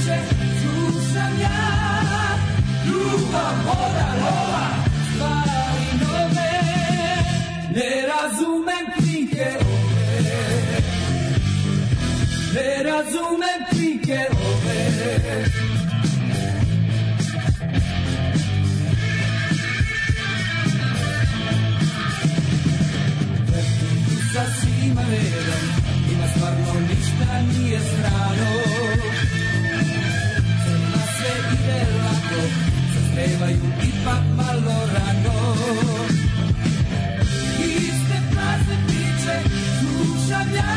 priče slušam ja, ljubav, voda, lova, stvari nove. Ne razumem knjige ove, ne razumem knjige ove. Sa svima redom, ima stvarno ništa nije strano. Svima sve ide lako, zaspevaju ipak malo rano. Iste prazne priče slušam ja,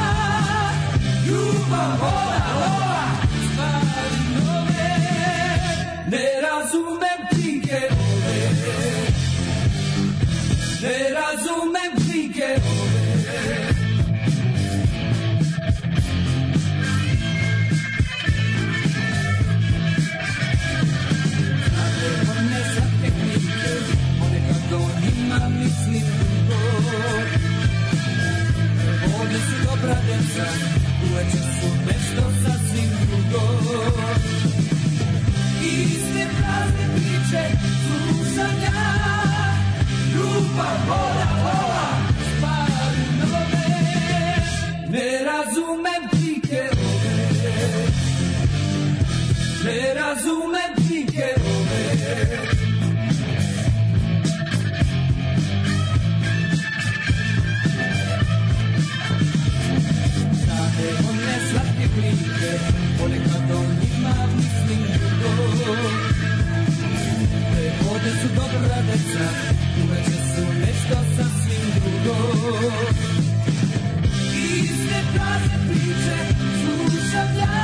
ljubav, voda, lova, stvari nove. Ne razumem knjige ove, ne razumem knjige ove. Mislim drugo, ovdje su dobra deca, uveče su nešto sasvim drugo. Iste prazne priče slušam ja, ljubav, voda, lova, stvari nove. Ne razumem knjige ove, ne razumem knjige ove. One slatke klinke, ponekad o njima mislim drugo. Te vode su dobra deca, uveče su nešto sasvim drugo. Iste prazne priče slušam ja,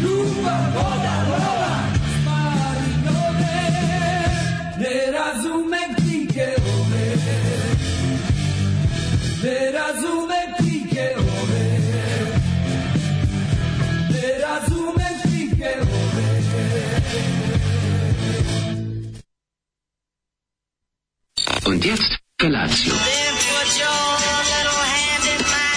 ljubav, voda, lova, stvari nove. Ne razumem knjige ove, ne razumem knjige ove. Razumem knjige ove. Und jetzt Felatio. Then put your little hand in mine.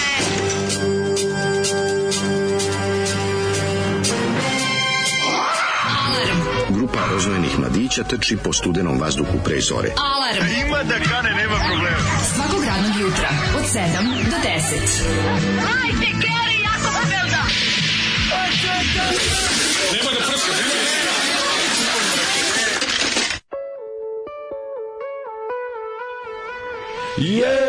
Grupa rozvojenih mladića trči po studenom vazduhu pre zore. Alarm. Ima da kane, nema problema. Svakog radnog jutra od 7 do 10. Hajde, Geri, jako se velda. Nema da prska, nema da prska. Jej!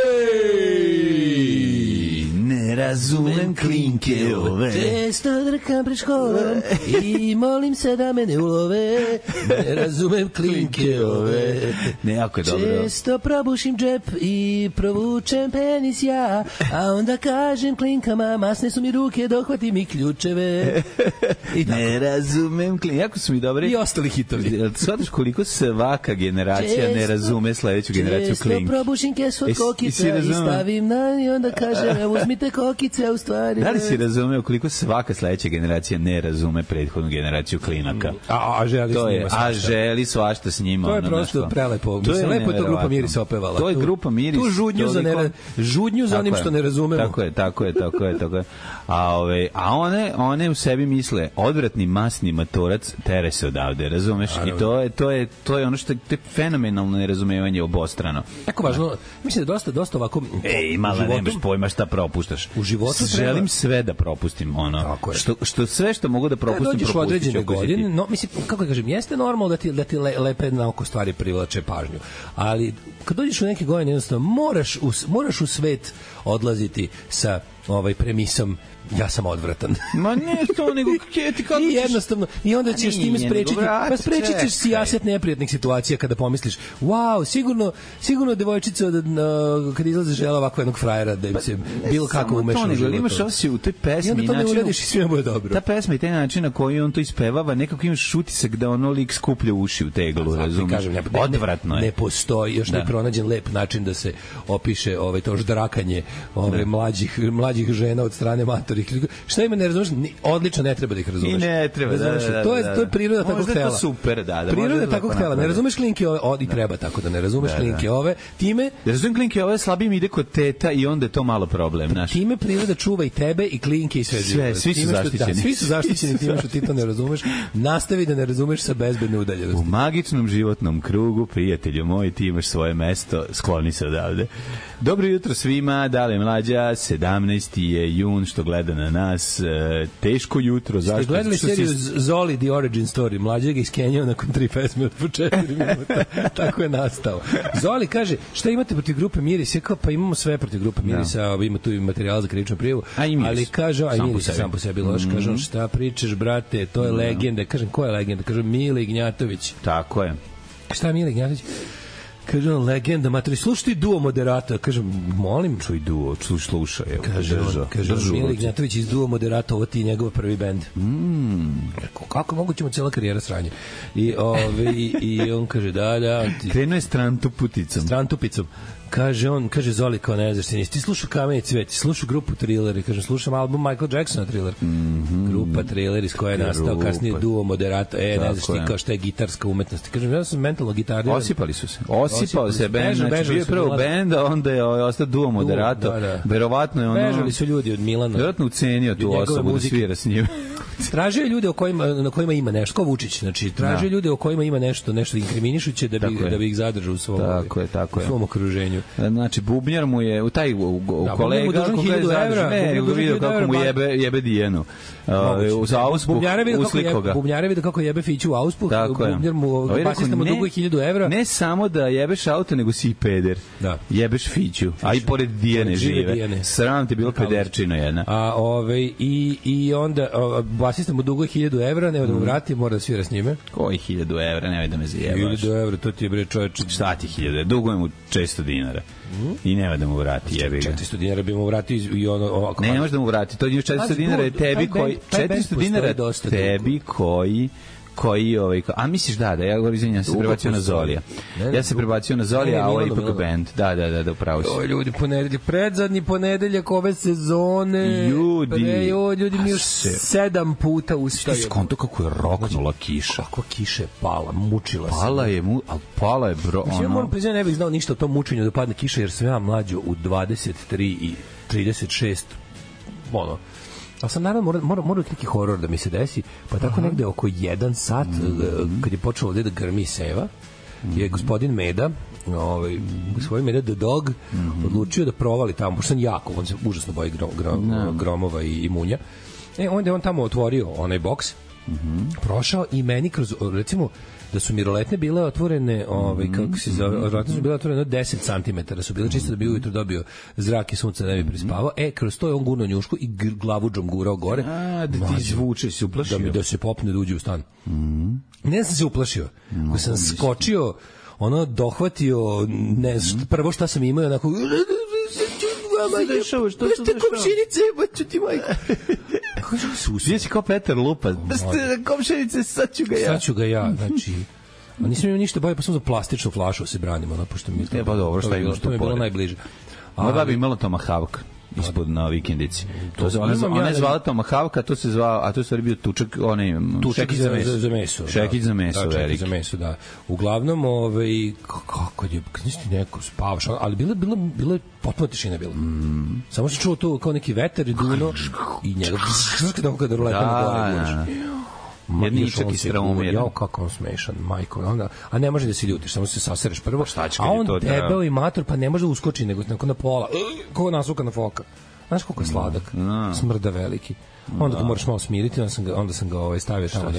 Ne razumem klinke ove. Često drkam pred školom i molim se da me ne ulove. Ne razumem klinke ove. Ne, jako je dobro. Često probušim džep i provučem penis ja, a onda kažem klinkama, masne su mi ruke, dohvatim i ključeve. I ne razumem klinke. Jako su mi dobri. I ostali hitovi. Shvataš koliko svaka generacija ne razume sledeću generaciju klinke. Često probušim kesu od kokica i stavim na i onda kažem, uzmite kokice, a u stvari... Da li si razumeo koliko svaka sledeća generacija ne razume prethodnu generaciju klinaka? A želi to s njima je, svašta. a želi svašta s njima. To je prsto prelepo. Mislim, lepo je to grupa Miris opevala. To je grupa Miris. Tu žudnju za onim što ne razumemo. Tako je. A one u sebi misle, odvratni masni matorac tere se odavde, razumeš? I to je ono što je fenomenalno nerazumevanje obostrano. Jako važno, mislim da dosta ovako... Mala, nemaš pojma šta propuštaš. U životu želim sve da propustim, ono. Što sve što mogu da propustim, propustit ću. Dođeš u određene godine, no, mislim, kako kažem, jeste normalno da ti lepe na oko stvari privlače pažnju, ali kad dođeš u neke godine, jednostavno, moraš u svet odlaziti sa premisom ja sam odvratan. Ma ne to, nego ti kako i jednostavno, i onda ćeš time sprečiti, pa sprečit ćeš sijaset neprijatnih situacija kada pomisliš, wow, sigurno devojčica kad izlaze žela ovako jednog frajera da im se bilo kako umeša u životu. Imaš osjećaj u toj pesmi, i onda to ne uradiš i sve bude dobro. Ta pesma i taj način na koji on to ispevava, nekako imaš utisak da ono lik skuplja uši u teglu, razumiješ? Odvratno je. Ne postoji, još ne pronađen lep način da se opiše to ždrakanje mlađih mlađih žena od strane matorih. Šta ima ne razumeš? Odlično, ne treba da ih razumeš. I ne treba, da. To je priroda takvog tela. Možda je to super, da. Priroda takvog tela. Ne razumeš klinke ove, i treba tako da ne razumeš klinke ove. Time... Da razumem klinke ove, slabim ide kod teta i onda je to malo problem, znaš. Time priroda čuva i tebe i klinke i sve. Svi su zaštićeni. Svi su zaštićeni time što ti to ne razumeš. Nastavi da ne razumeš sa bezbedne udaljenosti. U magičnom životnom krugu, prijatelju moj, ti imaš svoje mesto, skloni se odavde. Dobro jutro svima, Dale Mlađa, 17. je jun, što gleda na nas, teško jutro. Ste gledali seriju Zoli The Origin Story? Mlađa ga iskenjao nakon 3 pesme od po 4 minuta. Tako je nastao. Zoli kaže, šta imate protiv grupe Miris? Je kao, pa imamo sve protiv grupe Mirisa, ima tu i materijal za krivičnu prijavu, ali kaže, a Miris sam po sebi loš, kažem, šta pričaš, brate, to je legenda. Kažem, ko je legenda? Kažem, Mile Ignjatović. Tako je. Šta je Mile Ignjatović? Kaže on, legenda, matori, slušaj ti duo moderata. Kažem, molim. Čuj duo, slušaj. Kaže Mile Ignjatović iz duo moderata, ovo ti je njegov prvi bend. Kako moguće mu cijela karijera sranje? I on kaže, da. Krenuo je Strantupicom. Kaže Zoli kao ne znaš, ti slušao Kamen i cvet, ti slušao grupu Thriller, kaže slušam album Michael Jacksona Thriller. Grupa Thriller iz koje je nastao kasnije duo moderato. Ne znaš ti kao šta je gitarska umetnost. Kažem, ja sam mentalno gitarija. Osipao se bend, znači bio je prvo bend, a onda je ostao duo moderato. Verovatno je ono... Bežali su ljudi od Milana. Verovatno ucenio tu osobu da svira s njim. Tražio ljude na kojima ima nešto, kao Vučić, znači tražio ljude o kojima ima nešto inkriminišuće da bi ih zadržao u svom okruženju. Znači bubnjar mu je taj kolega vidio kako mu jebe dijenu za auspuh usliko ga. Bubnjare vidio kako jebe Fiću u auspuh, bubnjar mu basista mu duguje 1000 evra. Ne samo da jebeš auto, nego si i peder. Jebeš Fiću, a i pored Dijene žive. Sram ti bilo pederčino jedna. I onda basista mu duguje 1000 evra, nema da mu vrati, mora da svira s njime. Koji 1000 evra, nemoj da me zajebaš. 1000 evra, to ti je bre čoveče. Šta ti 1000? Dugujem mu 400 dinara. I nema da mu vrati, jebi ga. 400 dinara bi mu vratio i ono... Ne može da mu vrati, to je 400 dinara je tebi koji... 400 dinara tebi koji a misliš da ja govorim, izvinjam, ja se prebacio na Zolija. Ja se prebacio na Zolija, a ovo je ipak band. Da, upravo si. Ljudi, predzadnji ponedeljak ove sezone. Ljudi mi još 7 puta ustaju. Ti skonto kako je roknula kiša. Kako kiša je pala, mučila se. Pala je bro. Ja moram priznati, ne bih znao ništa o tom mučenju da padne kiša, jer sam ja mlađo u 23 i 36 ali sam naravno mora neki horor da mi se desi, pa tako negde oko 1 sat kad je počelo ovde da grmi seva, je gospodin Meda, gospodin Meda the Dog, odlučio da provali tamo, pošto sam jako, on se užasno boji gromova i munja. Onda je on tamo otvorio onaj boks, prošao i meni kroz, recimo, da su miroletne bile otvorene, kako se zove, miroletne su bile otvorene 10 cm, su bile čisto da bi ujutro dobio zrak i sunce da ne bi prispavao. Kroz to je on gurno njušku i glavuđom gurao gore. Da ti izvuče, se uplašio. Da se popne da uđe u stan. Ne sam se uplašio. Ko sam skočio, dohvatio, ne znam, prvo šta sam imao, onako... Što ste komšinice, baću ti majko. Gdje si kao Petar Lupa? Da ste komšinice, sad ću ga ja. Znači... A nisam imao ništa bolje, pa sam za plastičnu flašu se branim, pošto mi je pa dobro, šta imaš tu pored? To mi je bilo najbliže. Moja bi imala Tomahawk ispod na vikendici. Ona je zvala Tomahawk, a to je bio tučak, šekić za meso. Šekić za meso, veliki. Za meso, da. Uglavnom, kako je, nisi neko spavaš, ali bilo je potpuno tišina bila. Samo se čuo to kao neki vetar i duno i njega tako kada ruleta na gore. Jedničak i straumir. Jao, kako on smešan, majko. A ne može da se ljutiš, samo se sasereš prvo. A on debeo i mator, pa ne može da uskoči, nego na pola. Kako nasuka na foka. Znaš koliko je sladak? Smrda veliki. Onda ga moraš malo smiriti, onda sam ga stavio tamo.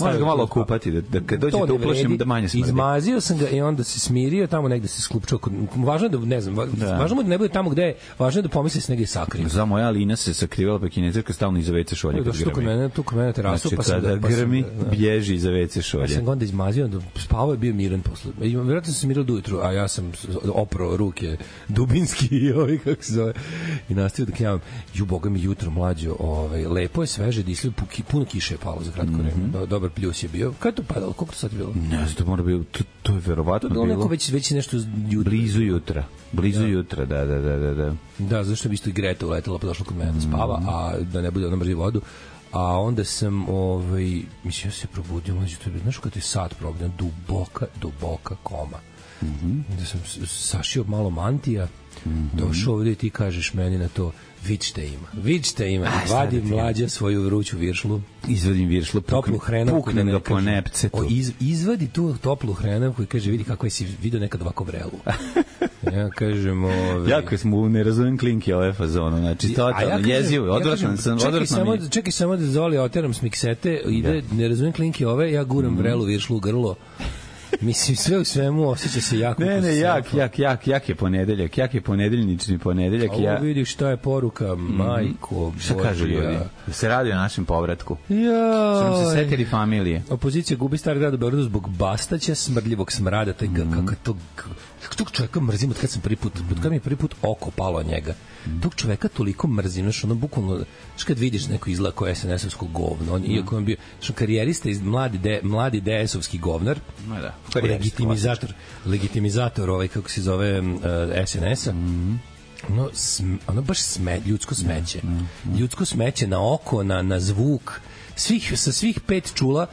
Možeš ga malo okupati, da kad dođe da uplašim da manje smrdi. Izmazio sam ga i onda se smirio, tamo negde se sklupčao. Važno je da, ne znam, važno je da ne bude tamo gde je, važno je da pomisli se negde sakrio. Za moja Lina se sakrivala, pa kinezerka stalno iza WC šolje kad grmi. Tu kod mene terasu, pa sam kada grmi, bježi iza WC šolje. Ja sam ga onda izmazio, spavao je bio miran posle. Vjerojatno sam se smirio do ujutru, a ja sam oprao ruke dubinski i kako se zove. I nastavio da knjavam. Boga mi jutro mlađo, lepo je, sveže dislio, puno kiše je palo za kratko vreme. Dobar pljus je bio. Kada je to padalo? Koliko to sad je bilo? Ne znam, to To je verovatno bilo. Neko već nešto blizu jutra. Blizu jutra, da. Da, zašto bi isto i Greta uletela pa došla kod mene da spava, a da ne bude ona mrzi vodu. A onda sam, mislim, ja se probudio, mlađe, to je, znaš kad je sad probudio, duboka koma. Da sam sašio malo mantija, došao ovdje i ti kažeš meni na to, vid šta ima. Vadim Mlađa svoju vruću viršlu. Izvadim viršlu, toplu hrenovku. Puknem ga po nepcetu. Izvadi tu toplu hrenovku i kaže, vidi kako si vidio nekad ovako vrelu. Ja kažem, jako smo, ne razumem klinke ove fazonu, znači totalno jezivo, odvratan sam. Čekaj samo da Zoli oteram s miksete, ide, ne razumem klinke ove, ja guram vrelu viršlu u grlo. Mislim, sve u svemu osjeća se jako. Ne, jak je ponedeljak, ponedeljnični ponedeljak. Ovo vidi šta je poruka, majko. Šta kažu ljudi? Da se radi o našem povratku. Sam se setili familije. Opozicija gubi Stari grad u Beogradu zbog Bastaća, smrdljivog smrada, tog čovjeka mrzim od kad mi je prvi put oko palo njega. Tog čoveka toliko mrzim, znaš, ono bukvalno, znaš kad vidiš neko izgleda kao SNS-ovsko govno, iako on bio, znaš, karijerista iz mladi DS-ovski govnar, legitimizator kako se zove SNS-a, ono baš ljudsko smeće. Ljudsko smeće na oko, na zvuk, sa svih 5 čula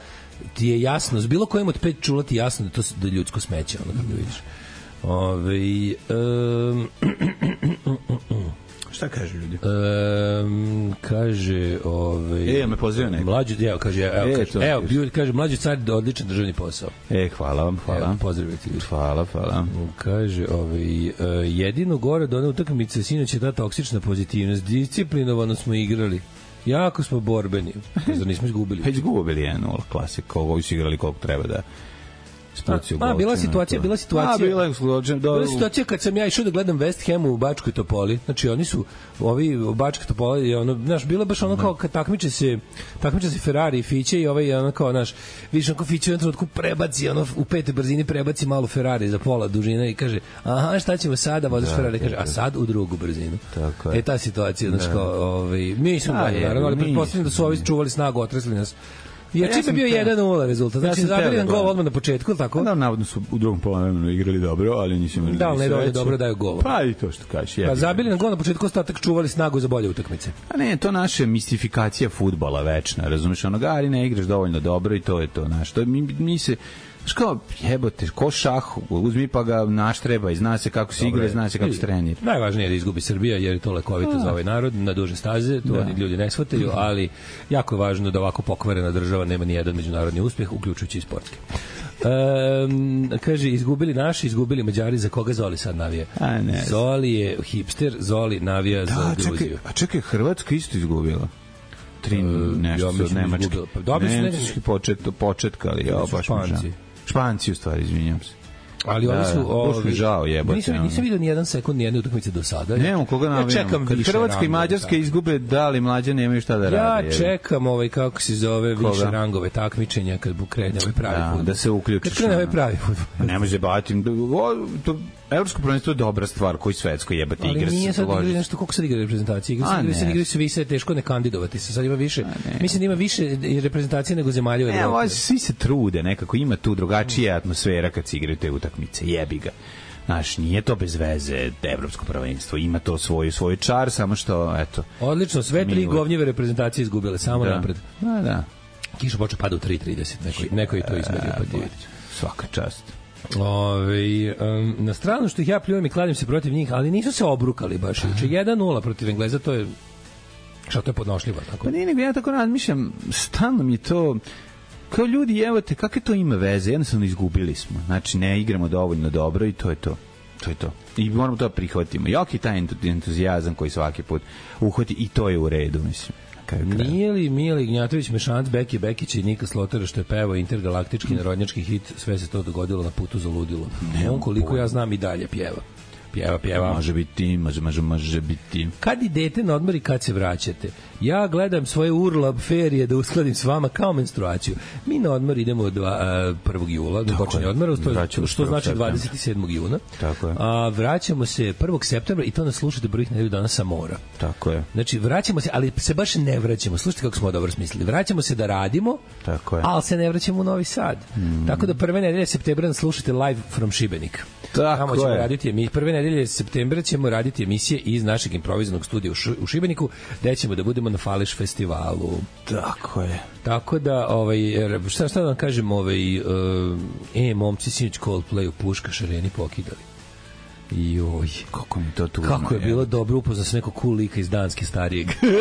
ti je jasno, s bilo kojim od 5 čula ti je jasno da to da ljudsko smeće, ono kako vidiš. Šta kaže ljudi? Kaže, me pozivio neko. Mlađi, kaže Mlađi car, odličan državni posao. Hvala vam, hvala. Pozdravite ljudi. Hvala. Kaže, jedino gore od one utakmice sinoć je ta toksična pozitivnost. Disciplinovano smo igrali. Jako smo borbeni. Zar nismo izgubili? Pa izgubili 1-0, klasik. Koliko su igrali, koliko treba da... Bila situacija kad sam ja išao da gledam West Ham u Bačkoj Topoli. Znači oni su ovi u Bačkoj Topoli, znaš, bilo baš ono kao kad takmiče se Ferrari i Fiće i ono kao, znaš, vidiš onako Fiće u jednom trenutku prebaci, u 5. brzini prebaci malo Ferrari za pola dužine i kaže, aha, šta ćemo sada, vozaš Ferrari, kaže, a sad u drugu brzinu. Ta situacija, znači kao, mi smo dalje, naravno, ali pretpostavljam da su ovi čuvali snagu, otresli nas. Jer čim je bio 1-0 rezultat, znači zabili nam gol odmah na početku, ili tako? Da, navodno su u drugom poluvremenu igrali dobro, ali nisu imali da, ne dovoljno dobro daju gol. Pa i to što kažeš. Pa zabili nam gol na početku, ostatak čuvali snagu za bolje utakmice. A ne, to naše mistifikacija fudbala večna, razumiješ, ali ne igraš dovoljno dobro i to je to, znaš, to mi se... Znaš kao, jebote, ko šah, uzmi pa ga naštreba i zna se kako se igra, zna se kako se trenira. Najvažnije je da izgubi Srbija, jer je to lekovito za ovaj narod, na duže staze, to oni ljudi ne shvataju, ali jako je važno da ovako pokvarena država nema ni jedan međunarodni uspjeh, uključujući i sportske. Kaže, izgubili naši, izgubili Mađari, za koga Zoli sad navija? Zoli je hipster, Zoli navija za Gruziju. A čekaj, Hrvatska isto izgubila. Nešto od Nemačke. Nemački početka, ali ja baš Španci u stvari, izvinjam se. Ali oni su... Baš mi žao, jebote. Nisam vidio ni jedan sekund, ni jedne utakmice do sada. Nemo koga navijam. Kad Hrvatska i Mađarska izgube, da li mlađe nemaju šta da rade? Ja čekam kako se zove više rangove takmičenja kad krene ovaj pravi fudbal. Da se uključiš. Kad krene ovaj pravi fudbal. Ne može baviti. Evropsko prvenstvo je dobra stvar, koji svetsko jebate igre. Ali nije sad igrali nešto, koliko sad igra reprezentacije? Igraju se više, teško ne kandidovati se. Sad ima više, mislim da ima više reprezentacije nego zemalja u Evropi. Ne, svi se trude, nekako ima tu drugačija atmosfera kad se igraju te utakmice, jebi ga. Znaš, nije to bez veze evropsko prvenstvo, ima to svoj čar, samo što, eto... Odlično, sve 3 govnjive reprezentacije izgubile, samo napred. Da. Kiša počeo pada u 3:30, neko je to izmerio, pa ti vidite. Svaka čast. Na stranu što ih ja pljujem i kladim se protiv njih, ali nisu se obrukali baš. 1-0 protiv Engleza, to je što to je podnošljivo. Tako? Pa nije, nego ja tako razmišljam, stalno mi je to kao ljudi, evo te, kakve to ima veze, jednostavno izgubili smo, znači ne igramo dovoljno dobro i to je to. I moramo to prihvatimo. Jok je taj entuzijazam koji svaki put uhvati i to je u redu, mislim. Nije li Mile Ignjatović mešanac Beki Bekića i Nika Slotera što je pevao intergalaktički narodnjački hit, sve se to dogodilo na putu za ludilo. On koliko ja znam i dalje pjeva Pjeva. Može biti, može biti. Kad idete na odmor i kad se vraćate? Ja gledam svoje urlab ferije da uskladim s vama kao menstruaciju. Mi na odmor idemo 1. jula, do počinje odmora, što znači 27. juna. Tako je. A vraćamo se 1. septembra i to nas slušate prvih nedelju dana sa mora. Tako je. Znači, vraćamo se, ali se baš ne vraćamo. Slušajte kako smo dobro smislili. Vraćamo se da radimo, tako je. Ali se ne vraćamo u Novi Sad. Tako da prve nedelje septembra nas slušate live from Šibenik. Tako ćemo je. raditi, prve nedelje septembra ćemo raditi emisije iz našeg improvizovanog studija u Šibeniku, gde ćemo da budemo na Fališ festivalu. Tako je. Tako da, šta da vam kažem, momci sinoć Coldplay u Puškaš areni pokidali. Joj, kako mi to tužno. Kako je bilo dobro upoznao se nekog cool lika iz Danske starijeg. I'm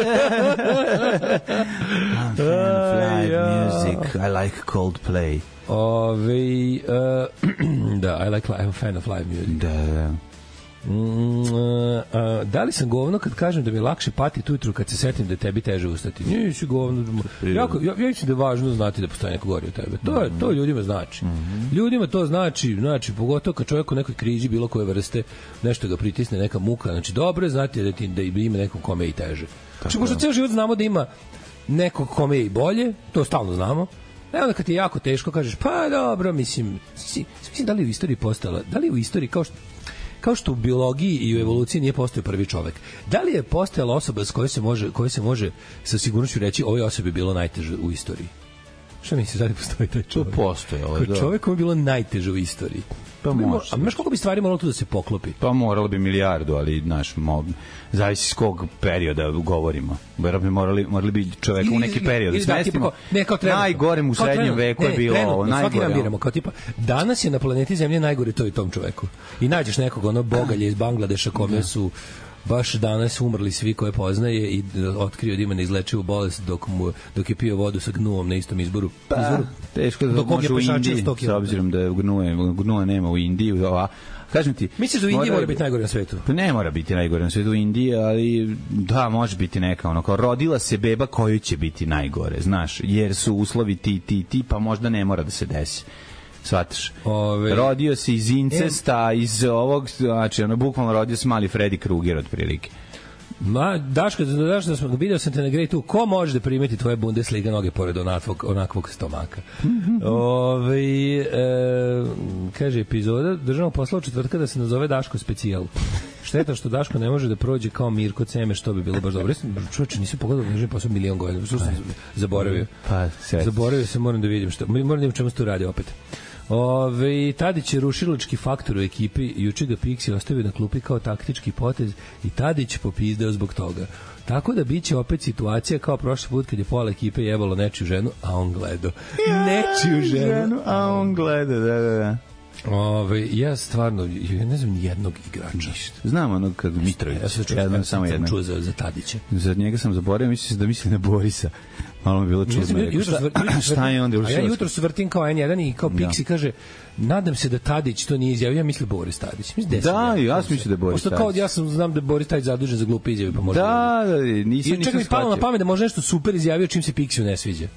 fan of live music. I like Coldplay. Da, I'm a fan of live music. Da. Da li sam govno kad kažem da mi je lakše patiti ujutru kad se setim da je tebi teže ustati? Nisi govno. Ja mislim da je važno znati da postoji neko gori od tebe. To ljudima znači. Ljudima to znači pogotovo kad čovjek u nekoj krizi bilo koje vrste nešto ga pritisne, neka muka. Znači dobro je znati da ima nekom kome je i teže. Znači možda ceo život znamo da ima nekog kome je i bolje, to stalno znamo. Onda kad ti je jako teško kažeš pa dobro, mislim da li u istoriji postala, da li u istoriji kao što u biologiji i u evoluciji nije postojao prvi čovek. Da li je postojala osoba s kojoj se može sa sigurnošću reći ovoj osobi bilo najteže u istoriji? Šta misliš, da li postoji taj čovek? To postoji, ali da. Čovek koji je bilo najteže u istoriji. Pa može. A znaš koliko bi stvari moralo tu da se poklopi? Pa moralo bi milijardu, ali zavisi s kog perioda govorimo. Morali bi čoveka u neki period smestimo. Najgorem u srednjem veku je bilo ovo. Svaki dan biramo, kao tipa, danas je na planeti Zemlje najgore to i tom čoveku. I nađeš nekog bogalje iz Bangladeša kome su baš danas umrli svi koje poznaje i otkrio da ima neizlečivu bolest dok je pio vodu sa gnuom na istom izboru. Teško da može u Indiji, s obzirom da gnua nema u Indiji. Kažem ti, misliš da u Indiji mora biti najgore na svetu? Pa ne mora biti najgore na svetu u Indiji, ali da, može biti neka kao rodila se beba koju će biti najgore, znaš, jer su uslovi ti, pa možda ne mora da se desi. Shvataš? Rodio se iz incesta, iz ovog, znači, bukvalno rodio se mali Freddy Krueger otprilike. Daško, video sam te na Great 2, ko može da primeti tvoje Bundesliga noge pored onakvog stomaka? Kaže, epizoda državnog posla u četvrtka da se nazove Daško specijal. Šteta što Daško ne može da prođe kao Mirko Ceme, što bi bilo baš dobro. Čovječe, nisam pogledao da državni posao milion godina, što sam zaboravio. Zaboravio sam, moram da vidim čemu se tu radi opet. Tadić je rušilački faktor u ekipi, juče ga Pixi ostavio na klupi kao taktički potez i Tadić popizdeo zbog toga. Tako da biće opet situacija kao prošli put kad je pola ekipe jebalo nečiju ženu, a on gledao. Nečiju ženu, a on gleda, da. Ja stvarno, ne znam nijednog igrača. Znam onog kad Mitrović. Ja sam čuo za Tadića. Za njega sam zaboravio, mislim da misli na Borisa. Malo mi bilo čudno. Šta je onda? A ja jutro vrtim kao N1 i kao Pixi kaže, nadam se da Tadić to nije izjavio, ja mislim Boris Tadić. Da, ja sam mislio da je Boris Tadić. Kao ja znam da je Boris Tadić zadužen za glupe izjave, pa možda. Da, nisam čak mi palo na pamet da može nešto super izjavio čim se Pixiju ne sviđa.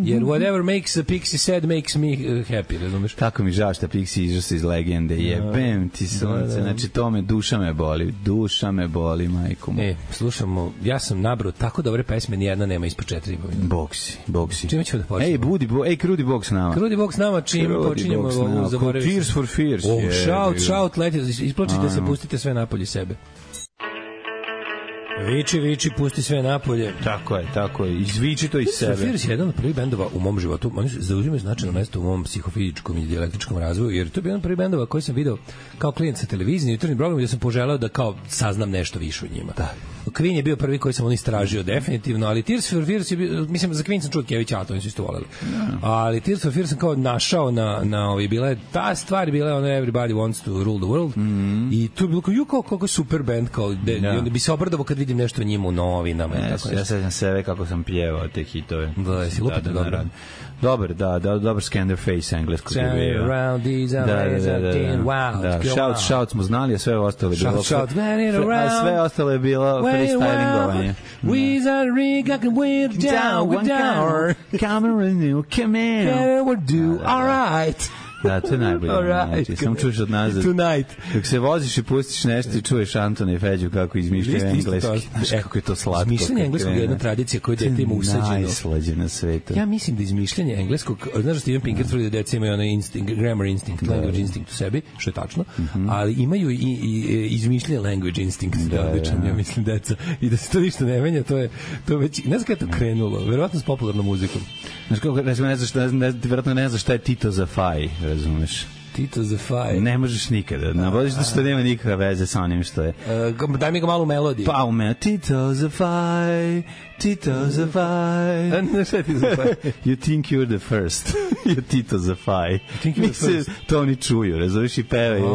Jer whatever makes a Pixi sad makes me happy, razumeš? Tako mi žao što Pixi izašao iz legende. Jebem ti sunce, znači to me, duša me boli, majko mu. Slušamo, ja sam nabrao tako dobre pesme, nijedna nema ispod 4,5 minuta. Boksi. Čime ćemo da počnemo? Krudi Boks nama. Krudi Boks nama, čim počinjemo ovu zaboraviti. Tears for Fears. Shout, letite, isplačite se, pustite sve napolje sebe. Viči, pusti sve napolje. Tako je. Izviči to iz sebe. Fears je jedan od prvih bendova u mom životu. Oni zauzimaju značajno mesto u mom psihofizičkom i dijalektičkom razvoju, jer to je jedan od prvih bendova koji sam video kao klijent sa televizije, jutarnjim programom, gde sam poželeo da kao saznam nešto više o njima. Da. Queen je bio prvi koji sam istražio definitivno, ali Tears for Fears je bio, mislim, za Queen sam čuo Kevića, to nisu isto voleli. Ali Tears for Fears sam kao našao na bila je ta stvar, bila je ono Everybody Wants to Rule the World i tu je bilo kao kako super band, kao onda bi se obradovao kad vidim nešto o njima u novinama. Ja sećam sebe kako sam pjevao te hitove. Da, si lupite dobro. Dobar Scanderface engleskog je bio. Around these wow. Shout smo znali, a sve ostalo je bilo. Sve ostalo je bilo freestylingovanje. We're down, we're down. Come on, come in. We're do all right. Da, to je najbolje. Znači, sam čuješ od nazad. Tonight. Dok se voziš i pustiš nešto i čuješ Antona i Feđu kako izmišljaju engleski. Znaš kako je to slatko. Izmišljanje engleskog je jedna tradicija koja dete ima usađeno. Najslađe na svetu. Ja mislim da izmišljanje engleskog, znaš da Steven Pinker tvrdi da deca imaju onaj grammar instinct, language instinct u sebi, što je tačno, ali imaju i izmišljanje language instinct, odličan, ja mislim, deca. I da se to ništa ne menja, to je već, ne znam kada je to krenulo, verovatno s popularnom muzikom. Znaš kako, verovatno ne znaš šta je Tito za Faj, razumeš? Tito za Faj. Ne možeš nikada. Navodiš da što nema nikakve veze sa onim što je. Daj mi ga malo u melodiji. Pa u melodiji. Tito za Faj, Tito za Faj. Ne, šta je Tito za Faj? You think you're the first. You Tito za Faj. Mislim, to oni čuju, razumiješ i pevaju.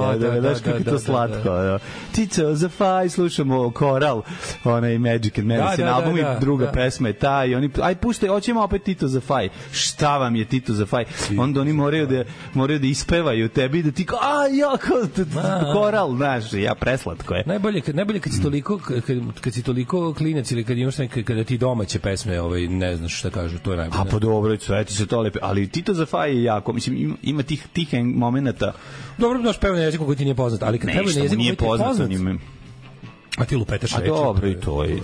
Znaš kako je to slatko. Tito za Faj, slušamo koral, onaj Magic and Medicine album i druga pesma je ta i oni, aj puštaj, hoćemo opet Tito za Faj. Šta vam je Tito za Faj? Onda oni moraju da ispevaju tebi da ti kao, koral, znaš, ja preslatko je. Najbolje kad si toliko klinac ili kad imaš kada ti domaće pesme, ne znaš šta kažu, to je najbolje. A pa dobro, sve ti se to lepe, ali Tito za Faj je jako, mislim, ima tih momenata. Dobro, znaš pevanje na jeziku koji ti nije poznat, ali kad pevanje na jeziku koji ti je poznat, a ti lupetaš reči. A dobro, i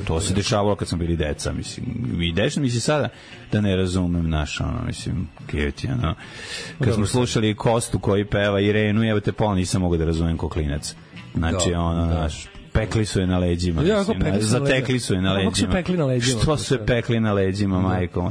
to se dešavalo kad smo bili deca, mislim. I dešava mi se sada da ne razumem mislim, kjeti, kad smo slušali Kostu koji peva Irenu, evo te nisam mogao da razumem ko klinac. Znači, naš, pekli su je na leđima. Zatekli su je na leđima. Što su je pekli na leđima, majko?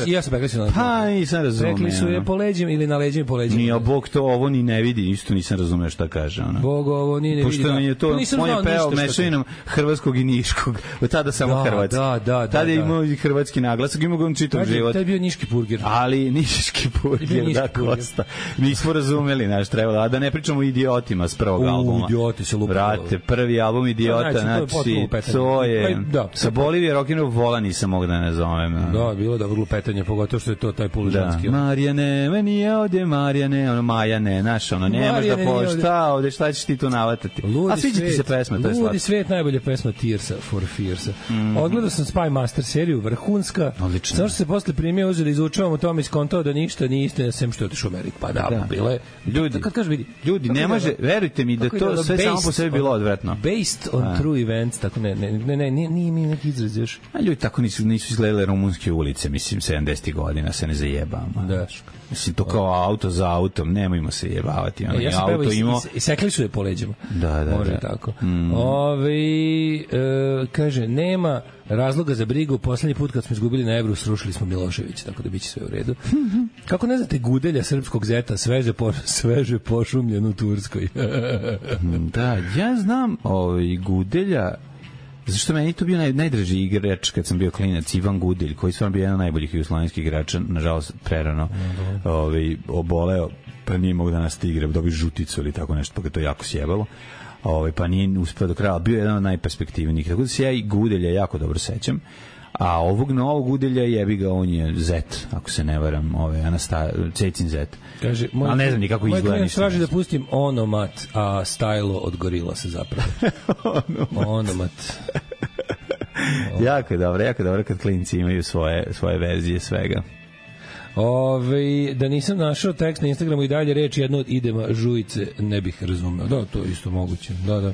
Ja sam pekli su na leđima. Pa, nisam razumeo. Pekli su je po leđima ili na leđima po leđima. Nije, Bog to ovo ni ne vidi, isto nisam razumeo šta kaže. Bog ovo ni ne vidi. Pošto je to, on je peo mešavinom hrvatskog i niškog. Tada samo hrvatski. Tada je imao i hrvatski naglasak, imao ga on čitav život. Tada je bio niški burger. Ali niški burger, da, Kosta. Nismo razumeli, trebalo. A da ne pričamo o idiotima s prvog albuma. Idioti se lupali. Prvi album Idiota, znači, to je... Sa Bolivije Rock'n'Roll Vola nisam mogu da ne zovem. Da, bilo da vrlo petanje, pogotovo što je to taj polužanski. Marijane, meni je ovdje Marijane, Majane, znaš, nemaš da pošta, ovdje šta ćeš ti to navatati. A sviđa ti se pesma, to je slatko. Ludi svet, najbolja pesma Tearsa for Fearsa. Odgledao sam Spy Master seriju, vrhunska. Odlično. Samo što se posle primio uzeli, izučavamo to, mi skontao da ništa nije istina, sem što je otišao u Ameriku. Pa da, bilo je. Ljudi, ne može, verujte mi da to sve samo po sebi bilo odvratno. Based on true events, tako nije mi neki izraz još. A ljudi tako nisu izgledale rumunske ulice, mislim, 70. godina, se ne zajebamo. Da. Mislim, to kao auto za autom, nemojmo se jebavati. Ja sam pevao i sekli su je po leđima. Da. Može tako. Kaže, nema razloga za brigu, poslednji put kad smo izgubili na Evru, srušili smo Miloševića, tako da biće sve u redu. Kako ne znate Gudelja, srpskog zeta, sveže pošumljen u Turskoj? Da, ja znam Gudelja, zašto meni to bio najdraži igrač kad sam bio klinac, Ivan Gudelj, koji stvarno bio jedan od najboljih jugoslovenskih igrača, nažalost prerano oboleo, pa nije mogu da nas igra, dobio žuticu ili tako nešto, pa ga to jako sjebalo. Pa nije uspeo do kraja, bio je jedan od najperspektivnijih, tako da se ja i Gudelja jako dobro sećam. A ovog novog Gudelja jebi ga, on je Zet, ako se ne varam, Cecin Zet. Kaže, ali ne znam ni kako izgleda. Moj klient traži da pustim Onomat, a Stajlo od Gorila se zapravo. Onomat. Jako dobro kad klinci imaju svoje verzije svega. Da nisam našao tekst na Instagramu i dalje reč jedno od idema Žujice ne bih razumeo. Da, to je isto moguće. Da.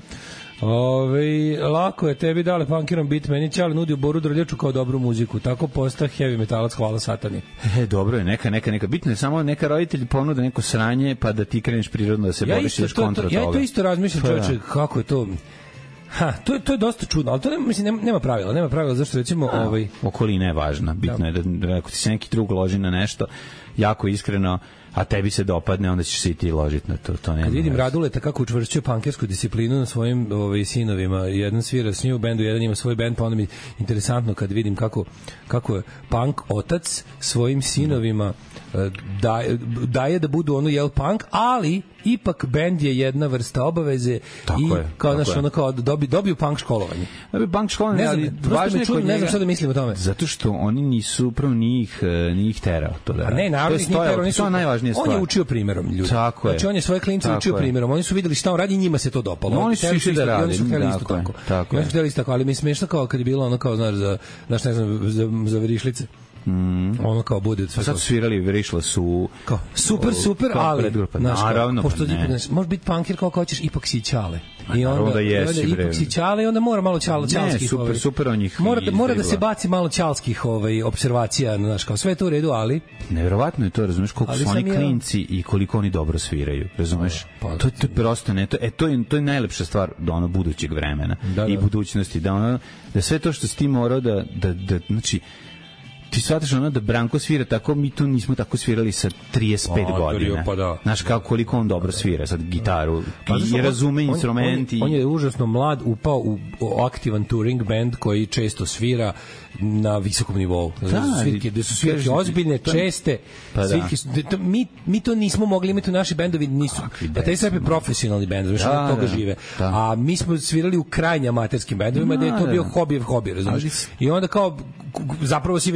Lako je tebi dale punkirom bit, meni Ćale nudio Boru Drljaču kao dobru muziku, tako posta heavy metalac, hvala satani. Dobro je, neka bitno je samo neka roditelj ponuda neko sranje pa da ti kreneš prirodno da se boriš još kontra toga. Ja to isto razmišljam, čoveče, kako je to. To je dosta čudno, ali to nema pravila, zašto recimo okolina je važna, bitno je da ako ti se neki drug loži na nešto jako iskreno, a tebi se dopadne, onda ćeš se i ti ložiti na to. Kad vidim Raduleta kako učvršćuje pankersku disciplinu na svojim sinovima, jedan svira s njim u bendu, jedan ima svoj bend, pa onda mi interesantno kad vidim kako je punk otac svojim sinovima daje da budu punk, ali ipak bend je jedna vrsta obaveze kao dobiju punk školovanje. Punk školovanje, ali važno je kod njega. Ne znam šta da mislim o tome. Zato što oni nisu, prvo njih terao to da. Ne, naravno njih terao, nisu najvažnije stvari. On je učio primjerom ljudi. Znači on je svoje klince učio primjerom. Oni su videli šta on radi i njima se to dopalo. Oni su išli da rade. Oni su hteli isto tako. Oni su hteli isto tako, ali mi je smešno kao kad je bilo ono kao, znaš, ne znam, za verišlice. Ono kao bude od svega. Sad su svirali Vrišla su... Kao, super, kao ali... predgrupa. Znaš, Naravno, pošto pa ne. Može biti punkir kao hoćeš, ipak si ćale. I naravno da jesi, bre. ipak si ćale i onda mora malo ćalskih... Super on njih mora da se baci malo ćalskih observacija, znaš, kao sve je to u redu, ali... Neverovatno je to, razumeš, koliko ali su oni klinci i koliko oni dobro sviraju, razumeš? To je prosto ne, to je najlepša stvar do ono budućeg vremena i budućnosti, da sve to što si ti morao da znači, ti shvataš ono da Branko svira tako, mi to nismo tako svirali sa 35 godina. Znaš koliko on dobro svira sad gitaru i razume instrumenti. On je užasno mlad, upao u aktivan touring band koji često svira na visokom nivou. Da su svirke ozbiljne, česte. Svirke, mi to nismo mogli imati u naši bendovi, nisu. A taj sve je profesionalni bend, znači od toga žive. A mi smo svirali u krajnje amaterskim bendovima gde je to bio hobi, razumiješ? I onda kao zapravo si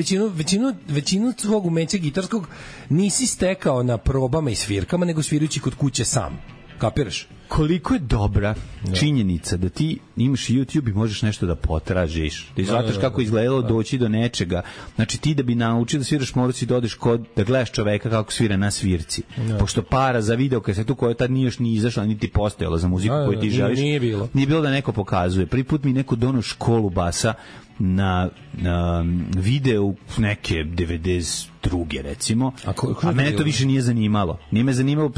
većinu svog umeća gitarskog nisi stekao na probama i svirkama, nego svirajući kod kuće sam. Kapiraš? Koliko je dobra činjenica da ti imaš YouTube i možeš nešto da potražiš. Ti shvataš kako izgledalo doći do nečega. Znači ti da bi naučio da sviraš morao si da odeš da gledaš čoveka kako svira na svirci. Pošto para za video kasetu koja tad nije još ni izašla, niti postojala za muziku koju ti želiš. Nije bilo. Nije bilo da neko pokazuje. Prvi put mi neko doneo školu basa na videu neke 92. recimo, a mene to više nije zanimalo. Nije me zanimalo,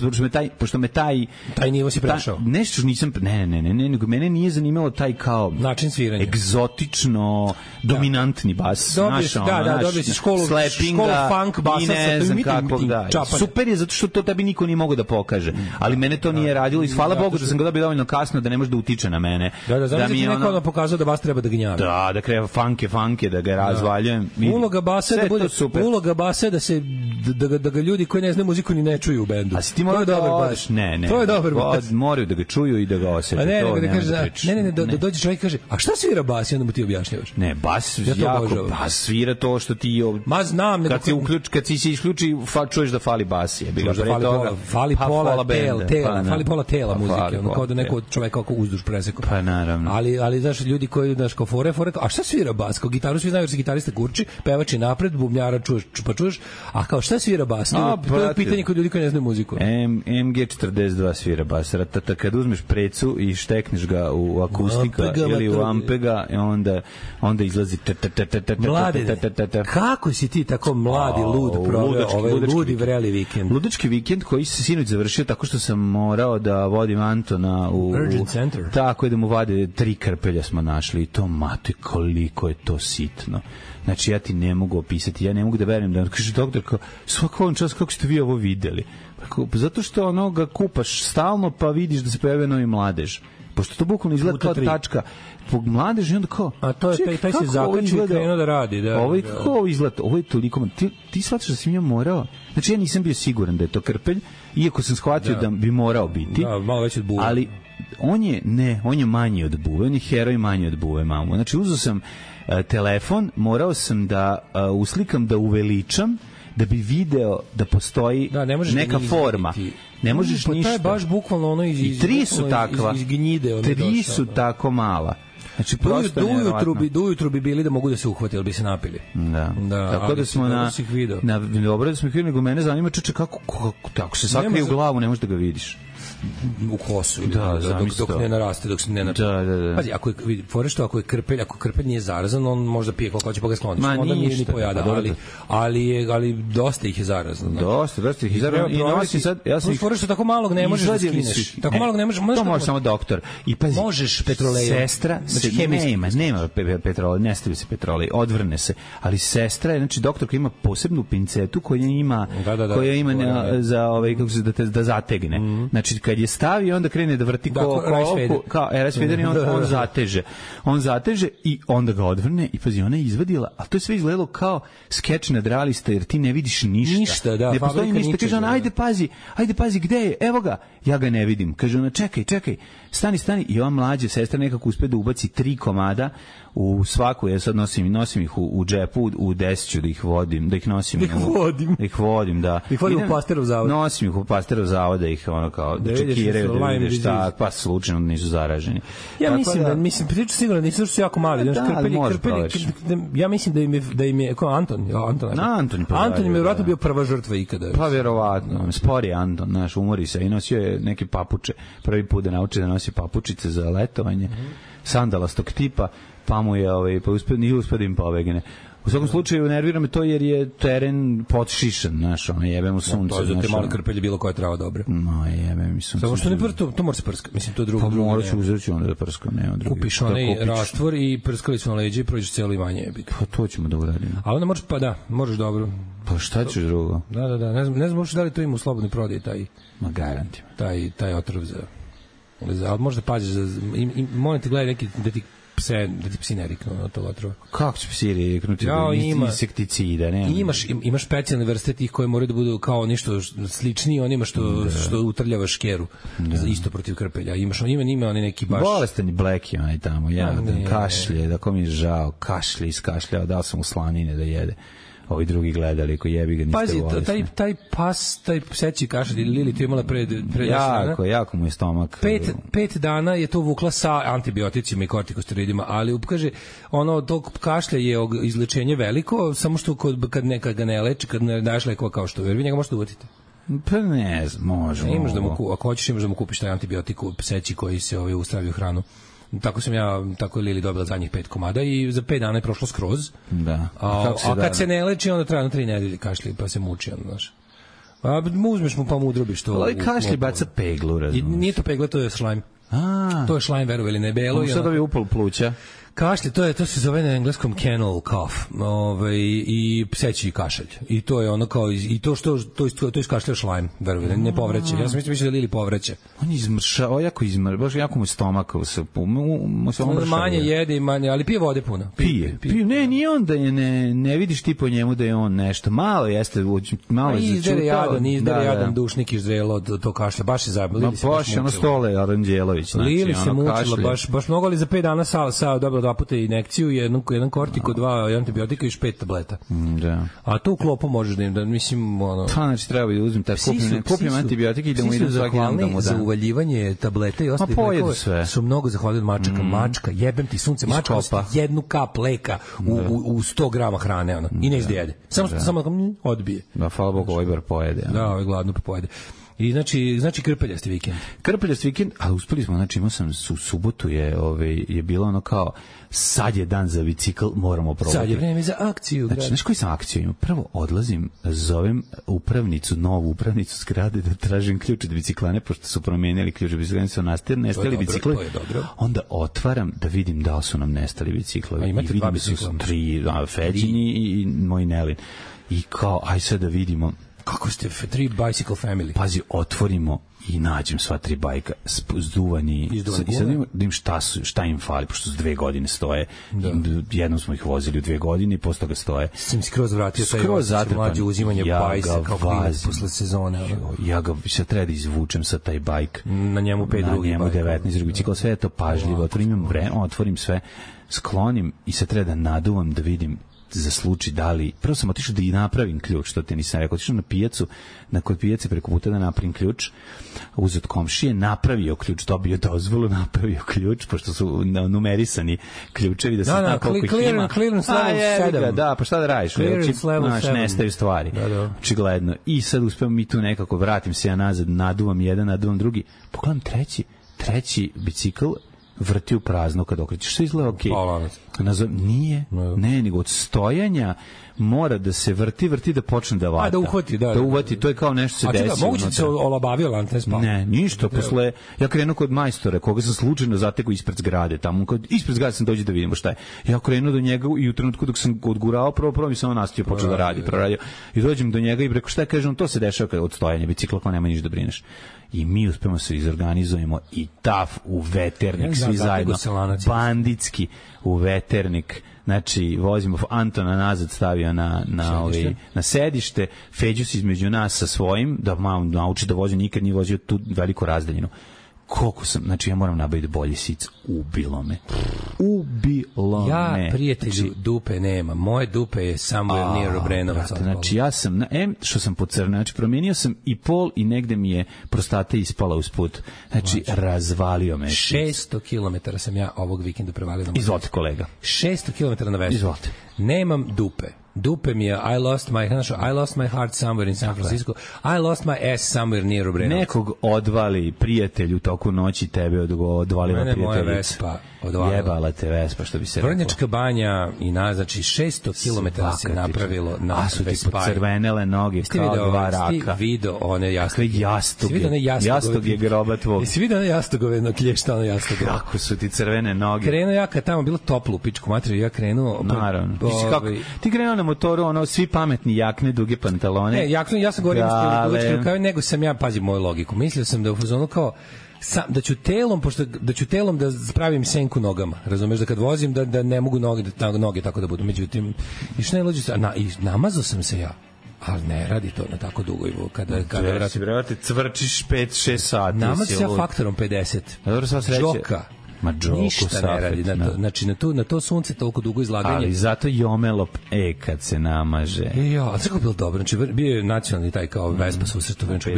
pošto me taj nivo si prešao. Nešto nisam, ne, nego mene nije zanimalo taj kao način sviranja. Egzotično, dominantni bas. Dobio si školu funk basa sa super je zato što to tebi niko nije mogao da pokaže. Ali mene to nije radilo i hvala Bogu da sam ga dobio dovoljno kasno da ne može da utiče na mene. Da mi je neko da pokazao da bas treba da gnjavi. Da kreva funke, da ga razvaljujem. Uloga basa da bude super. Uloga basa da ga ljudi koji ne znaju muziku ni ne čuju u bendu. A si ti morao dobar bas? Ne. To je dobar bas. Moraju da ga čuju i da ga osete. Da dođe čovjek i kaže, a šta svira bas? I onda mu ti objašnjavaš. Ne, bas bas svira to što ti... Ma znam. Kad si se isključi, čuješ da fali bas. Fali pola tela muzike. Kao da neko čovjek kako uzduž presekao. Pa naravno. Ali znaš, ljudi koji, znaš, kao fore, a šta svira bas? Kao gitaru svi znaju jer se gitarista kurči, pevač je napred, bubnjara čuješ, a kao šta svira bas? To je pitanje kod ljudi koji ne znaju muziku. MG42 svira bas. Kad uzmeš precu i štekneš ga u akustika ili u ampega, onda izlazi Mlade, kako si ti tako mladi, lud proveo ovaj ludi vreli vikend? Ludački vikend koji se sinoć završio tako što sam morao da vodim Antona u Urgent Center. Tako je da mu vade 3 krpelja smo našli i to mate koliko je to sitno. Znači ja ti ne mogu opisati, ja ne mogu da verujem da kaže doktor kao svaki čas kako ste vi ovo videli. Zato što ga kupaš stalno pa vidiš da se pojavljuje novi mladež. Pošto to bukvalno izgleda kao tačka po mladeži, onda kao... A to je taj se zakači i krenuo da radi. Kako izgleda? Ovo je toliko... Ti shvataš da sam ja morao... Znači ja nisam bio siguran da je to krpelj, iako sam shvatio da bi morao biti. Da, malo već od buve. Ali on je manji od buve, on je heroj manji od buve, mamu. Znači uzeo sam telefon, morao sam da uslikam, da uveličam, da bi video da postoji neka forma. Ne možeš ništa. To je baš bukvalno ono i 3 su takva. Iz gnjide. 3 su tako mala. Znači, do ujutru bi bili da mogu da se uhvati, ali bi se napili. Da. Tako da smo dobro da smo ih videli, nego mene zanima čeče kako se sakrije u glavu, ne možeš da ga vidiš. U kosu dok ne naraste, dok se ne naraste. Pazi, ako je krpelj nije zarazan, on možda pije koliko hoće pa ga skloniš. Onda nije ni pojada, ali dosta ih je zarazno. Dosta ih je zarazno. I nosi sad, ja sam što tako malog ne možeš da skineš. Tako malog ne možeš. To može samo doktor. I pazi, možeš petrolejom. Sestra nema petrolej, ne stavi se petrolej, odvrne se. Ali sestra je, znači doktor koji ima posebnu pincetu koja ima za kako se da zategne. Znači kad je stavi, onda krene da vrti kao RS Fader i on zateže i onda ga odvrne i pazi, ona je izvadila, a to je sve izgledalo kao skeč nadrealista, jer ti ne vidiš ništa. Ne postoji ništa. Kaže ona, ajde pazi, gde je? Evo ga. Ja ga ne vidim. Kaže ona, čekaj, stani. I ova mlađa sestra nekako uspe da ubaci 3 komada u svaku, ja sad nosim ih u džepu, u desiću da ih vodim, da ih nosim. Da ih vodim da. Da ih vodim u Pasterov zavod. Nosim ih u Pasterov zavod da ih kao čekiraju da Lyme vidiš šta, disease. pa slučajno nisu zaraženi. Ja Tako mislim da mislim priču sigurno nisu su jako mali, Da, znači ali možeš proveriš. ja mislim da im je kao Anton im je verovatno bio prva žrtva ikada. Pa vjerovatno, spori je Anton, znaš, umori se i nosio je neke papuče, prvi put da nauči da nosi papučice za letovanje, sandalastog tipa, pa mu je, pa nije uspio da im pobegne. U svakom slučaju nervira me to jer je teren potšišan, znaš, jebe mu sunce. To je za te male krpelje bilo koja trava dobra. No, jebe mi sunce. Samo što ne to mora se prskati, mislim to drugo. Pa morat ću uzeti onda da prskam, nema drugi. Kupiš onaj rastvor i prskali su na leđe i prođeš cijelo imanje. Pa to ćemo da uradimo. A onda možeš dobro. Pa šta ćeš drugo? Da, ne znam uopšte da li to ima u slobodnoj prodaji Ma garantim. Taj otrov za... Ali možda paziš molim te gledaj neki da ti psi ne riknu na to otrova. Kako će psi riknuti? Insekticida, ne? Imaš specijalne vrste tih koje moraju da budu kao nešto sličniji onima što utrljava škeru isto protiv krpelja. Ima oni neki baš... Bolestan Blackie onaj tamo, kašlje, da ko mi je žao, kašlje, iskašljao, dao sam mu slanine da jede. Ovi drugi gledali, ko jebi ga, niste bolesni. Pazi, taj pas, taj pseći kašalj, Lili tu imala pre jako mu je stomak. 5 dana je to vukla sa antibioticima i kortikosteroidima, ali kaže, tog kašlja je izlečenje veliko, samo što kad ga ne leči, kad ne daš lekova kao što vi njega možete uvatiti. Pa ne znam, možemo. Ako hoćeš, imaš da mu kupiš taj antibiotiku pseći koji se ustravi u hranu. Tako je Lili dobila zadnjih 5 komada i za 5 dana je prošlo skroz. Da. A kad se ne leči, onda traje 3 nedelje kašlji, pa se muči, znaš. A uzmeš mu pa mu udrobiš to. Ali kašlji baca peglu, razumiješ. Nije to pegla, to je slime. To je slime, verovali, ne belo. Sad ovi upal pluća. Kašlje, to se zove na engleskom kennel cough, i pseći kašalj. I to je ono kao, i to iskašlja šlajm, verujem, ne povreće. Ja sam mislio da Lili povreće. On izmršao, baš jako mu stomak se manje jede i manje, ali pije vode puno. Pije. Ne, nije on da je, ne vidiš ti po njemu da je on nešto. Malo jeste, malo je začutao. Izdere jadan dušnik izrelo to kašlja, baš je zabavljeno. Baš ono Stole Aranđelović. Lili se mučila, baš mnogo, ali za 5 dana sa dobro 2 puta injekciju, jedan kortiko, 2 antibiotika i još 5 tableta. Da. A to u klopu možeš da mislim, ono... Znači, treba da uzmem kupijem antibiotike i da mu idem svaki dan da mu dam. Za uvaljivanje tableta i ostalih lekova su mnogo zahvalni od mačaka. Mačka, jebem ti sunce, mačka ostaje 1 kap leka u 100 grama hrane, ono, i ne izde jede. Samo odbije. Da, hvala Bogu, ovaj bar pojede. Da, ovaj gladno pojede. I znači krpeljasti vikend. Krpeljasti vikend, ali uspeli smo, znači imao sam u subotu je bilo ono kao sad je dan za bicikl, moramo probati. Sad je vreme za akciju. Znači, znaš koji sam akciju imao? Prvo odlazim, zovem novu upravnicu zgrade da tražim ključ od biciklane, pošto su promijenili ključ od biciklane, su nestali bicikli. Onda otvaram da vidim da li su nam nestali biciklovi. I vidim da su 3 Feđini i moj Nelin. I kao, aj sad da vidimo. Kako ste 3 bicycle family? Pazi, otvorimo i nađem sva 3 bajka zduvani i sad da im šta im fali, pošto su 2 godine stoje. Jednom smo ih vozili u 2 godine i posle toga stoje. Sam skroz vratio taj mlađe uzimanje bajsa kao klinac posle sezone. Ja ga sad treba da izvučem sa taj bajk. Na njemu 5 drugih bajka. Na njemu 19 drugih bicikla, sve je to pažljivo. Otvorim sve, sklonim i sad treba da naduvam da vidim za slučaj da li... Prvo sam otišao da i napravim ključ, što ti nisam rekao. Otišao na pijacu, kod pijace preko puta da napravim ključ, uzet komšije, napravio ključ, dobio dozvolu, napravio ključ, pošto su numerisani ključevi, da se zna koliko ih ima. Clearance level 7. Da, pa šta da radiš? Clearance level 7. Nestaju stvari. Očigledno. I sad uspijem mi tu nekako, vratim se ja nazad, naduvam jedan, naduvam drugi. Pogledam treći bicikl, vrti u prazno kad okrećeš, sve izgleda okej. Nije, nego od stojanja mora da se vrti da počne da vata. Da uhvati, da uvati, to je kao nešto se desi. A moguće se olabavio lantes pa. Ne, ništa, posle ja krenuo kod majstora, koga sam slučajno zatekao ispred zgrade, tamo ispred zgrade sam dođe da vidimo šta je. Ja krenuo do njega i u trenutku dok sam odgurao, prvo mi samo nastio počeo da radi, proradio. I dođem do njega i rekao šta je, kažem, to se dešava od stojanja bicikla, pa nema ništa da brineš. I mi uspemo se izorganizujemo i taf u veternik, svi zajedno, banditski u veternik, znači vozimo Antona nazad, stavio na sedište, Feđu se između nas sa svojim, da malo nauči da vozi, nikad nije vozio tu veliku razdaljinu. koliko sam, znači ja moram nabaviti bolji sic, ubilo me. Ja, prijatelju, dupe nema. Moje dupe je somewhere near Obrenovac. Znači ja sam, što sam pocrnao, znači promijenio sam i pol i negde mi je prostata ispala usput. Znači, razvalio me. 600 km sam ja ovog vikenda prevalio na moje. Izvolite, kolega. 600 km na Vespu. Izvolite. Nemam dupe. Dupe mi je I lost my heart somewhere in San Francisco. I lost my ass somewhere near Obrenovac. Nekog odvali prijatelj u toku noći, tebe odvalila prijateljica. Moja Vespa odvalila. Jebala te Vespa, što bi se Vrnjačka banja i znači 600 km se napravilo na Vespa. A su ti pocrvenele noge kao dva raka. Video one jastuge. Jastug je groba tvog. Jesi vidio one jastugove na klješta, one jastuge? Kako su ti crvene noge? Krenuo ja kad tamo bilo toplo u pičku materiju, ja krenuo. Naravno. Ti krenuo na motoru, svi pametni jakne, duge pantalone. Ne, ja sam govorio kao nego sam ja, pazi moju logiku. Mislio sam da u fazonu kao da ću telom da spravim senku nogama. Razumeš, da kad vozim da ne mogu noge tako da budu. Međutim, išao ne lođe i namazao sam se ja. Ali ne radi to na tako dugo i kada si brate cvrčiš 5-6 sati. Namazao se ja faktorom 50. Dobro, sva sreća. Džoka. Ništa ne radi. Znači, na to sunce toliko dugo izlaganje. Ali zato jomelo kad se namaže. Ja, sve je bilo dobro. Znači, bio je nacionalni taj kao Vespa susret u Vrnjačkoj.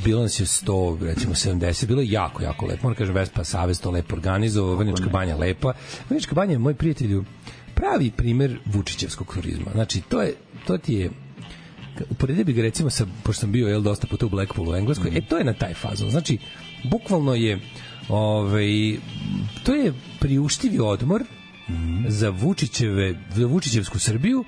Bilo nas je 100, recimo 70. Bilo je jako, jako lepo. Moram kažem, Vespa Savez to lepo organizovao. Vrnjačka banja lepa. Vrnjačka banja je, moj prijatelju, pravi primer vučićevskog turizma. Znači, to ti je uporedio bi ga recimo sa, pošto sam bio dosta puta u Blackpoolu u Engleskoj, to je na taj fazon. Znači, bukvalno je to je priuštivi odmor za Vučićevsku Srbiju,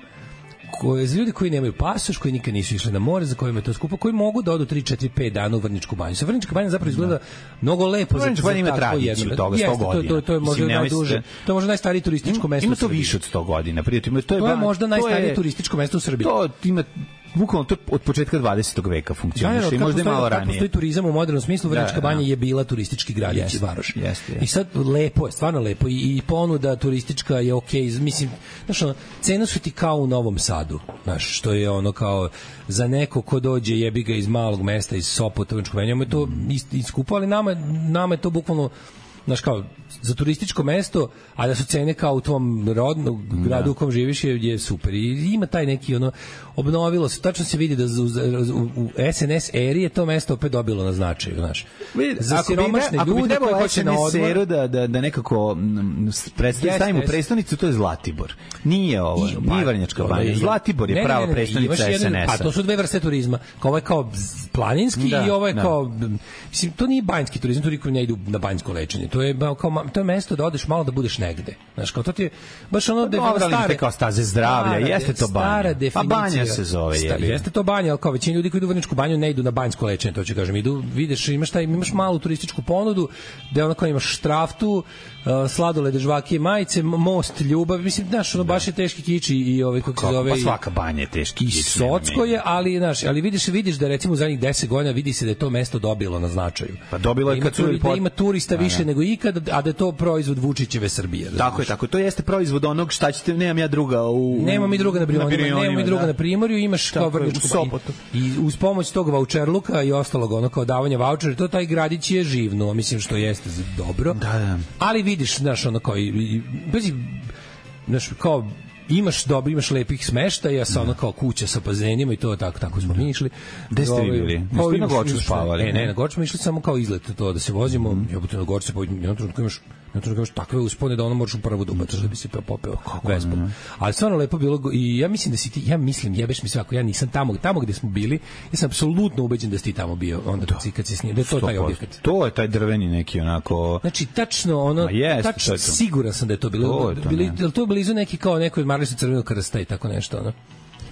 za ljudi koji nemaju pasoš, koji nikad nisu išli na more, za kojima je to skupo, koji mogu da odu 3, 4, 5 dana u Vrnjačku banju. Sa Vrnjačka banja zapravo izgleda mnogo lepo. Vrnjačka banja ima tradiciju toga 100 godina. To je možda najduže. To je možda najstarije turističko mesto u Srbiji. Ima to više od 100 godina. To je možda najstarije turističko mesto u Srbiji. To ima bukvalno to od početka 20. veka funkcioniše i možda je malo ranije. Postoji turizam u modernom smislu, Vrnjačka banja je bila turistički gradić i varoš. I sad lepo je, stvarno lepo i ponuda turistička je okej, mislim, znaš, cene su ti kao u Novom Sadu, znaš, što je ono kao za neko ko dođe jebi ga iz malog mesta, iz Sopota, Vrnjačkog banja, je to iskupo, ali nama je to bukvalno, znaš, kao za turističko mesto, a da su cene kao u tvom rodnom gradu u kom živiš je super. I ima taj neki, obnovilo se, tačno se vidi da u SNS eri je to mesto opet dobilo na značaju, znaš. Za siromašne ljude koji hoće na odmor... Da nekako stavimo prestonicu, to je Zlatibor. Nije ovo, nije Vrnjačka banja. Zlatibor je prava prestonica SNS-a. Pa to su dve vrste turizma. Ovo je kao planinski i ovo je kao... Mislim, to nije banjski turizam, to koji ne idu na banjsko lečenje. To je mesto da odeš malo da budeš negde. Znaš, kao to ti je baš ono da je kao staze zdravlja, jeste to banja. A banja se zove. Jeste to banja, ali kao većina ljudi koji idu u Vrnjačku banju ne idu na banjsko lečenje, to ću kažem. Idu, vidiš, imaš malu turističku ponudu, gde ono kao imaš štraftu, sladolede, žvake, majice, most, ljubav, mislim, znaš, ono baš je teški kiči i kako se zove... Pa svaka banja je teški kiči. I socko je, ali, znaš, ali vidiš da recimo u zadnjih 10 godina vidi se da je to mesto dobilo na značaju. Pa dobilo je kad su... Da ima turista više nego ikad, a da je to proizvod Vučićeve Srbije. Tako je, to jeste proizvod onog šta ćete, nemam ja druga Nemam mi druga na Brionima, nemam mi druga na Primorju, imaš kao Vrnjačku Sopotu. I uz pomoć tog vaučerluka i ostalog, ono kao davanja vaučera, to taj gradić je živno, mislim što jeste dobro. Da. Ali vidiš, znaš, ono kao znaš, kao imaš lepih smeštaja sa ono kao kuća sa bazenima i to tako smo mi išli. Gde ste vi bili? Niste na Goču spavali? Ne, na Goču smo išli samo kao izlet, to da se vozimo, jebote na Goču se jednom trenutku imaš takve uspone da ono možeš u prvu dubataš da bi se popeo Vespom. Ali stvarno lepo bilo i ja mislim da si ti, jebeš mi sve ako ja nisam tamo gde smo bili, ja sam apsolutno ubeđen da si ti tamo bio onda kad si snimio, da je to taj objekat. To je taj drveni neki onako... Znači, tačno siguran sam da je to bilo. To blizu neki kao neko odmaralište Crvenog krsta i tako nešto, ono.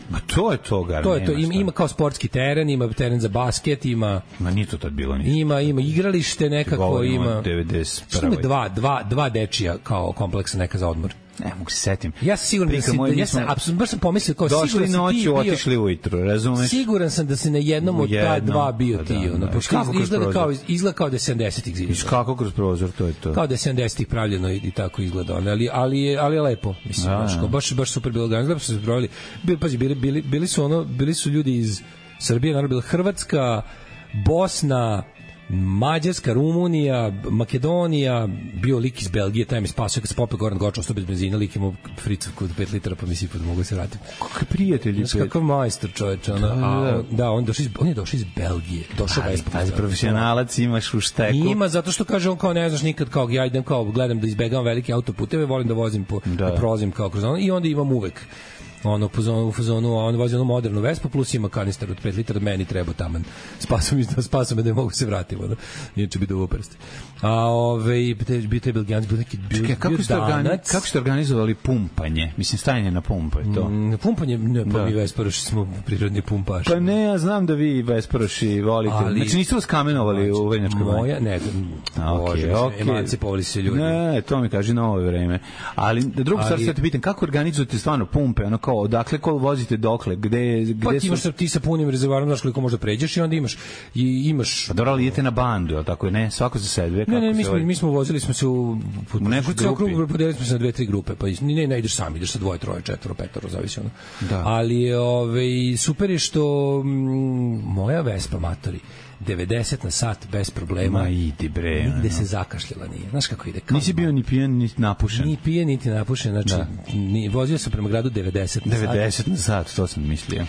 Ma to je to, gar. To je to, ima kao sportski teren, ima teren za basket, ima... Ma nije to tad bilo ništa. Ima igralište nekako, ima... 91. Dva dečija kao kompleksa neka za odmor. Ne mogu se setim. Ja sam siguran da si, baš sam pomislio kao došli siguran noću, si ti bio... otišli ujutru, razumeš? Siguran sam da si na jednom od ta dva bio ti, izgleda kao da je 70-ih zidano. Iš kako kroz prozor, to je to. Kao da je 70-ih pravljeno i tako izgleda, ali je lepo, mislim, baš super bilo organizovano, su se proveli. Bili su ljudi iz Srbije, naravno bila Hrvatska, Bosna, Mađarska, Rumunija, Makedonija, bio lik iz Belgije, taj mi spasio kad se popeo Goran Goča, ostao bez benzina, lik imao fricovku od 5 litara, pa mi sipao da mogu se vratiti. Kakvi prijatelji. Znaš kakav majstor, čoveče. On je došao iz Belgije. Došao Pazi, profesionalac imaš u šteku. Ima, zato što kaže on kao ne znaš nikad, kao ja idem kao gledam da izbegavam velike autoputeve, volim da vozim da prolazim kao kroz ono i onda imam uvek u fazonu, on vozi onu modernu Vespu plus ima kanister od 5 litara, meni treba taman. Spasao me da mogu se vratiti, ono. Inače bi duvo prsti. A bio te Belgijanci, bio neki kako ste organizovali pumpanje? Mislim, stajanje na pumpa je to. Pumpanje, ne, pa mi Vesparoši smo prirodni pumpaši. Pa ne, ja znam da vi Vesparoši volite. Znači niste vas kamenovali u Vrnjačkoj banji? Moja, ne, emancipovali se ljudi. Ne, to mi kaže na ovo vreme. Ali drugu stvar se te pitam, kako organizujete stvarno pumpe, ono kao, odakle kol vozite dokle, gde su... ti sa punim rezervoarom, znaš koliko možda pređeš i onda imaš... Pa dobro, ali idete na bandu, ali tako je, ne, svako za sebe. Ne, mi smo vozili smo se u neku grupu, podelili smo se na 2-3 grupe, pa ne ideš sam, ideš sa 2, 3, 4, 5, zavisi ono. Da. Ali super je što moja Vespa, matori, 90 na sat bez problema. Ma idi bre. Nigde se zakašljala nije. Znaš kako ide? Nisi bio ni pijan, ni napušen. Ni pijan, niti napušen. Znači, vozio sam prema gradu 90 na sat. 90 na sat, to sam mislio.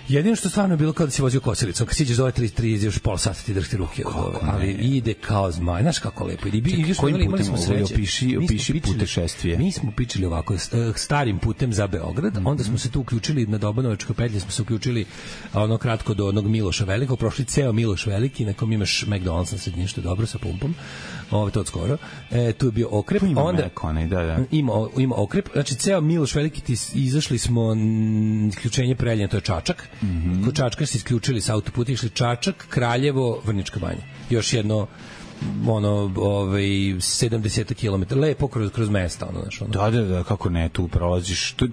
Jedino što stvarno je bilo kao da si vozio kosilicom. Kad siđeš do ove 3 još pola sata ti drhti ruke. Ali ide kao zmaj. Znaš kako lepo ide. Kojim putem opiši putešestvije? Mi smo pičili ovako starim putem za Beograd. Onda smo se tu uključili na Dobanovačkoj petlji. Smo se uključili ono kratko do onog Miloša Velikog. Prošli ceo Miloš Veliki. Na kom imaš McDonald's na sredini što je dobro sa pumpom. To od skoro. Tu je bio okrep. Onda ima okrep. Znači ceo Miloš Veliki izašli smo isključenje Preljina, to je Čačak. Kod Čačka se isključili sa autoputa, išli Čačak, Kraljevo, Vrnjačka Banja. Još jedno 70 km, lepo kroz mesta, Da, kako ne, tu prolaziš. To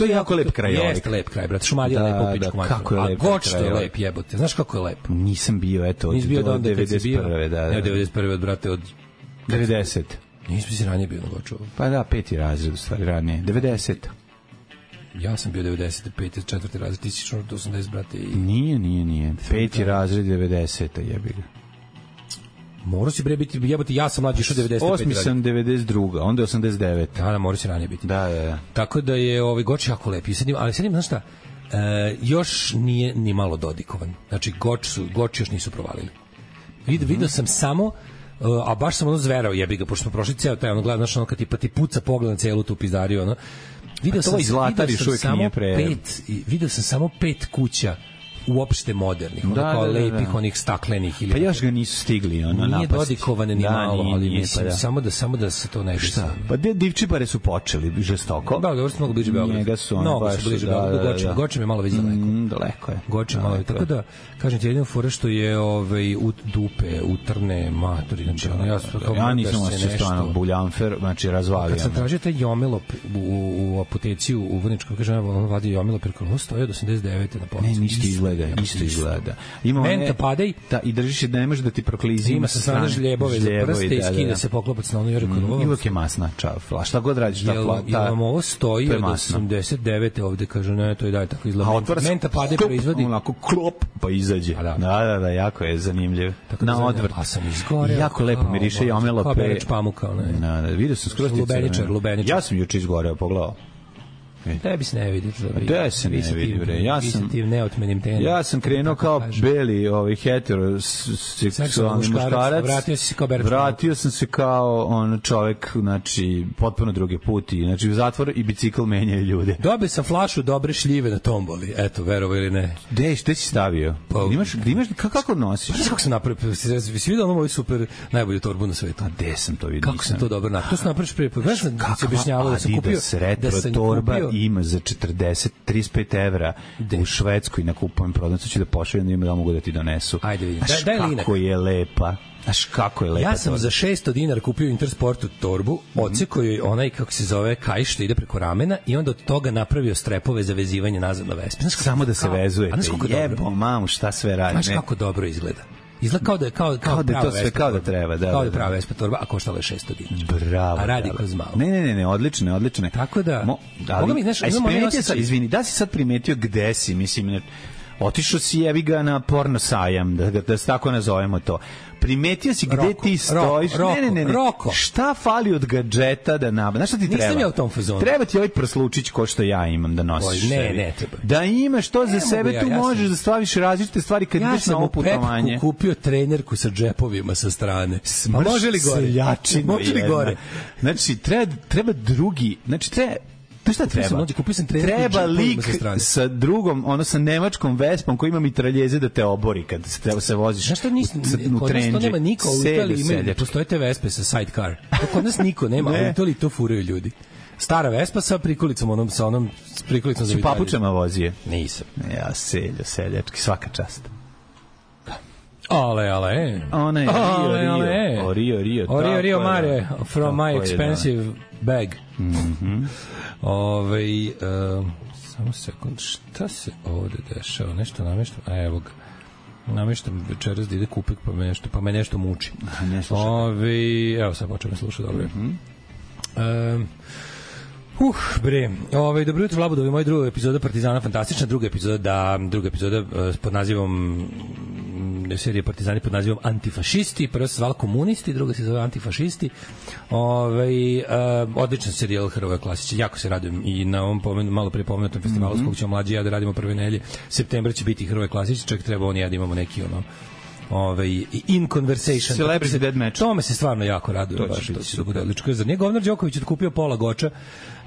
je jako lep kraj. Jeste lep kraj, brate. Šumadija lepo u pičku materiju. A Goč što je lep, jebote. Znaš kako je lepo? Nisam bio, eto, od 91. Ne, 91. brate, od 90. Nisam si ranije bio na Goču. Pa da, 5. razred, u stvari ranije. 90. Ja sam bio 95. 4. razred, ti si 80, brate. Nije. 5. razred, 90. jebi ga. Morao si bre biti, jebote, ja sam mlađi išao 95. 8. sam 92. Onda je 89. Da, morao si ranije biti. Da. Tako da je Goč jako lep. Ali sad im, znaš šta, još nije ni malo dodikovan. Znači, Goč još nisu provalili. Vidio sam samo, a baš sam zverao, jebi ga, pošto smo prošli ceo taj, gledaš, kad ti puca pogled na celu tu pizdariju, Video sam samo 5 kuća uopšte modernih, kao lepih, onih staklenih. Pa još ga nisu stigli, napasti. Nije dodikovane ni malo, ali mislim, samo da se to ne desi. Pa Divčibare su počeli žestoko. Da, dobro su mnogo bliže Beogradu. Mnogo su bliže Beogradu. Gočem je malo već daleko. Daleko je. Gočem malo, tako da, kažem ti, jedino fora što je u dupe, utrne, matori, znači, ja nisam osjećao stvarno buljanfer, znači razvalio. Kad sam tražio taj Jomelop u apoteci u Vrnjačkoj, kažem, on vadio Jomelop, jer ono stoje od 89. na policiju. Ne, isto izgleda. Menta padej. Da, i držiš je da ne može da ti proklizima. Ima sa strane žljebove za prste i skida se poklopac na ono jore kod ovo. I uvek je masna čafla. Šta god radiš, ta plata. Jel ovo stoji od 89. ovde, kaže, ne, to i dalje tako izgleda. Menta padej proizvodi. Onako klop, pa izađe. Da, jako je zanimljiv. Na odvrt. A sam izgoreo. Jako lepo miriše i omelo pe. Kao bereć pamuka. Vidio sam skroz Lubeničar. Ja sam juče izgoreo, pogledao. Tebi se ne vidi. Da se ne vidi, bre. Ja sam krenuo kao beli heteroseksualni muškarac. Vratio sam se kao čovek, znači, potpuno drugi put. Znači, u zatvor i bicikl menjaju ljude. Dobio sam flašu dobre šljive na tomboli. Eto, verovo ili ne. Gde si stavio? Imaš, kako nosiš? Znaš kako sam napravio? Si vidio ono moju super najbolju torbu na svetu? A gde sam to vidio? Kako sam to dobro napravio? To sam napraviš prije. Znaš da se objašnjavao da sam kupio... ima za 35 evra u Švedskoj na kupujem prodavnicu, ću da pošaljem da ima da mogu da ti donesu. Ajde vidim. Daj linak. Kako je lepa. Znaš kako je lepa. Ja sam za 600 dinara kupio Intersportu torbu, odsekao joj onaj, kako se zove, kaiš što ide preko ramena i onda od toga napravio strepove za vezivanje nazad na Vespi. Samo da se vezujete. Jebo, mamu, šta sve radi. Znaš kako dobro izgleda. Izgleda kao da je to sve kao da treba, da. Kao da je prava Vespa torba, a koštala je 600 dinara. Bravo. A radi kroz malo. Ne, odlično. Tako da, izvini, da si sad primetio gde si, mislim, Otišao si jebi ga na porno sajam, da se tako nazovemo to. Primetio si gde ti stojiš. Ne. Roko. Šta fali od gadžeta da nabavim? Znaš šta ti treba? Nisam ja u tom fazonu. Treba ti ovaj prslučić ko što ja imam da nosiš. Ne treba. Da imaš to za sebe, tu možeš da staviš različite stvari kad ideš na ovo putovanje. Ja sam u kupio trenerku sa džepovima sa strane. Može li gore? Može li gore? Znači, treba drugi, znači šta treba? Treba lik sa drugom, sa nemačkom Vespom koji ima mitraljeze da te obori kad se voziš u trendži. Kod nas to nema niko, u Italiji postoje te Vespe sa sidecar. Kod nas niko nema, u Italiji to furaju ljudi. Stara Vespa sa prikolicom, sa onom prikolicom za vitalje. Si papučama vozije? Nisam. Ja, seljački, svaka čast. Ale. Ona je Rio Mare from my expensive bag. Samo sekund, šta se ovde dešava? Nešto nameštam, evo ga. Nameštam večeras da ide kupik, pa me nešto muči. Evo sad počeo me slušati, dobro. Bre. Dobro jutro, Labudovi, moja druga epizoda Partizana fantastična, druga epizoda pod nazivom serije Partizani pod nazivom Antifašisti, prva se zvala Komunisti, druga se zove Antifašisti. Odličan serijal Hrvoje Klasića, jako se radujem i na ovom malo pre pomenutom festivalu s kog ćemo mlađi ja da radimo prve nedelje septembra će biti Hrvoje Klasić, čak treba on i ja da imamo neki in conversation. Celebrity Dead Match. Tome se stvarno jako radujem. To će bude odlično. Zar nije Govnar Đoković otkupio pola Goča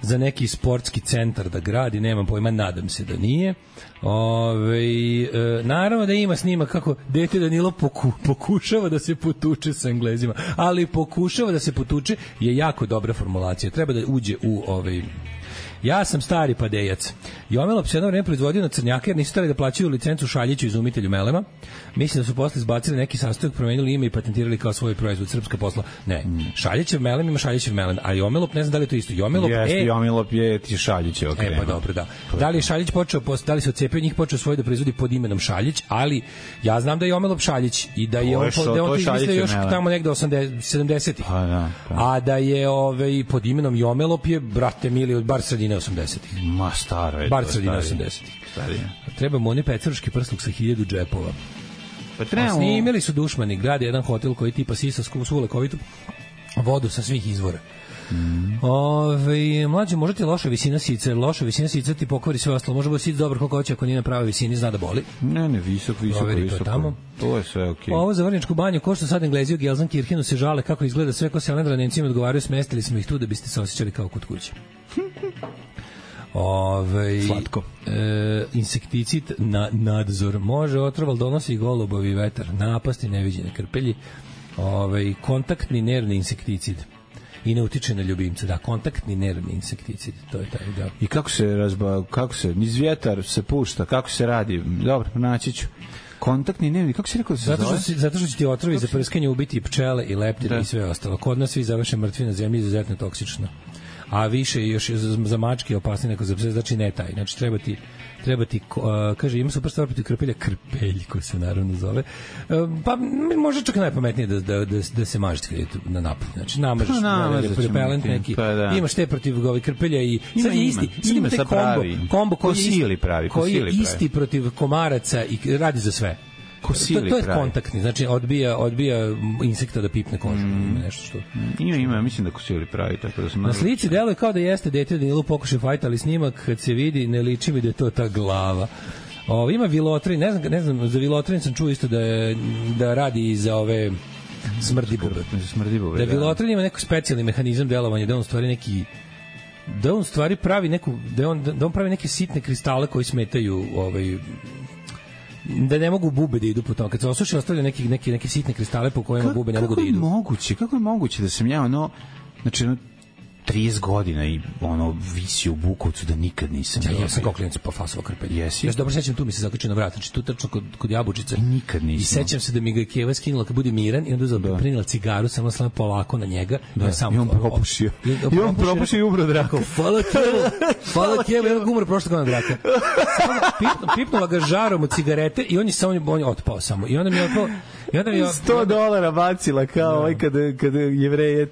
za neki sportski centar da gradi, nemam pojma, nadam se da nije. Naravno da ima snima kako dete Danilo pokušava da se potuče sa Englezima, ali pokušava da se potuče je jako dobra formulacija. Treba da uđe u ja sam stari padejac. Jomelop se jedno vreme proizvodio na crnjake jer nisu stali da plaćaju licencu Šaljiću izumitelju melema. Mislim da su posle izbacili neki sastojak, promenili ime i patentirali kao svoj proizvod, srpska posla. Ne, Šaljićev melem ima Šaljićev melem, a Jomelop ne znam da li je to isto. Jomelop je ti Šaljićev krema. Pa dobro, da. Da li je Šaljić počeo, da li se odcepio njih, počeo svoj da proizvodi pod imenom Šaljić, ali ja znam da je Jomelop Šaljić i da je on izmislio još tamo negde 70-ih. A da je pod imenom Jomelop je, brate mili, od bar sredine 80-ih. Ma staro je. Bar sredine 80-ih. Treba mu oni pecaruški prsluk sa 1000 džepova. Pa trebamo. Snimili su dušmani, grade jedan hotel koji tipa sisa svu lekovitu vodu sa svih izvora. Mlađe, možda ti loša visina sica ti pokvari sve ostalo, može biti sic dobar koliko hoće, ako nije na pravoj visini, zna da boli. Ne, visoko. To je sve okej. Ovo za Vrnjačku banju, ko što sad Englezi u Gelsenkirchenu se žale kako izgleda sve, ko se Alendra Nemcima odgovaraju, smestili smo ih tu da biste se osjećali kao kod kuće. Slatko. Insekticid na nadzor može otroval, donosi golubovi vetar, napasti neviđene krpelji, kontaktni nervni insekticid i ne utiče na ljubimca, da, kontaktni nervni insekticid, to je taj, da. I kako se niz vjetar se pušta, kako se radi? Dobro, naći ću. Kontaktni nervni, kako si rekao da se zove? Zato što će ti otrovi za prskanje ubiti pčele i leptire i sve ostalo. Kod nas svi završe mrtvi na zemlji, izuzetno toksično. A više još za mačke opasnije nego za pse, znači ne taj. Znači treba ti kaže, ima super stvar protiv krpelja, krpeljko se naravno zove. Pa može čak najpametnije da se mažete kad je na napad. Znači namažeš repelent neki. Imaš te protiv krpelja i sad je isti. Ima taj kombo koji je isti protiv komaraca i radi za sve. To je kontaktni, znači odbija insekta da pipne kožu. Nešto što... Ima, mislim da kosili pravi. Tako da na slici deluje kao da jeste dete Danilu pokušaj fajta, ali snimak kad se vidi ne liči mi da je to ta glava. Ima Vilotrin, ne znam, za Vilotrin sam čuo isto da radi i za ove smrdibube. Da Vilotrin ima neki specijalni mehanizam delovanja, da on stvari neki da on stvari pravi neku da on pravi neke sitne kristale koji smetaju da ne mogu bube da idu po tom. Kad se osuši, ostavlja neke sitne kristale po kojima bube ne mogu da idu. Kako je moguće da sam ja znači 30 godina i visi u Bukovcu da nikad nisam. Ja sam kao klinac pofasovao krpelje. Jesi? Ja se dobro sećam, tu mi se zakačio na vrat, znači tu tačno kod Jabučice. Nikad nisam. I sećam se da mi ga Keva skinula kad bude miran i onda uzela prinela cigaru, samo polako na njega. I on propušio. I umro Drako. Hvala Keva, ja umro prošle godine Draka. Pipnula ga žarom od cigarete i on je otpao samo. I onda mi je otpao. I onda $100 bacila kao ovaj kada Jevreje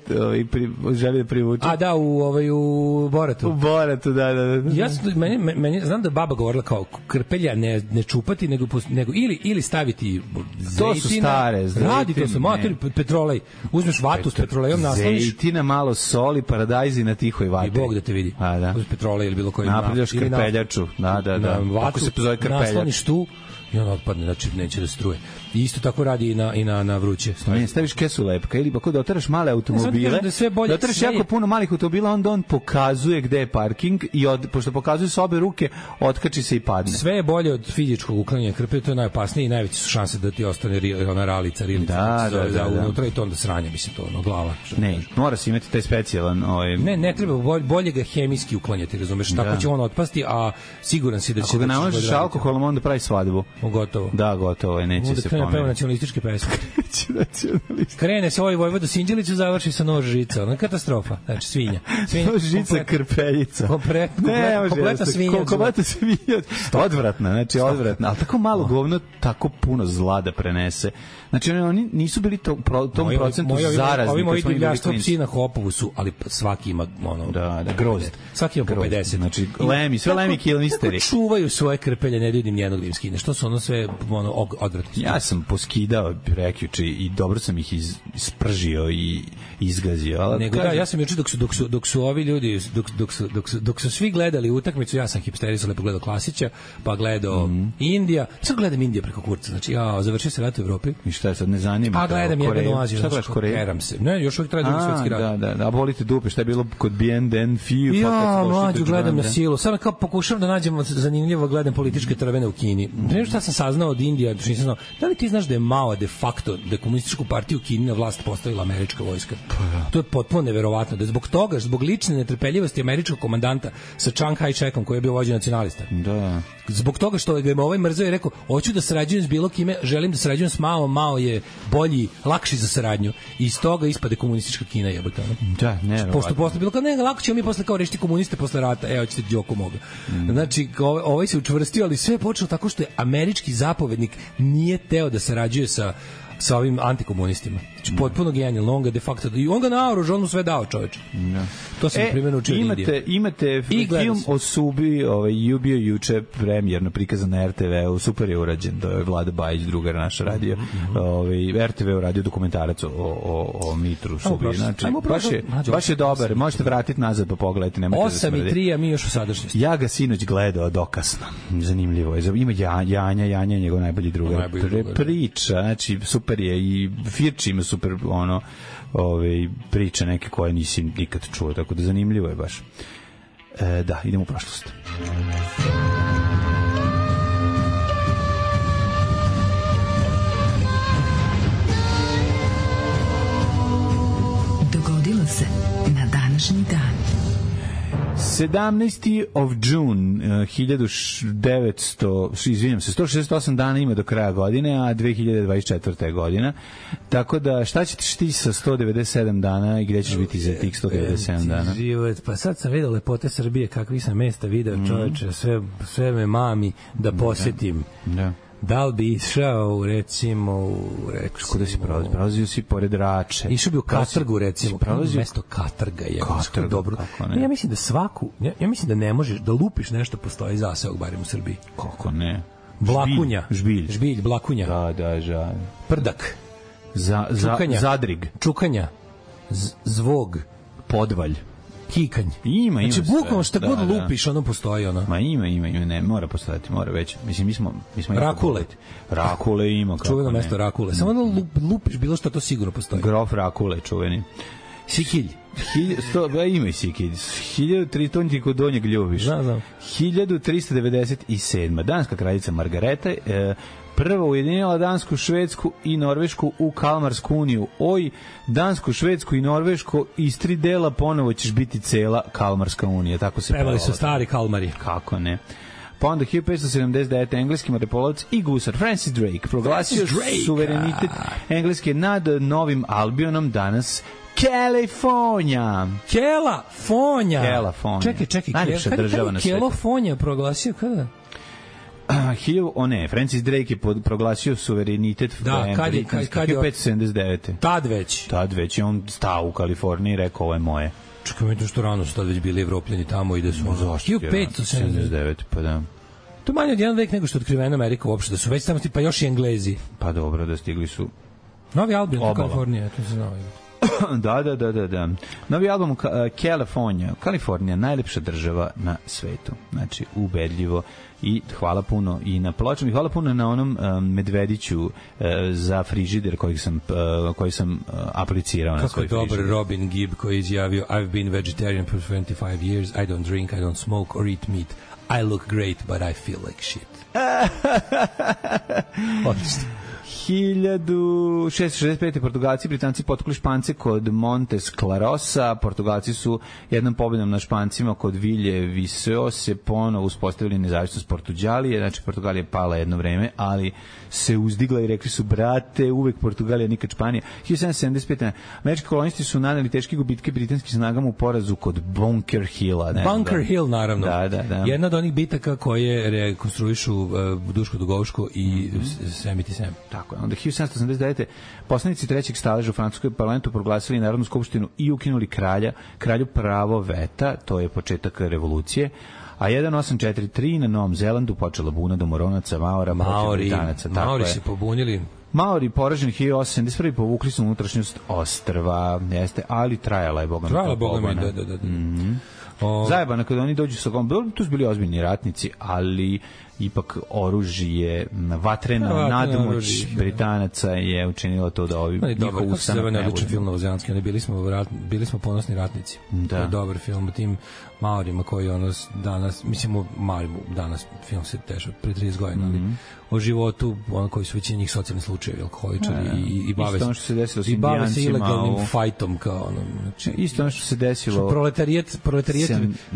želi da privuče. A da, u Boratu. U Boratu, da. Ja meni znam da baba govorila kao krpelja ne čupati nego ili staviti zejtina. To su stare. Radi to se mater petrolej. Uzmeš vatu s petrolejom, nasloniš. Zejtina, malo soli, paradajzi na tihoj vatri. I Bog da te vidi. A da. Uz petrolej ili bilo koji napravljaš krpeljaču. Da. Kako se zove krpeljač. Nasloniš tu i on otpadne, znači neće da struje. I isto tako radi i na vruće. Ne, staviš kesu lepka ili ako doteraš male automobile, doteraš jako puno malih automobila, onda on pokazuje gde je parking i pošto pokazuje sa obe ruke, otkači se i padne. Sve je bolje od fizičkog uklanjanja krpe, to je najopasnije i najveće su šanse da ti ostane ona ralica, da, unutra i to onda sranje, mislim, to ono, glava. Ne, mora se imati taj specijalan... Ne treba, bolje ga hemijski uklanjati, razumeš, tako će on otpasti, a siguran si da će... Ako ga namažeš alkoholom, onda pravi svadbu. Gotovo. Da, gotovo, neće se pomeriti. Krene nacionalističke pesme. Krene se ovaj Vojvoda Sinđeliću, završi sa nož žica. Ono katastrofa. Znači, svinja. Nož žica, krpeljica. Kompletna svinja. Kompletna svinja. Odvratna, znači odvratna. Ali tako malo govno, tako puno zla da prenese. Znači, oni nisu bili tom procentu zarazni. Ovi moji divljaštvo psi na Hopovu su, ali svaki ima grozd. Svaki ima po 50. Znači, lemi, sve lemi kilmisteri. Kako čuvaju svoje krpelje, ne vidim nijednog da im skine. Što su ono sve odvratno? Ja sam poskidao prekjuče i dobro sam ih ispržio i izgazio. Nego da, ja sam juče dok su ovi ljudi, dok su svi gledali utakmicu, ja sam hipsterisao, lepo gledao Klasića, pa gledao Indija. Sad gledam Indija preko kurca. Znači, završio se rat u Evropi. I šta je sad, ne zanima? A gledam jednu Aziju. Šta gledaš Koreju? Keram se. Ne, još uvijek traje drugi svetski rat. Da, a volite dupe, šta je bilo kod BNN, FIU, ja, mlađu, gledam na silu. Samo kao pokušavam da nađem zanimljivo, gledam političke trvene u Kini. Ne šta sam saznao od Indije, nisam znao. Da li ti znaš da je Mao de facto, da je komunističku partiju u Kini na vlast postavila američka vojska? To je potpuno neverovatno. Da je zbog toga, zbog lične netrpeljivosti američkog komandanta sa Chiang Kai-shekom, koji je bio vođa nacionalista. Da. Zbog toga što je ovaj mrzeo i rekao, hoću da sarađujem s bilo kime, želim da sarađujem s Maom, Mao je bolji, lakši za saradnju. I iz toga ispade komunistička Kina, jebote. Da, ne. Posle bilo kao, ne, lako ćemo mi posle kao rešiti komuniste posle rata. Hoćete Đoko moga. Znači, ovaj se učvrstio, ali sve je počelo tako što je američki zapovednik nije teo da sarađuje sa ovim antikomunistima. Znači, potpuno genijalno, on ga de facto... I on ga naoružao, on mu sve dao, čoveče. To sam primjer učio od Indije. Imate film o Subi, bio juče premjerno prikazan na RTV-u, super je urađen, da je Vlada Bajić, drugar naša radio, RTV uradio dokumentarac o Mitru Subi. Znači, baš je dobar, možete vratiti nazad pa pogledajte, nemojte da smrdi. 8:03, a mi još u sadašnjosti. Ja ga sinoć gledao dokasno, zanimljivo je. Ima Janja je njegov najbolji drugar. Priča, znači, super je i Firči ima super priče neke koje nisi nikad čuo, tako da zanimljivo je baš. Da, idemo u prošlost. Dogodilo se na današnji dan. 17. of June 168 dana ima do kraja godine, a 2024. godina. Tako da, šta ćeš ti sa 197 dana i gde ćeš biti za tih 197 dana? Život, pa sad sam vidio lepote Srbije, kakvi sam mesta video, čoveče, sve me mami da posetim. Da. Da li bi išao, recimo... Kuda si prolazio si pored Rače. Išao bi u Katrgu, recimo. Mesto Katrga je. Katrga, dobro. Ja mislim da ja mislim da ne možeš, da lupiš nešto postoji zaseok, barem u Srbiji. Kako ne? Blakunja. Žbilj, Blakunja. Da. Prdak. Čukanja. Zadrig. Čukanja. Zvog. Podvalj. Kikanj. Ima. Znači, bukvalno šta god lupiš, ono postoji, ono. Ma ima, ne, mora postojati, mora već. Mislim, mi smo Rakule. Rakule ima, kako čuveno mesto Rakule. Samo ono lupiš bilo što, to sigurno postoji. Grof Rakule, čuveni. Sikilj. Ima i Sikilj. 1300 kod Donjeg Ljubiš. Znam. 1397. Danska kraljica Margareta prva ujedinila Dansku, Švedsku i Norvešku u Kalmarsku uniju. Dansku, Švedsku i Norvešku iz 3 dela ponovo ćeš biti cela Kalmarska unija. Tako se pevali su stari Kalmari. Kako ne. Pa onda 1579. engleski moreplovac i gusar Francis Drake proglasio suverenitet Engleske nad Novim Albionom, danas Kalifornija. Kelafonija. Čekaj. Najljepša država na svijetu. Kelafonija proglasio kada? Francis Drake je proglasio suverenitet kad je 1579. Tad već je on stao u Kaliforniji i rekao ovo je moje. Čekaj, mi to što rano su tad već bili Evropljani tamo i da su 1579, pa da. To je manje od jedan vek nego što je otkrivena Amerika uopšte, da su već tamo pa još i Englezi. Pa dobro, da stigli su Novi album u Kaliforniji, to se znao. Da. Novi album Kalifornija, najlepša država na svetu. Znači, ubedljivo. I hvala puno i na pločama i hvala puno na onom medvediću za frižider koji sam aplicirao na svoj frižider. Kako je dobar Robin Gibb koji je izjavio I've been vegetarian for 25 years, I don't drink, I don't smoke or eat meat. I look great, but I feel like shit. Odlično. 1665. Portugalci i Britanci potukli Špance kod Montes Clarosa. Portugalci su jednom pobedom na Špancima kod Vilje Viseo se ponovo uspostavili nezavisnost Portuđalije. Znači, Portugalija je pala jedno vreme, ali se uzdigla i rekli su, brate, uvek Portugalija, nikad Španija. 1775. Američki kolonisti su naneli teške gubitke britanskim snagama u porazu kod Bunker Hilla. Bunker Hill, naravno. Da. Jedna od onih bitaka koje rekonstruišu Duško Dugovško i Semiti Sem. Tako je. Onda 1789. poslanici trećeg staleža u francuskom parlamentu proglasili Narodnu skupštinu i ukinuli kralju pravo veta, to je početak revolucije. A 1843 na Novom Zelandu počela buna domoronaca Maori se pobunili. Maori poraženi 1871 povukli su unutrašnjost ostrva, jeste, ali trajala je bogami. Zajebano kada oni dođu sa gomom, tu su bili ozbiljni ratnici, ali ipak oružje, vatrena nadmoć Britanaca je učinilo to da ovi njihov ustanak ne bude. Odličan film novozelandski, bili smo ponosni ratnici. To je dobar film o tim Maorima koji danas, mislimo Maorima danas, film se tešao pre 30 godina, ali o životu koji su većini njih socijalni slučajevi, alkoholičari i bave se. Isto ono što se desilo s Indijancima. I bave se ilegalnim fajtom kao znači, isto ono što se desilo.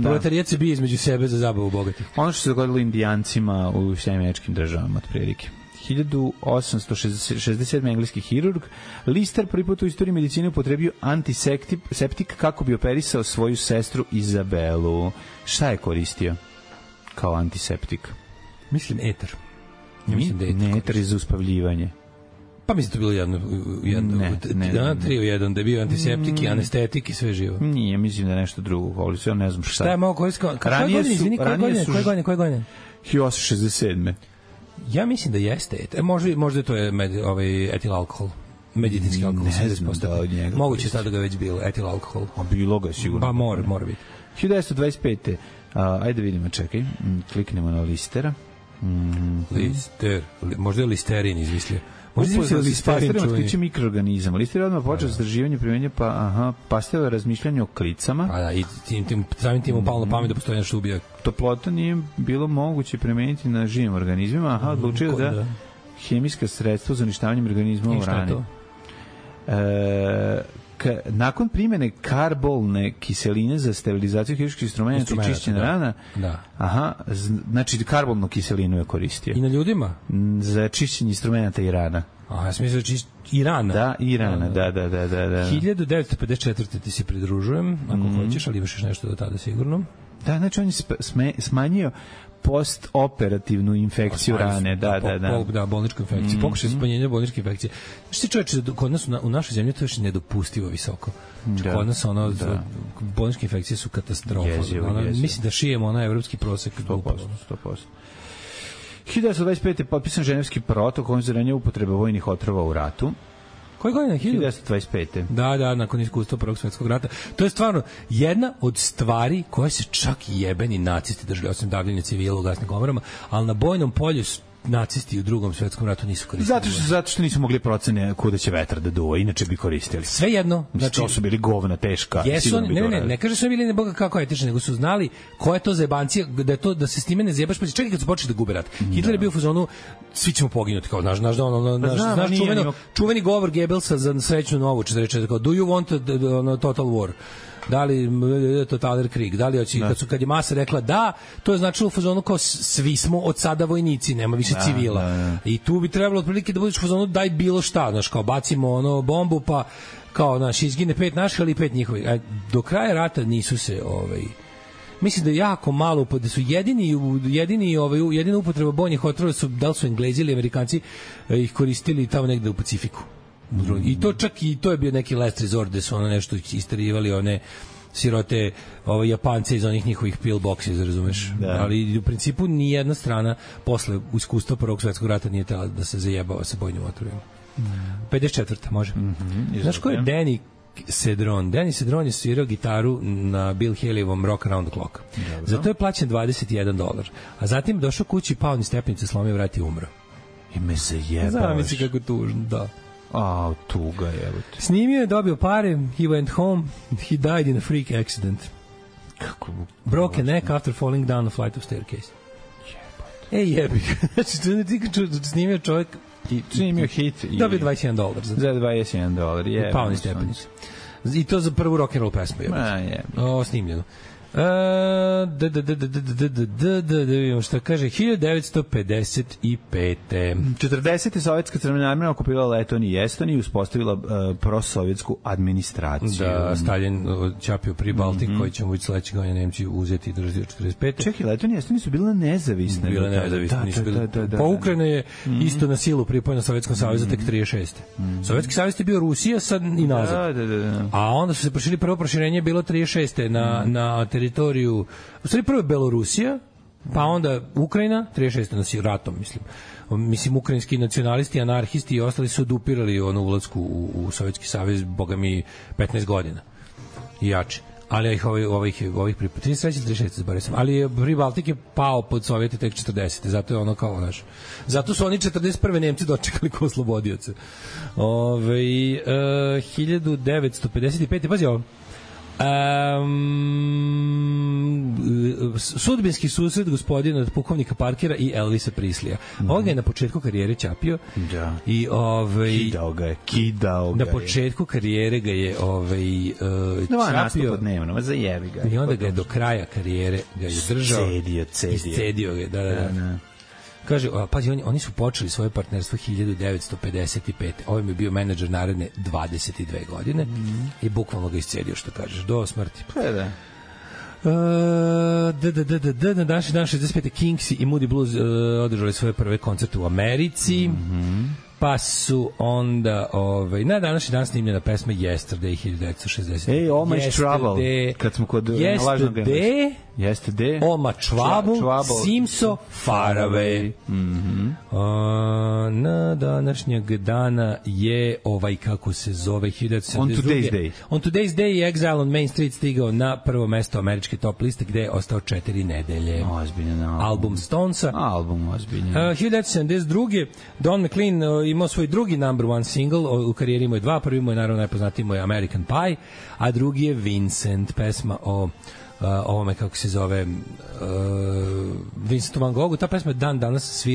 Proletarijet se bije između sebe za zabavu bogatih. Ono što se dogodilo Indijancima u Američkim državama, otprilike. 1867. engleski hirurg Lister prvi put u istoriji medicine upotrebio antiseptik kako bi operisao svoju sestru Izabelu. Šta je koristio kao antiseptik? Mislim eter. Ne, eter je za uspavljivanje. Pa mislim to bilo jedno trio jedan, da je bio antiseptik i anestetik i sve živo. Nije, mislim da je nešto drugo, ali sve ne znam šta. Šta je malo koristio? Koje godine? 1867. Ja mislim da jeste. Možda to je etil alkohol. Medicinski alkohol. Ne znam da od njega. Moguće sada ga već bilo, etil alkohol. A bilo ga sigurno. Pa mora biti. 1925. Ajde vidimo, čekaj. Kliknemo na Listera. Lister. Možda je Listerin izmislio. Možda je Listerin otkriće mikroorganizama. Lister je odmah počeo istraživanje primenja, pa stavio razmišljanje o klicama. A da, i samim tim upalo na pamet da postoji nešto ubija. Toplota nije bilo moguće primeniti na živim organizmima. Odlučio da hemijska sredstva za uništavanje organizma u hrani. Nakon primene karbolne kiseline za sterilizaciju hirurških instrumenta i čišćenja rana, znači karbolnu kiselinu je koristio. I na ljudima? Za čišćenje instrumenta i rana. Ja sam mislio i rana. Da, i rana, da. 1954. ti se pridružujem, ako hoćeš, ali imaš još nešto do tada sigurno. Da, znači on je smanjio postoperativnu infekciju rane, da, bolničku infekciju. Pokušaj smanjenja bolničke infekcije. Znači, čovječe, kod nas u našoj zemlji to je još nedopustivo visoko. Kod nas bolničke infekcije su katastrofa. Mislim da šijemo evropski prosek. 100%. 1925. je potpisan Ženevski protokol o zabranjenju upotrebe vojnih otrova u ratu. Koje godine? 1925. Da, nakon iskustva Prvog svjetskog rata. To je stvarno jedna od stvari koje se čak i jebeni nacisti držali, osim davljenja civila u gasnim komorama, ali na bojnom polju nacisti u Drugom svjetskom ratu nisu koristili. Zato što nisu mogli procene kuda će vetar da duva, inače bi koristili. Sve jedno. Znači, to su bili govna teška. Ne kaže su bili ne boga kako etični, nego su znali koja je to zebancija, da se s time ne zebaš, pa čekaj kad su počeli da gube rat. Hitler je bio u fazonu, svi ćemo poginuti, kao znaš čuveni govor Goebbelsa za srećnu novu 44, kao do you want total war? Da li totaler Krieg, da li hoće, kad je masa rekla da, to je značilo u fazonu kao svi smo od sada vojnici, nema više civila. I tu bi trebalo otprilike da budeš u fazonu daj bilo šta, znaš, kao bacimo bombu, pa kao, znaš, izgine 5 naših, ali 5 njihovih. Do kraja rata nisu se, mislim da je jako malo, da su jedina upotreba bojnih otrova su, da li su Englezi ili Amerikanci ih koristili tamo negde u Pacifiku. I to čak i to je bio neki last resort gde su ono nešto isterivali, one sirote Japance iz onih njihovih pillboxes, razumeš? Da. Ali u principu ni jedna strana posle iskustva Prvog svetskog rata nije tela da se zajebava sa bojnim otrovima. 54. može. Znaš ko je Danny Cedron? Danny Cedron je svirao gitaru na Bill Haley-ovom Rock Around the Clock. Zato je plaćen $21. A zatim došao kući, pao niz stepenice, slomio vrat i umro. I me zajebavaš. Zamisli kako tužno, da. Tuga je. Snimio je, dobio pare, he went home, he died in a freak accident. Kako? Broke a neck after falling down a flight of staircase. Jebi. Znači, snimio čovjek i snimio hit i dobio $21 za $21, je. Pao niz stepenice. I to za prvu rock and roll pesmu je. Snimljeno. Vidimo šta kaže 1955. 40. Sovjetska crvena armija okupirala Letoniju i Estoniju i uspostavila prosovjetsku administraciju. Da, Stalin ćapio pri Baltik, koji će mu biti sledećeg godina Nemci uzeti i držati od 45. Čekaj, Letonija i Estonija su bile nezavisne. Bile nezavisne. Pa Ukrajina je isto na silu pripojena Sovjetskom savezu tek 36. Sovjetski savez je bio Rusija sad i nazad. A onda su se prošili, prvo proširenje bilo 36. na teritoriju, u stvari prvo je Belorusija, pa onda Ukrajina, 36. na ratom, mislim, ukrajinski nacionalisti, anarhisti i ostali su odupirali ulazku u Sovjetski savez, boga mi, 15 godina i jače. Ali ovih 33 zaboravio sam. Ali Pribaltik je pao pod Sovjete tek 40. Zato je ono kao, znaš. Zato su oni 41. Nemci dočekali kao oslobodioce. 1955. Pazi ovo. Sudbinski susret gospodina od pukovnika Parkera i Elvisa Prislija. On ga je na početku karijere ćapio. Da. I kidao ga na početku karijere ga je ćapio dnevno, zajebi ga. I onda ga je do kraja karijere ga je držao. Iscedio ga, da. Kaže, pazi, oni su počeli svoje partnerstvo 1955. Ovo mi je bio menadžer naredne 22 godine i bukvalno ga iscedio, što kažeš, do smrti. Da. Na današnji dan 65. Kingsi i Moody Blues održali svoje prve koncerte u Americi. Pa su onda na današnji dan snimljena pesma Yesterday 1960. All My Trouble, kad smo kod Yesterday, All My Trouble, Simso Far Away. Na današnjeg dana je kako se zove 1972. On Today's Day je Exile on Main Street stigao na prvo mesto američke top liste gde je ostao 4 nedelje. Ozbiljan album Stonesa. Album ozbiljan. 1972. Don McLean imao svoj drugi number one single, u karijeri imao je dva, prvi mu je naravno najpoznatiji mu je American Pie, a drugi je Vincent, pesma o ovome kako se zove Vincentu Van Goghu. Ta pesma dan danas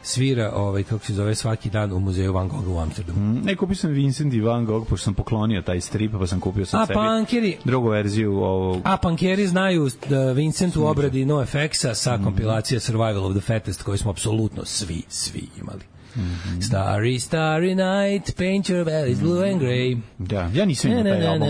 svira kako se zove svaki dan u muzeju Van Gogha u Amsterdamu. Kupio sam Vincent i Van Gogh, pošto sam poklonio taj strip, pa sam kupio sam sebi drugu verziju ovog. A punkeri znaju da Vincent u obradi NoFX-a sa kompilacije Survival of the Fattest, koju smo apsolutno svi imali. Starry, starry night, paint your bellies blue and grey. Da, ja nisam imao taj album.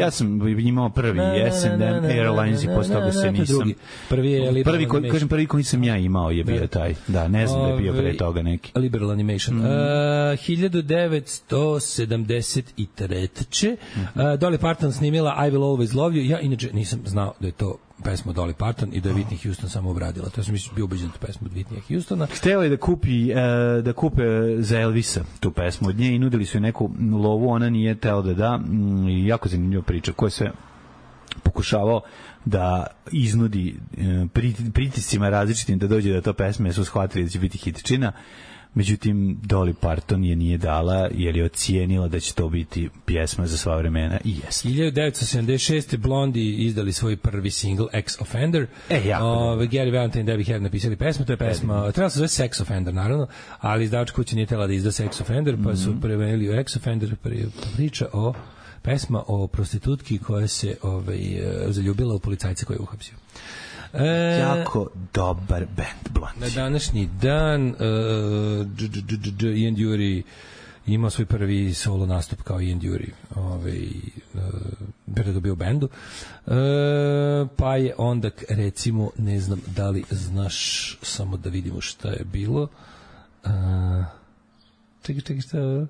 Ja sam imao prvi S&M Airlines i posle toga se nisam. Prvi je Liberal Animation. Kažem, prvi koji sam ja imao je bio taj. Da, ne znam da je bio pre toga neki. Liberal Animation. 1973. Dolly Parton snimila I Will Always Love You. Ja inače nisam znao da je to pesmu Dolly Parton i da je Whitney Houston samo obradila. To sam bio ubeđen tu pesmu od Whitneya Houstona. Htela je da kupe za Elvisa tu pesmu od nje i nudili su je neku lovu, ona nije tela da. Jako zanimljiva priča koja se pokušavao da iznudi pritiscima različitim da dođe do to pesme, su shvatili da će biti hitčina. Međutim, Dolly Parton je nije dala jer je ocijenila da će to biti pjesma za sva vremena i jeste. 1976. Blondie izdali svoj prvi single Ex Offender. Gary Valentine i Debbie Harry napisali pesmu, to je pesma, trebala se zove Sex Offender naravno, ali izdavač kuće nije tela da izda Sex Offender, pa su prevenili u Ex Offender, priča o pesma o prostitutki koja se zaljubila u policajca koji je uhapsio. Jako dobar band Blondie. Na današnji dan Ian imao svoj prvi solo nastup kao Ian Dury, pre toga bio u bendu. Pa je onda, recimo, ne znam da li znaš, samo da vidimo šta je bilo. Čekaj, šta je?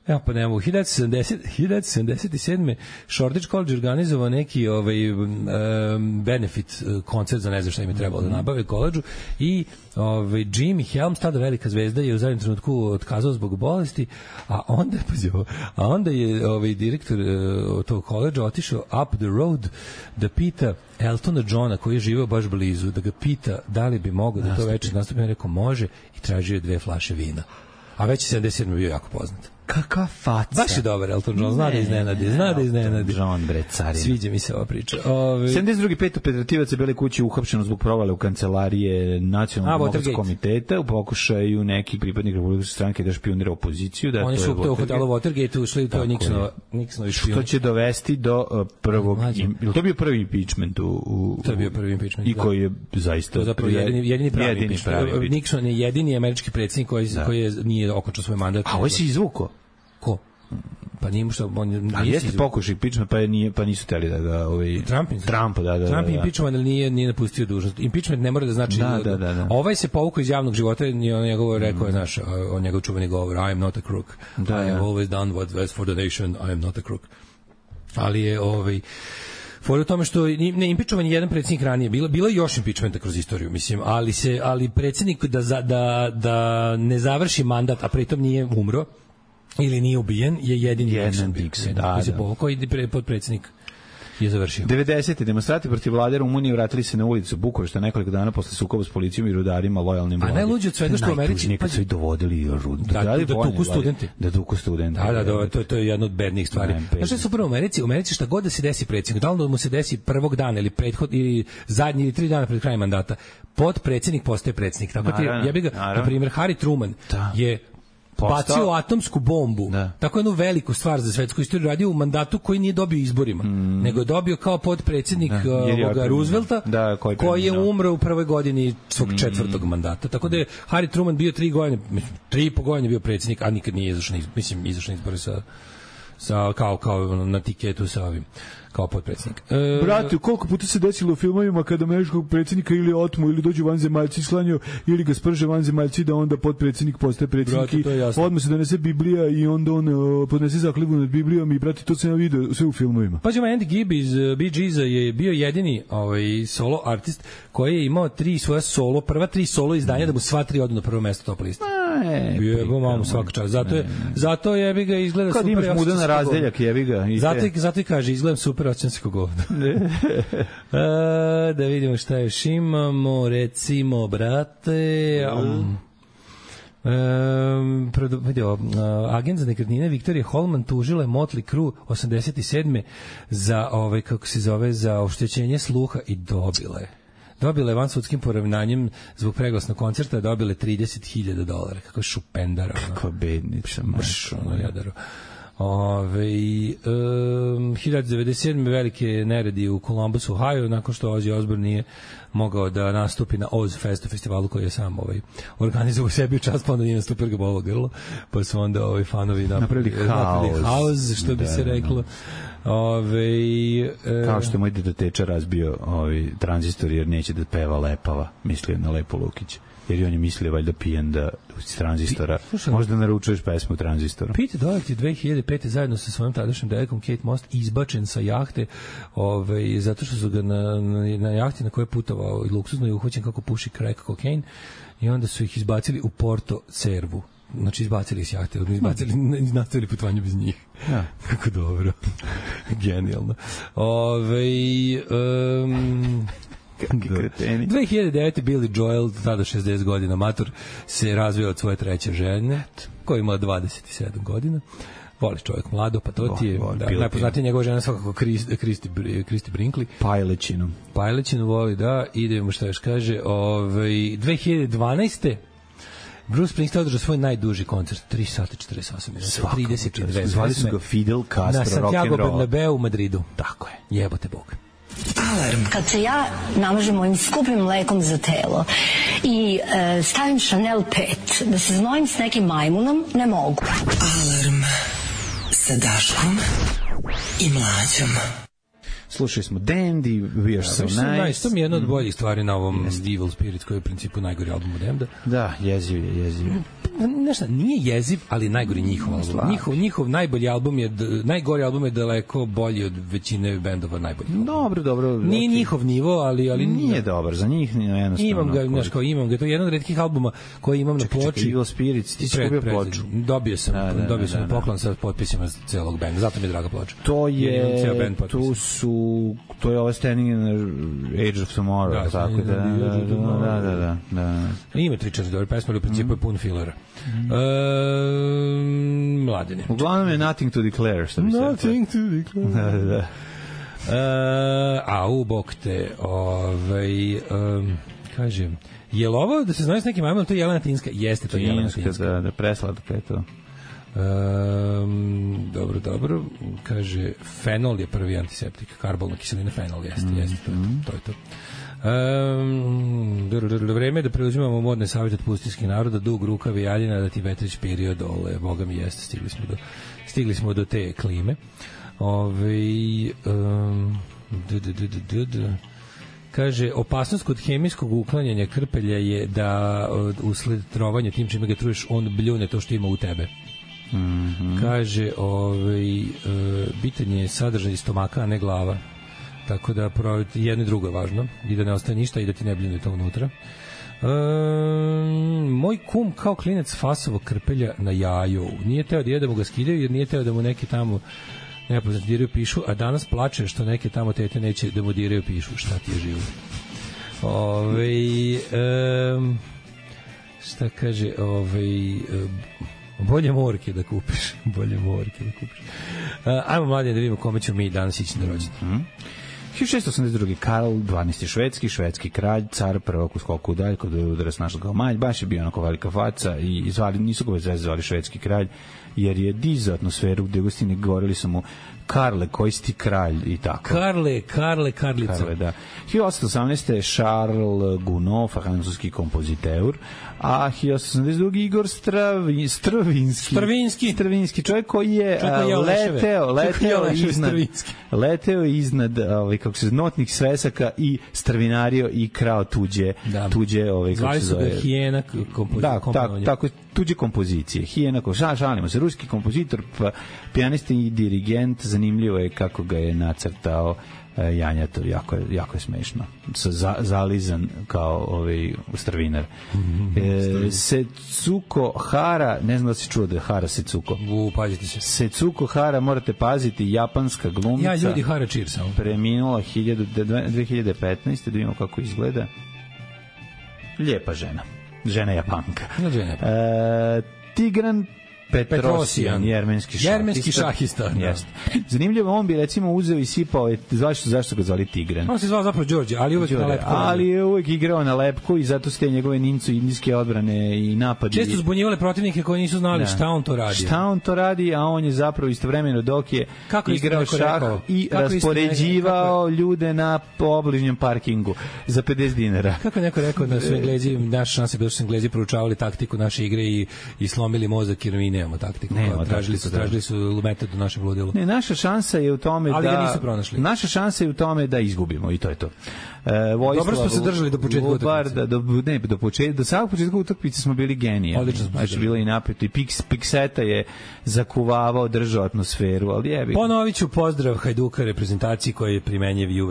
Evo pa nemamo, 1977. Shoreditch College organizovao neki benefit koncert za ne znam šta im je trebalo da nabave koledžu i Jimmy Helms, tada velika zvezda, je u zadnjem trenutku otkazao zbog bolesti, a onda je direktor tog koledža otišao up the road da pita Eltona Johna, koji je živeo baš blizu, da ga pita da li bi mogao da to večer nastupi. Rekao može i tražio je 2 flaše vina. A već 77. bio jako poznat. Kakva faca. Baš je dobar Elton John, zna da iznenadi. John, bre, carina. Sviđa mi se ova priča. 72. 5 operativaca Bele kuće uhapšeno zbog provale u kancelarije Nacionalnog demokratskog komiteta u pokušaju nekih pripadnika Republikanske stranke da špionira opoziciju. Oni su u hotelu Watergate ušli, to je Nixonovi špijun. Što će dovesti do prvog... Ili to bio prvi impeachment? To je bio prvi impeachment, i koji je zaista... Zapravo jedini pravi impeachment. Nixon je jedini američki predsjednik koji nije okončao svoj mandat. A ovo si izvuko? Ko? Pa nije mu što... A jeste pokušaj impeachment, pa nisu teli da ga... Trump, da. Trump je impeachment, ali nije napustio dužnost. Impeachment ne mora da znači... Da. Ovaj se povukao iz javnog života i on njegovo rekao je, znaš, on njegov čuveni govor, I am not a crook. I have always done what was for the nation, I am not a crook. Ali je fora u tome što ne impičovan je jedan predsjednik ranije, bilo je još impičmenta kroz istoriju, mislim, ali predsjednik da ne završi mandat, a pritom nije umro ili nije ubijen, je jedini Nixon. Koji se povukao i podpredsjednik je završio. 90. demonstranti protiv vlade Rumunije vratili se na ulicu Bukurešta nekoliko dana posle sukoba s policijom i rudarima lojalnim vladi. A najluđe od svega što u Americi kad su ih dovodili da tuku studenti. Da tuku studenti. To je jedna od bednih stvari. Znaš što je super u Americi? U Americi šta god da se desi predsjednik, da li mu se desi prvog dana ili ili zadnji ili 3 dana pred krajem mandata, podpredsjednik postaje predsjednik. Tako ti jebi ga, na primjer, Harry Truman je bacio atomsku bombu. Tako jednu veliku stvar za svetsku istoriju radio u mandatu koji nije dobio izborima, nego je dobio kao podpredsjednik Roosevelta, koji je umro u prvoj godini svog 4. mandata. Tako da je Harry Truman bio 3 godine, 3,5 godine bio predsjednik, a nikad nije izašao na izbore sa kao na tiketu sa ovim kao potpredsjednik. Brate, koliko puta se desilo u filmovima kada američkog predsjednika ili otmu ili dođu vanzemaljci sklanjaju ili ga sprže vanzemaljci da onda potpredsjednik postaje predsjednik i odmah se donese Biblija i onda on podnese zakletvu nad Biblijom i brate, to sam ja vidio sve u filmovima. Pađemo, Andy Gibb iz Bee Geesa je bio jedini solo artist koji je imao 3 svoja solo, prva 3 solo izdanja da mu sva 3 odu na prvo mesto top liste. Jebo mamu svaka čast. Zato jebi ga izgleda super. Kad imaš mudan razdeljak, jebi ga. Zato i kaže, izgledam super ocenskog govna. Da vidimo šta još imamo. Recimo, brate... agent za nekretnine Viktorija Holman tužila je Motley Crue 87. za kako se zove, za oštećenje sluha i dobila je vansudskim poravnanjem zbog preglasnog koncerta, dobile $30,000. Kako šupendara. Kako bednica. Jadaro. 1997. velike neredi u Columbus, Ohio, nakon što Ozzy Osbourne nije mogao da nastupi na Oz festivalu koji je sam organizovao sebi u čast, pa onda nije nastupio ga bolo grlo, pa su onda fanovi napravili haos, što bi se reklo. Kao što je moj dedoteča razbio tranzistor jer neće da peva Lepava, mislio na Lepo Lukić. Jer on je mislio valjda pijen da iz tranzistora možda naručuješ pesmu tranzistora. Pete Doherty 2005. zajedno sa svojom tadašnjom devojkom Kate Moss izbačen sa jahte zato što su ga na jahti na kojoj je putovao i luksuzno je uhvaćen kako puši crack kokain i onda su ih izbacili u Porto Cervu. Znači izbacili iz jahte, nastavili putovanje bez njih. Ja. Kako dobro. Genijalno. 2009. Billy Joel, tada 60 godina, mator, se razvio od svoje treće žene, koja ima 27 godina. Voli čovjek mlado, pa to ti je najpoznatija njegova žena svakako Kristi Brinkley. Pajlećinu voli, da. Idemo šta još kaže. 2012. Bruce Springsteen održao svoj najduži koncert, 3 sata 48 minuta, 32. Zvali su ga Fidel Castro, na Santiago Bernabeu u Madridu. Tako je. Jebote Bog. Alarm. Kad se ja namažem mojim skupim mlekom za telo i stavim Chanel 5, da se znojim s nekim majmunom, ne mogu. Alarm sa Daškom i Mlađom. Slušali smo Dandy, We Are So Nice. To mi je jedna od boljih stvari na ovom Evil Spirit, koji je u principu najgori album od Damneda. Da, jeziv je. Nešto, nije jeziv, ali najgori njihov album. Njihov najbolji album je, najgori album je daleko bolji od većine bendova najboljih. Dobro. Nije njihov nivo, ali nije dobar, za njih jednostavno. Imam ga, to je jedan od retkih albuma koji imam na ploči. Evil Spirits, ti si kupio ploču. Dobio sam poklon sa potpisima celog benda, zato mi je draga ploča. To je ovo Standing in the Age of Tomorrow, tako da. Ima 3-4 dobre pesme, ali u principu je pun filera. Mladine. Uglavnom je Nothing to Declare, što bi se... Nothing to Declare. Da. Bog te, kažem, je li ovo, da se znaju s nekim majmom, to je Jelena Tinska? Jeste, to je Jelena Tinska. Da, preslatka je to. Dobro, kaže fenol je prvi antiseptik, karbolna kiselina fenol, jeste to je to. Vreme je da preuzimamo modne savjete od pustinskih naroda, dug rukav i jaljina, da ti vetrić perio dole, boga mi jeste, stigli smo do te klime. Kaže, opasnost kod hemijskog uklanjanja krpelja je da usled trovanja tim čime ga truješ, on bljune to što ima u tebe. Kaže, bitan je sadržaj stomaka, a ne glava. Tako da jedno i drugo je važno, i da ne ostaje ništa i da ti ne bljune to unutra. Moj kum kao klinac fasovo krpelja na jaju. Nije teo da mu ga skidaju, jer nije teo da mu neki tamo nepoznati diraju pišu, a danas plače što neke tamo tete neće da mu diraju pišu. Šta ti je živo? Šta kaže, bolje morke da kupiš. Ajmo, mladine, da vidimo kome ćemo mi danas ići na rođendan. 1682. Karl 12. švedski kralj, car prvog u skoku udalj, kod je udarac našla kao malj, baš je bio onako velika faca i nisu ga već zvali švedski kralj, jer je dizao atmosferu gde gostine govorili su mu Karle, koji si ti kralj i tako. Karlica. Karle, da. 1818. Charles Gounod, francuski kompoziteur, a 1882. Igor Stravinski, čovjek koji je leteo iznad kako se notnih svesaka i strvinario i krao tuđe zvali su ga Hijena tako tuđe kompozicije. Hijena, šalimo se, ruski kompozitor, pijanista i dirigent. Zanimljivo je kako ga je nacrtao Janjatov, jako je smešno. Zalizan kao strvinar. Setsuko Hara, ne znam da si čuo da je Hara Setsuko. Pazite se. Setsuko Hara, morate paziti, japanska glumica. Ja, ljudi, Hara Cheers. Preminula 2015. Da vidimo kako izgleda. Lijepa žena. Žena Japanka. Tigran Petrosian, jermenski šahista. Zanimljivo, on bi recimo uzeo i sipao, zašto ga zvali Tigran? On se zvao zapravo Đorđe, ali uvek na lepku. Ali je uvek igrao na lepku i zato ste njegove nincu indijske odbrane i napadi. Često zbunjivale protivnike koji nisu znali šta on to radi. A on je zapravo istovremeno dok je igrao šah i raspoređivao ljude na obližnjem parkingu za 50 dinara. Kako neko rekao da su Englezi, naša šansa je bilo što su Englezi proučavali taktiku naše igre i slomili mozak jer mi nemamo taktiku. Tražili su metod u našem ludilu. Ne, naša šansa je u tome ali ga nisu pronašli. Naša šansa je u tome da izgubimo i to je to. Dobro smo se držali do početka utakmice. Do samog početka utakmice smo bili genijalni. Znači bilo i napeto i Pikseta je zakuvavao, držao atmosferu, ali jebi. Ponovit ću pozdrav Hajduka reprezentaciji koji je primenjiv i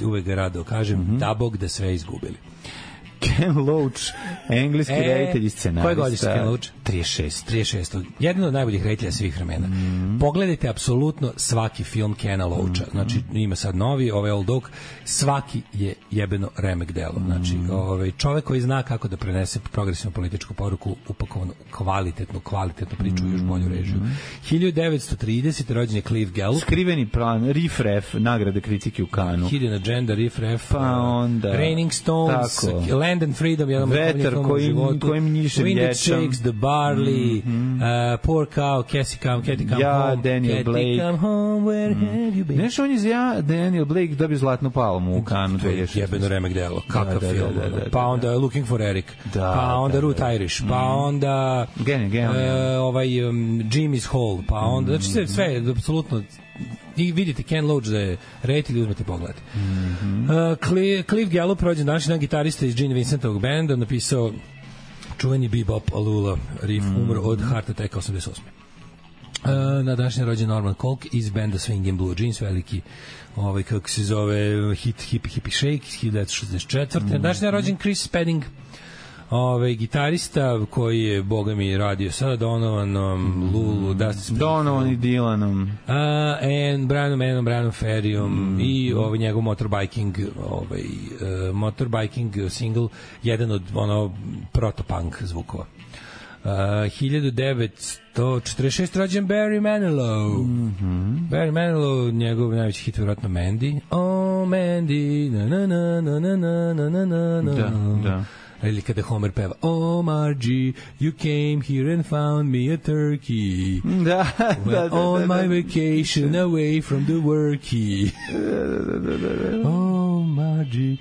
uvek ga rado kažem, da Bog da sve izgubili. Ken Loach, engleski reditelj i scenarista. Koje godište Ken Loach? 36. Jedan od najboljih reditelja svih vremena. Pogledajte apsolutno svaki film Kena Loacha. Znači, ima sad novi, Old Dog, svaki je jebeno remek delo. Znači, čovek koji zna kako da prenese progresivnu političku poruku, upakovanu kvalitetnu priču i još bolju režiju. 1930. rođen je Clive Gallup. Skriveni plan, Riff Raff, nagrade kritike u Kanu. Hidden Agenda, Riff Raff, pa onda Raining Stones, Land and Freedom, jedan od Vetar kojim njiše Wind That vječam. Shakes, The Barley, Poor Cow, Catty Come Home, Daniel Blake. Come Home, Where Have You Been? Nešto on je Daniel Blake dobio zlatnu palmu u Kanu 2016. Jebeno remek delo, kakav film. Da. Pa onda Looking for Eric, pa onda Root Irish, pa onda Jimmy's Hall, pa onda, znači sve, apsolutno, i vidite Ken Loach da je reditelj, uzmete pogledati. Cliff Gallup, rođen današnji dan, gitarista iz Gene Vincentovog benda, napisao čuveni Bebop Alula riff, umro od heart attacka 88. Na današnji rođen Norman Kolk iz benda Swing and Blue Jeans, veliki kako se zove hit Hippie Shake 1964. Na današnji rođen Chris Spedding, gitarista koji je, boga mi, radio sa Donovanom, Lulu, Dusty Springfield, Donovan i Dylanom, Brianom Ferryom i njegov motorbiking single, jedan od protopunk zvukova. 1946 rođen Barry Manilow. Barry Manilow, njegov najveći hit vjerojatno Mandy. Oh Mandy, na na na na na na na na na. Da. Ili kada Homer peva Oh Margie, you came here and found me a turkey. Da. On my vacation away from the worky. Oh Margie.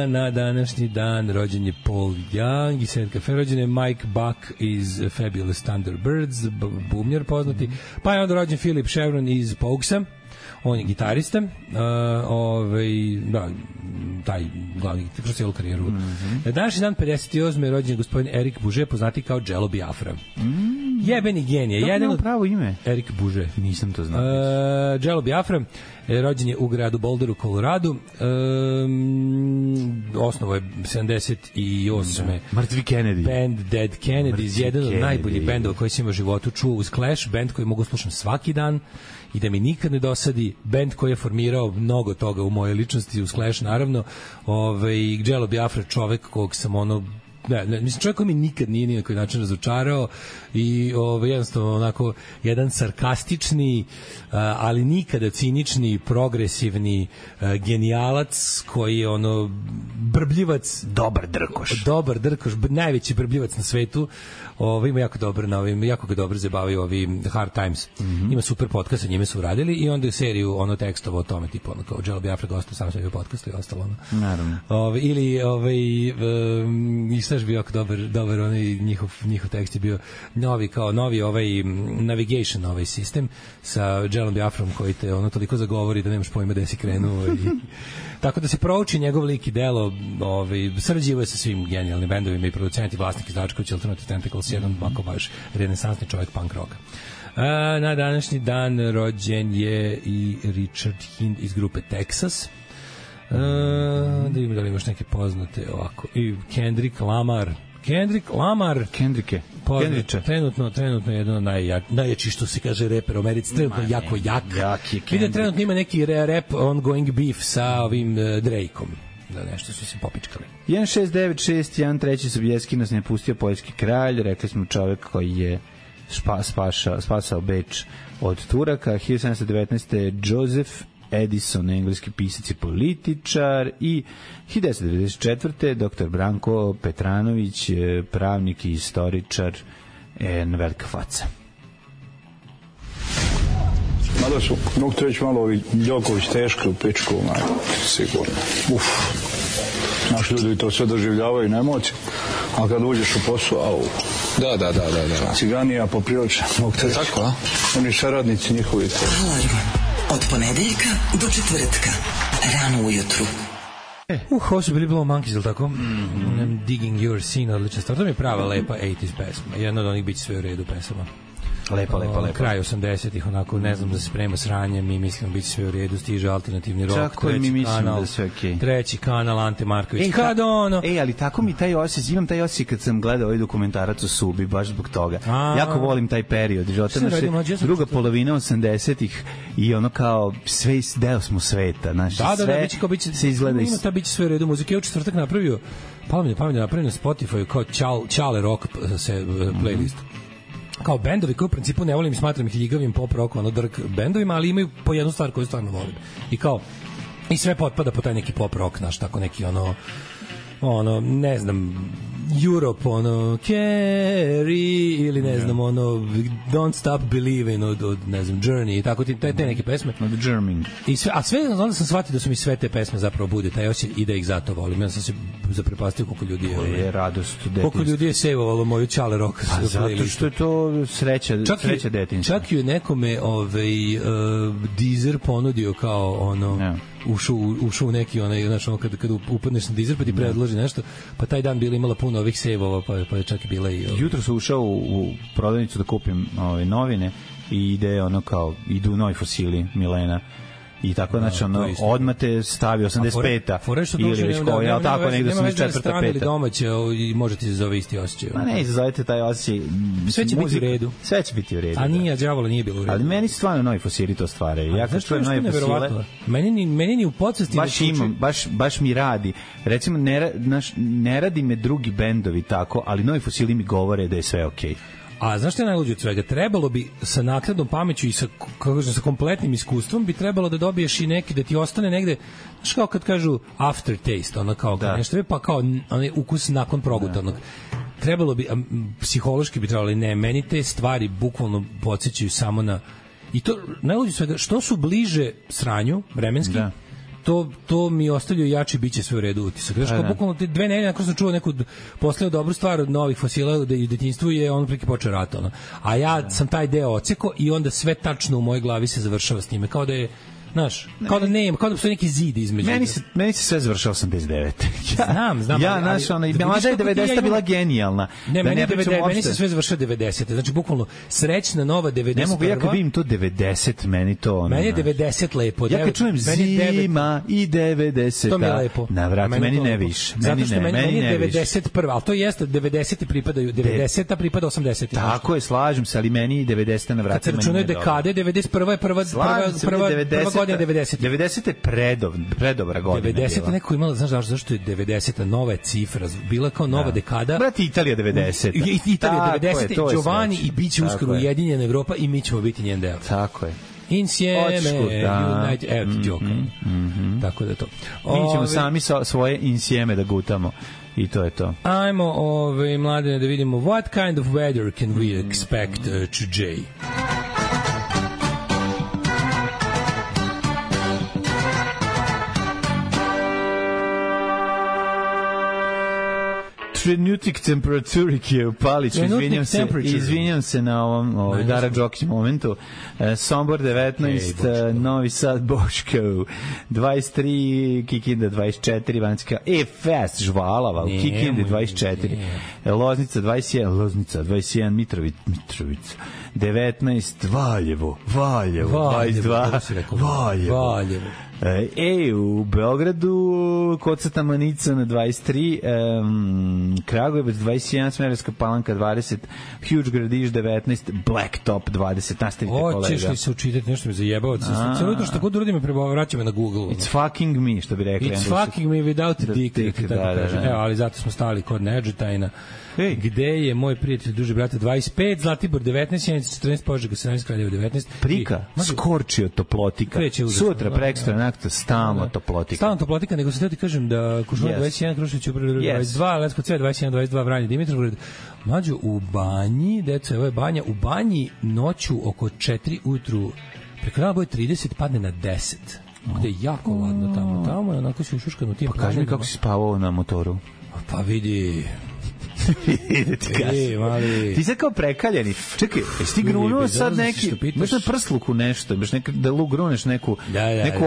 Na današnji dan rođen je Paul Young i Setka Fe, rođen je Mike Buck iz Fabulous Thunderbirds, bumljar poznati, pa je onda rođen Philip Chevron iz Pogsa, on je gitarista, taj glavni kroz cijelu karijeru. Na današnji dan 58. je rođen gospodin Erik Buže, poznati kao Jello Biafra. Jebeni genije. Jedan od pravo ime? Erik Buže. Nisam to znao. Jello Biafra rođen je u gradu Boulderu, Colorado. Osnovo je 78. Mrtvi Kennedy. Band Dead Kennedys, jedan od najboljih bendova koji sam u životu čuo uz Clash, band koji mogu slušam svaki dan i da mi nikad ne dosadi, bend koji je formirao mnogo toga u mojoj ličnosti, uz Clash naravno. Jello Biafra, čovek kog sam mislim, čovjek koji mi nikad nije ni na koji način razočarao i jednostavno onako jedan sarkastični, ali nikada cinični, progresivni genijalac koji je brbljivac, dobar drkoš, najveći brbljivac na svetu. Ima jako ga dobro zabavaju ovi Hard Times. Ima super podcast, sa njime su uradili i onda je seriju tekstova o tome, tipu kao Jello Biafra gostao sam sebi u podcastu i ostalo. Naravno. Ili i šta je bio jako dobar njihov tekst je bio novi navigation sistem sa Jellom Biafrom koji te toliko zagovori da nemaš pojma gde si krenuo tako da se prouči njegov lik i delo. Sarađivao je sa svim genijalnim bendovima i producenti, vlasnik izdavačković Alternative Tentacles, jedan ovako baš renesansni čovjek punk rocka. Na današnji dan rođen je i Richard Hind iz grupe Texas. Da ima da li imaš neke poznate ovako. I Kendrick Lamar. Kendriče. Trenutno jedan od najjači, što se kaže, reper u Americi. Trenutno jako jak. Vidim, trenutno ima neki rap ongoing beef sa ovim Drakeom. Da nešto su se popičkali. 1696, Sobieski nas ne pustio poljski kralj. Rekli smo čovek koji je spasao Beč od Turaka. 1719. Joseph Edison, engleski pisac i političar, i 1994. dr. Branko Petranović, pravnik i istoričar, velika faca. Mada su, mogu te reći malo ovi Đoković teški u pičku, sigurno. Naši ljudi to sve doživljavaju na emocije, a kad uđeš u posao, Da. Ciganija po prilično, mogu te reći. Tako, a? Oni saradnici njihovi. Alarm od ponedeljka do četvrtka, rano ujutru. Ovo su bili Blow Monkeys, ili tako? Digging Your Scene, odlična stvar. To mi je prava lepa 80s pesma. Jedna od onih biće sve u redu pesama. Lepa. Kraj 80-ih, onako, ne znam da se sprema sranjem, mi mislimo biti sve u redu, stiže alternativni rock, čak mi mislimo da sve okej. Treći kanal, Ante Marković. Ali tako mi taj osjećaj, imam taj osjećaj kad sam gledao ovaj dokumentarac o Subi, baš zbog toga. Jako volim taj period. Druga polovina 80-ih i ono kao sve deo smo sveta. Sve se izgleda. Ima ta biće sve u redu muzike. Ja u četvrtak napravio, pametno napravio na Spotify kao Čale rock playlist. Kao bendovi koji u principu ne volim, smatram ih ljigavim pop rock, drk bendovima, ali imaju po jednu stvar koju stvarno volim. I sve potpada po taj neki pop rock, tako neki ono, ne znam, Europe, ono, Carry, ili ne znam, ono, Don't Stop Believing od ne znam, Journey, i tako te neke pesme. Od German. I sve, a sve, onda sam shvatio da su mi sve te pesme zapravo bude taj osjećaj i da ih zato volim. Ja sam se zaprepastio koliko ljudi je radost detinjstva. Koliko ljudi je sejvovalo moju Čale rock. Pa zato što je to sreća detinjstva. Čak i nekome Deezer ponudio kao ono, ušao u neki onaj, znaš, ono, kad upadneš na Deezer pa ti predloži nešto, pa taj dan bila imala puno ovih sejvova, pa je čak i bila i jutro sam ušao u prodavnicu da kupim novine i ide ono kao idu novi fosili Milena i tako, znači ono, odmah te stavi 85-a ili već koji, ali tako negde 84-a, 5-a. Ili domaće i može ti se zove isti osjećaj. Ma ne, izazovete taj osjećaj. Sve će biti u redu. Sve će biti u redu. A nije, đavola nije bilo u redu. Ali meni stvarno novi fosili to stvaraju. Ja kad čujem novi fosile... Meni ni u podsvesti... Baš mi radi. Recimo, ne radi me drugi bendovi tako, ali novi fosili mi govore da je sve okej. A znaš što je najluđe od svega? Trebalo bi sa naknadnom pameću i sa kompletnim iskustvom bi trebalo da dobiješ i neki, da ti ostane negde, znaš kao kad kažu aftertaste, ono kao nešto, pa kao onaj ukus nakon progutanog. Trebalo bi, psihološki bi trebalo, ne, meni te stvari bukvalno podsjećaju samo na, i to najluđe od svega, što su bliže sranju, vremenski, to mi ostavljaju jači biće sve u redu utisak. Znaš, kao bukvalno te 2 nedelje nakon sam čuo neku poslao dobru stvar od novih fosila u detinjstvu je on preki počeo rat, ono. A ja sam taj deo oceko i onda sve tačno u mojoj glavi se završava s njime, kao da je, znaš, kao da nema, kao da postoji neki zid između. Meni se sve završava 89. Znam. Ja, znaš, ona, i mada je 90. bila genijalna. Ne, meni se sve završava 90. Znači, bukvalno, srećna nova 91. Ne mogu, ja kad vidim to 90, meni to... Ono, meni je 90 lepo. Ja kad čujem zima i 90. To mi je lepo. Na vrat, meni ne više. Zato što meni je 91. Ali to jeste, 90. pripadaju, 90. pripada 80. Tako je, slažem se, ali meni 90. na vrat. Kad se računaju dekade, 91. je prva godina 90. 90 je predobra godina. 90 neko imala, znaš zašto je 90 nova cifra, bila kao nova dekada. Brate, Italija 90. Italija 90, Giovanni i biće uskoro ujedinjena Evropa i mi ćemo biti njen deo. Tako je. Insieme, United, evo ti djoka. Tako da to. Mi ćemo sami svoje insieme da gutamo. I to je to. Ajmo, mladine, da vidimo what kind of weather can we expect today? Trenutak temperaturike u Paliću, izvinjam se na ovom Dara Đokić momentu. Sombor 19, Novi Sad Boško 23, Kikinda 24, Vanjska Fest Žvalava u Kikindi 24, Loznica 21, Mitrovica 19, Valjevo 22, Valjevo. U Beogradu Kocata Manica na 23, Kragujevac 21, Smederevska Palanka 20, Huge Gradiš 19, Blacktop 20. Nastavite, kolega. Hoćeš li se učitati, nešto mi zajebao? Cijelo jutro što god uradim me vraća me na Google. It's fucking me, što bi rekli. It's fucking me without a dick. Evo, ali zato smo stali kod Neđetajna. Gde je moj prijatelj, duži brate, 25, Zlatibor 19, Sjenica 14, Požega 17, Kraljevo 19. Prika, skorčio toplotika. Sutra, prekstra, nakto, stalno toplotika. Stalno toplotika, nego sam ti kažem da Kušumlja 21, Krušević 22, Lesko C 21, 22, Vranje, Dimitrovgrad. Mlađo, u banji, deco, evo je banja, u banji noću oko 4 ujutru, preko dana boje 30, padne na 10. Gde je jako ladno tamo. Tamo je onako si ušuškan u tim. Pa kaži mi kako si spavao na motoru. Pa vidi... Ti sad kao prekaljeni. Čekaj, jesi ti grunuo sad neki, imaš na prsluku nešto, imaš da gruneš neku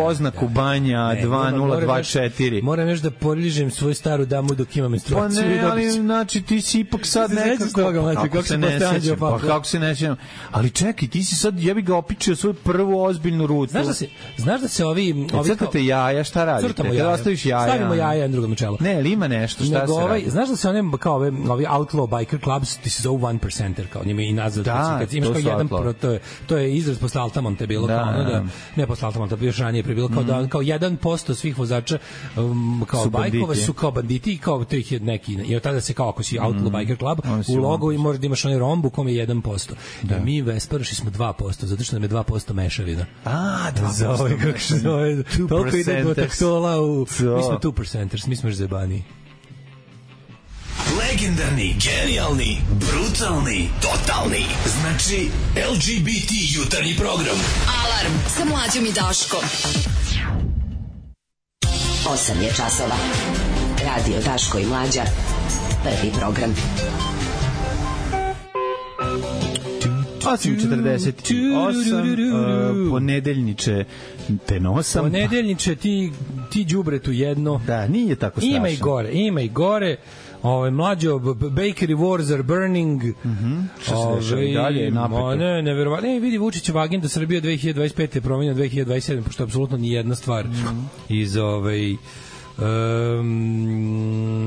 oznaku banja 2024. Moram još da poližem svoju staru damu dok imam menstruaciju. Pa ne, ali znači ti si ipak sad nekako, kako se ne sjećam. Ali čekaj, ti si sad, ja bih ga opičio svoju prvu ozbiljnu rutu. Znaš da se ovi crtate jaja, šta radite? Kada ostaviš jaja? Stavimo jaja jedan drugom na čelo. Ne, ali ima nešto, šta se radi? Znaš da se one kao ovi outlaw biker clubs, ti se zovu 1%, kao njima i nazad, kad imaš kao jedan, to je izraz posle Altamonte je bilo, kao ne posle Altamonte, još ranije bilo kao da kao 1% svih vozača kao bajkova su kao banditi i kao to ih je neki, i od tada se kao ako si outlaw biker club, u logo i možda imaš onaj romb u kom je 1%. Da mi Vesparoši smo 2%, zato što nam je 2% mešavina. 2% mešavina. Toliko ide do taktola, mi smo 2%ers, mi smo još zebani. Legendarni, genijalni, brutalni, totalni. Znači, LGBT jutarnji program. Alarm sa Mlađom i Daškom. 8 je časova. Radio Daško i Mlađa. Prvi program. 8:48, ponedeljniče te nosam. Ponedeljniče ti đubretu jedno. Da, nije tako strašno. Ima i gore. Mlađo, bakery wars are burning. Što se dešava i dalje napeto. Neverovatno. Vidi, Vučićeva agenda Srbija 2025 je promenjena 2027, pošto je apsolutno ni jedna stvar iz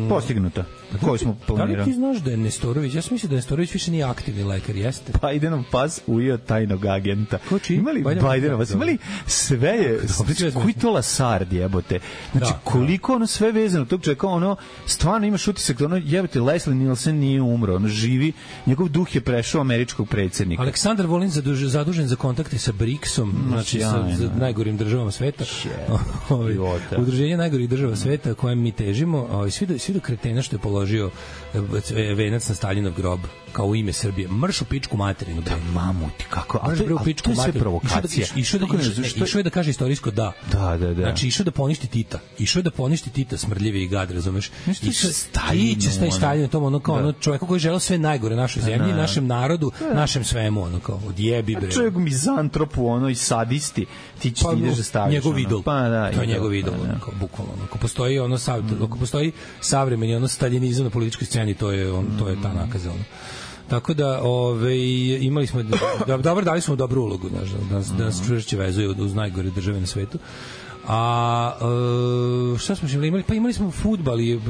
postignuta. Koju smo planirali. Da li ti znaš da je Nestorović? Ja sam mislio da Nestorović više nije aktivni lekar, jeste? Bajdenov pas ujeo tajnog agenta. Imali Bajdenov pas, imali sve je, koji to lasard jebote. Znači, koliko ono sve vezano tog čovjeka, ono, stvarno imaš utisak da ono, jebote, Leslie Nielsen nije umro, ono živi, njegov duh je prešao američkog predsjednika. Aleksandar Vulin zadužen za kontakte sa BRICS-om, znači sa najgorim državama sveta. Udruženje najgorih država sveta kojem mi težimo, svi do kretena što je položio venac na Staljinov grob kao u ime Srbije. Mrš u pičku materinu. Da, mamuti, kako? A to je sve provokacija. Išao je da kaže istorijsko da. Da. Znači, išao da poništi Tita. Išao da poništi Tita, smrdljivi i gad, razumeš? Iće Staljin tom, ono kao ono čovjek koji je želeo sve najgore našoj zemlji, našem narodu, našem svemu, ono kao odjebi bre. Čovjek mizantropu, ono i sadisti. Ti ideš da staviš. Njegov idol. To je njegov idol, bukvalno. Ako postoji savremeni ono staljinizam na političkoj sceni, to je ta nakaza. Tako da, imali smo dali smo dobru ulogu, da nas čvršće vezuje uz najgore države na svetu. A šta smo imali? Pa imali smo fudbal i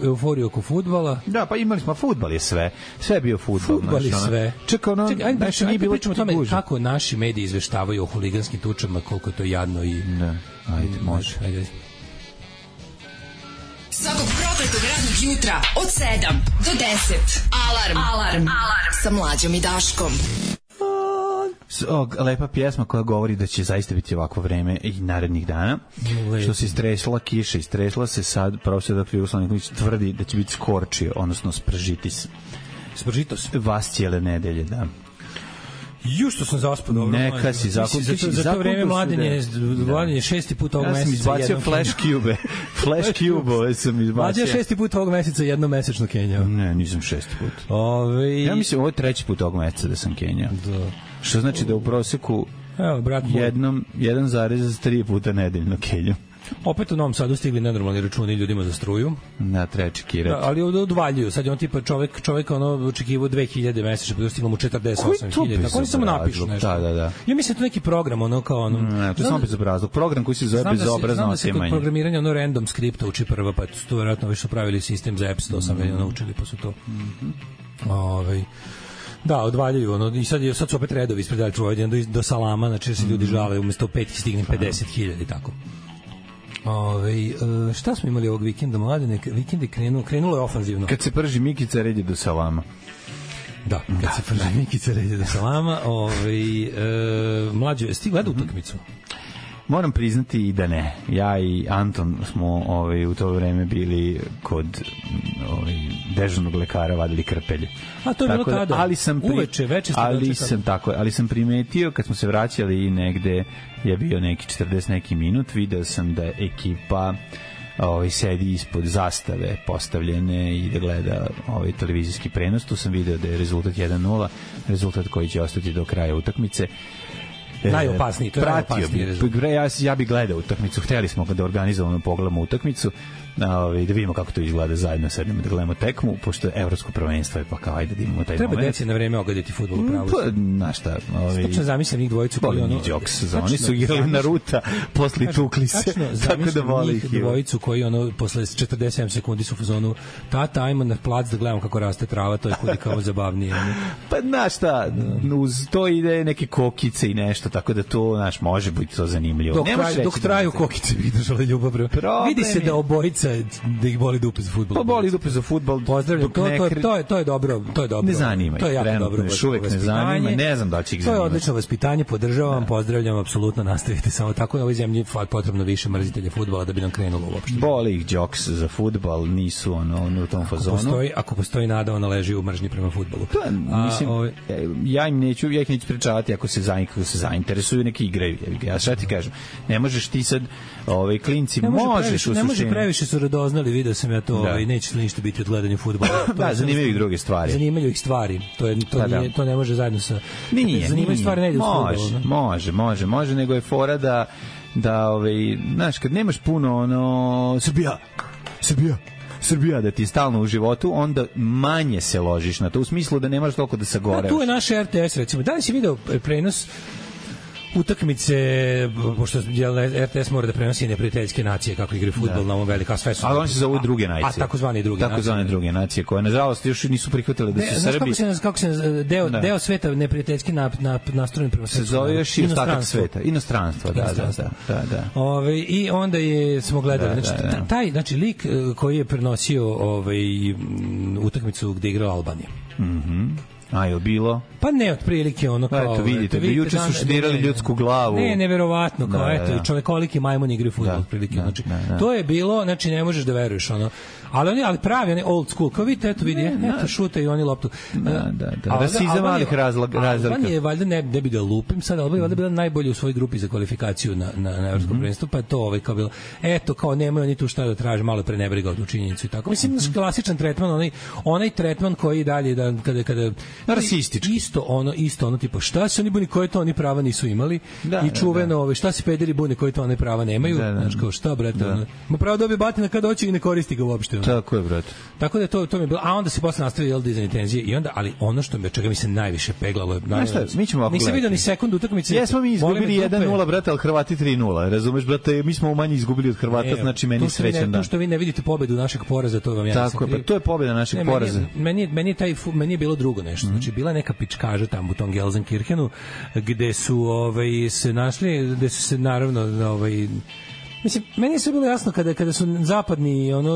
euforiju oko fudbala. Da, pa imali smo fudbal je sve. Sve je bio fudbal. Fudbal je sve. Čekaj, ajde pričamo o tome kako naši mediji izveštavaju o huliganskim tučama, koliko je to jadno i... Ne, ajde, može. Ajde. Svakog prokletog radnog jutra od 7 do 10. Alarm. Sa Mlađom i Daškom. Lepa pjesma koja govori da će zaista biti ovako vreme i narednih dana. Što se istresla kiša, istresla se sad, profesor dr. Jugoslav Nikolić tvrdi da će biti skorčio, odnosno spržitis. Spržitos? Vas cijele nedelje, da. Što sam zaspao dobro. Neka si zakon. Za to vreme mladenje 6. put ovog meseca. Ja sam izbacio Flash Cube. Flash Cube sam izbacio. Mlađe 6. put ovog meseca jednomesečno kenjao. Ne, nisam 6. put. Ja mislim ovo je 3. put ovog meseca da sam kenjao. Da. Što znači da u proseku 1,3 puta nedeljno kenjam. Opet u Novom Sadu stigli nenormalni računi ljudima za struju. Na treba čekirati. Da, ali odvaljuju. Sad je on tipa čovjek ono očekivao 2000 mesečno, pa stiglo mu 48.000. Tako oni samo napišu nešto. Da. Ja mislim da to neki program ono kao ono. Ne, to je samo bezobrazluk. Program koji se zove bezobrazno otimanje. Znam da se kod programiranja ono random skripta uči prva, pa to vjerojatno već su pravili sistem za apps, to sam već naučili, pa su to. Da, odvaljuju ono i sad su opet redovi ispred Elektrovođenja do salama, znači se ljudi žale umesto 5 stignem 50.000 i tako. Šta smo imali ovog vikenda, mladine? Vikend je krenulo je ofanzivno. Kad se prži Mikica, red je do salama. Da, kad se prži Mikica, red je do salama. Mlađo, jesi ti gledao utakmicu? Moram priznati i da ne. Ja i Anton smo u to vreme bili kod dežurnog lekara, vadili krpelje. A to je bilo tada? Ali sam primetio kad smo se vraćali i negde je bio neki 40 neki minut, video sam da ekipa sedi ispod zastave postavljene i da gleda televizijski prenos. Tu sam video da je rezultat 1:0, rezultat koji će ostati do kraja utakmice. Najopasniji, to je najopasniji rezultat. Ja bih gledao utakmicu, hteli smo da organizovano pogledamo utakmicu, da vidimo kako to izgleda zajedno, sednemo da gledamo tekmu, pošto je evropsko prvenstvo, pa kao ajde da imamo taj moment. Treba deci na vreme ogaditi fudbal u pravu. Znaš šta, točno zamislim njih dvojicu koji oni su igrali na ruta, posle tukli se, tako da voli ih. Dvojicu koji posle 47 sekundi su u fazonu, tata, ajmo na plac da gledamo kako raste trava, to je kudi kao zabavnije. Pa znaš šta, uz to ide neke kokice i nešto isto, tako da to, znaš, može biti to zanimljivo. Dok traju kokice izdržale ljubav. Vidi se da obojica, da ih boli dupe za fudbal. Pa boli dupe za fudbal. Pozdravljam, to je dobro. Ne zanima ih. To je jako dobro. Još uvek ne zanima, ne znam da će ih zanimati. To je odlično vaspitanje, podržavam, pozdravljam, apsolutno nastavite samo tako. Na ovoj zemlji potrebno više mrzitelja fudbala da bi nam krenulo uopšte. Boli ih džoks za fudbal, nisu u tom fazonu. Ako postoji nada, ona leži u mržnji prema fudbalu. Mislim, ja ih neću pričavati ako se zainteresuju, neki igraju. Ja šta ti kažem, ne možeš ti sad klinci, možeš u suštini. Ne može previše su radoznali, video sam ja to, neće ništa biti od gledanja fudbala. Da, zanimaju ih druge stvari. Zanimaju ih stvari. To ne može zajedno sa... Zanimaju stvari, ne ide u fudbalu. Može, nego je fora da znaš, kad nemaš puno Srbija da ti je stalno u životu, onda manje se ložiš na to, u smislu da nemaš toliko da sagorevaš. Tu je naš RTS, recimo. Da li si video prenos utakmice, pošto RTS mora da prenosi neprijateljske nacije kako igraju fudbal na ovom velika sve su. Ali oni se zovu druge nacije. A takozvane druge nacije koje nažalost još nisu prihvatile da su Srbi. Kako se deo sveta neprijateljski nastrojen prema svetu. Se zove još i ostatak sveta, inostranstvo, da. I onda smo gledali, znači lik koji je prenosio utakmicu gde igrala Albanija. A je bilo? Pa ne, otprilike ono kao... Eto, vidite, juče su štirali ljudsku glavu. Neverovatno, kao eto, čovekoliki majmun igraju fudbal, otprilike. Znači, to je bilo, znači ne možeš da veruješ, ono. Ali pravi, oni old school, kao vidite, eto vidi, eto šuta i oni loptu. Da. Rasizam malih razlika. Albanija je valjda, ne bi da lupim sad, Albanija je valjda bila najbolja u svojoj grupi za kvalifikaciju na evropskom prvenstvu, pa je to kao bilo, eto, kao nemaju oni tu šta da traže, malo prenebrigao tu činjenicu i tako. Mislim, klasičan tretman, onaj tretman koji dalje, kada rasistički. Isto ono tipa šta se oni buni koje to oni prava nisu imali i čuveno šta se pederi bune koje to oni prava nemaju, znači kao šta brate, ma pravo dobije batina kad hoće i ne koristi ga uopšte. Tako je brate. Tako da to mi je bilo, a onda se posle nastavio dizanje tenzije i onda, ali ono što čega mi se najviše peglalo je, nisam vidio ni sekundu utakmice. Jesmo mi izgubili 1:0 brate, al Hrvati 3:0, razumeš brate, mi smo manje izgubili od Hrvata, znači meni srećan dan. To što vi ne vidite pobedu našeg poraza, to vam ja tako je, pa to je pobeda našeg poraza. Meni je bilo drugo nešto, znači bila neka pičkaža tamo u tom Gelsenkirchenu gde su se našli, gde su se naravno mislim, meni je sve bilo jasno kada su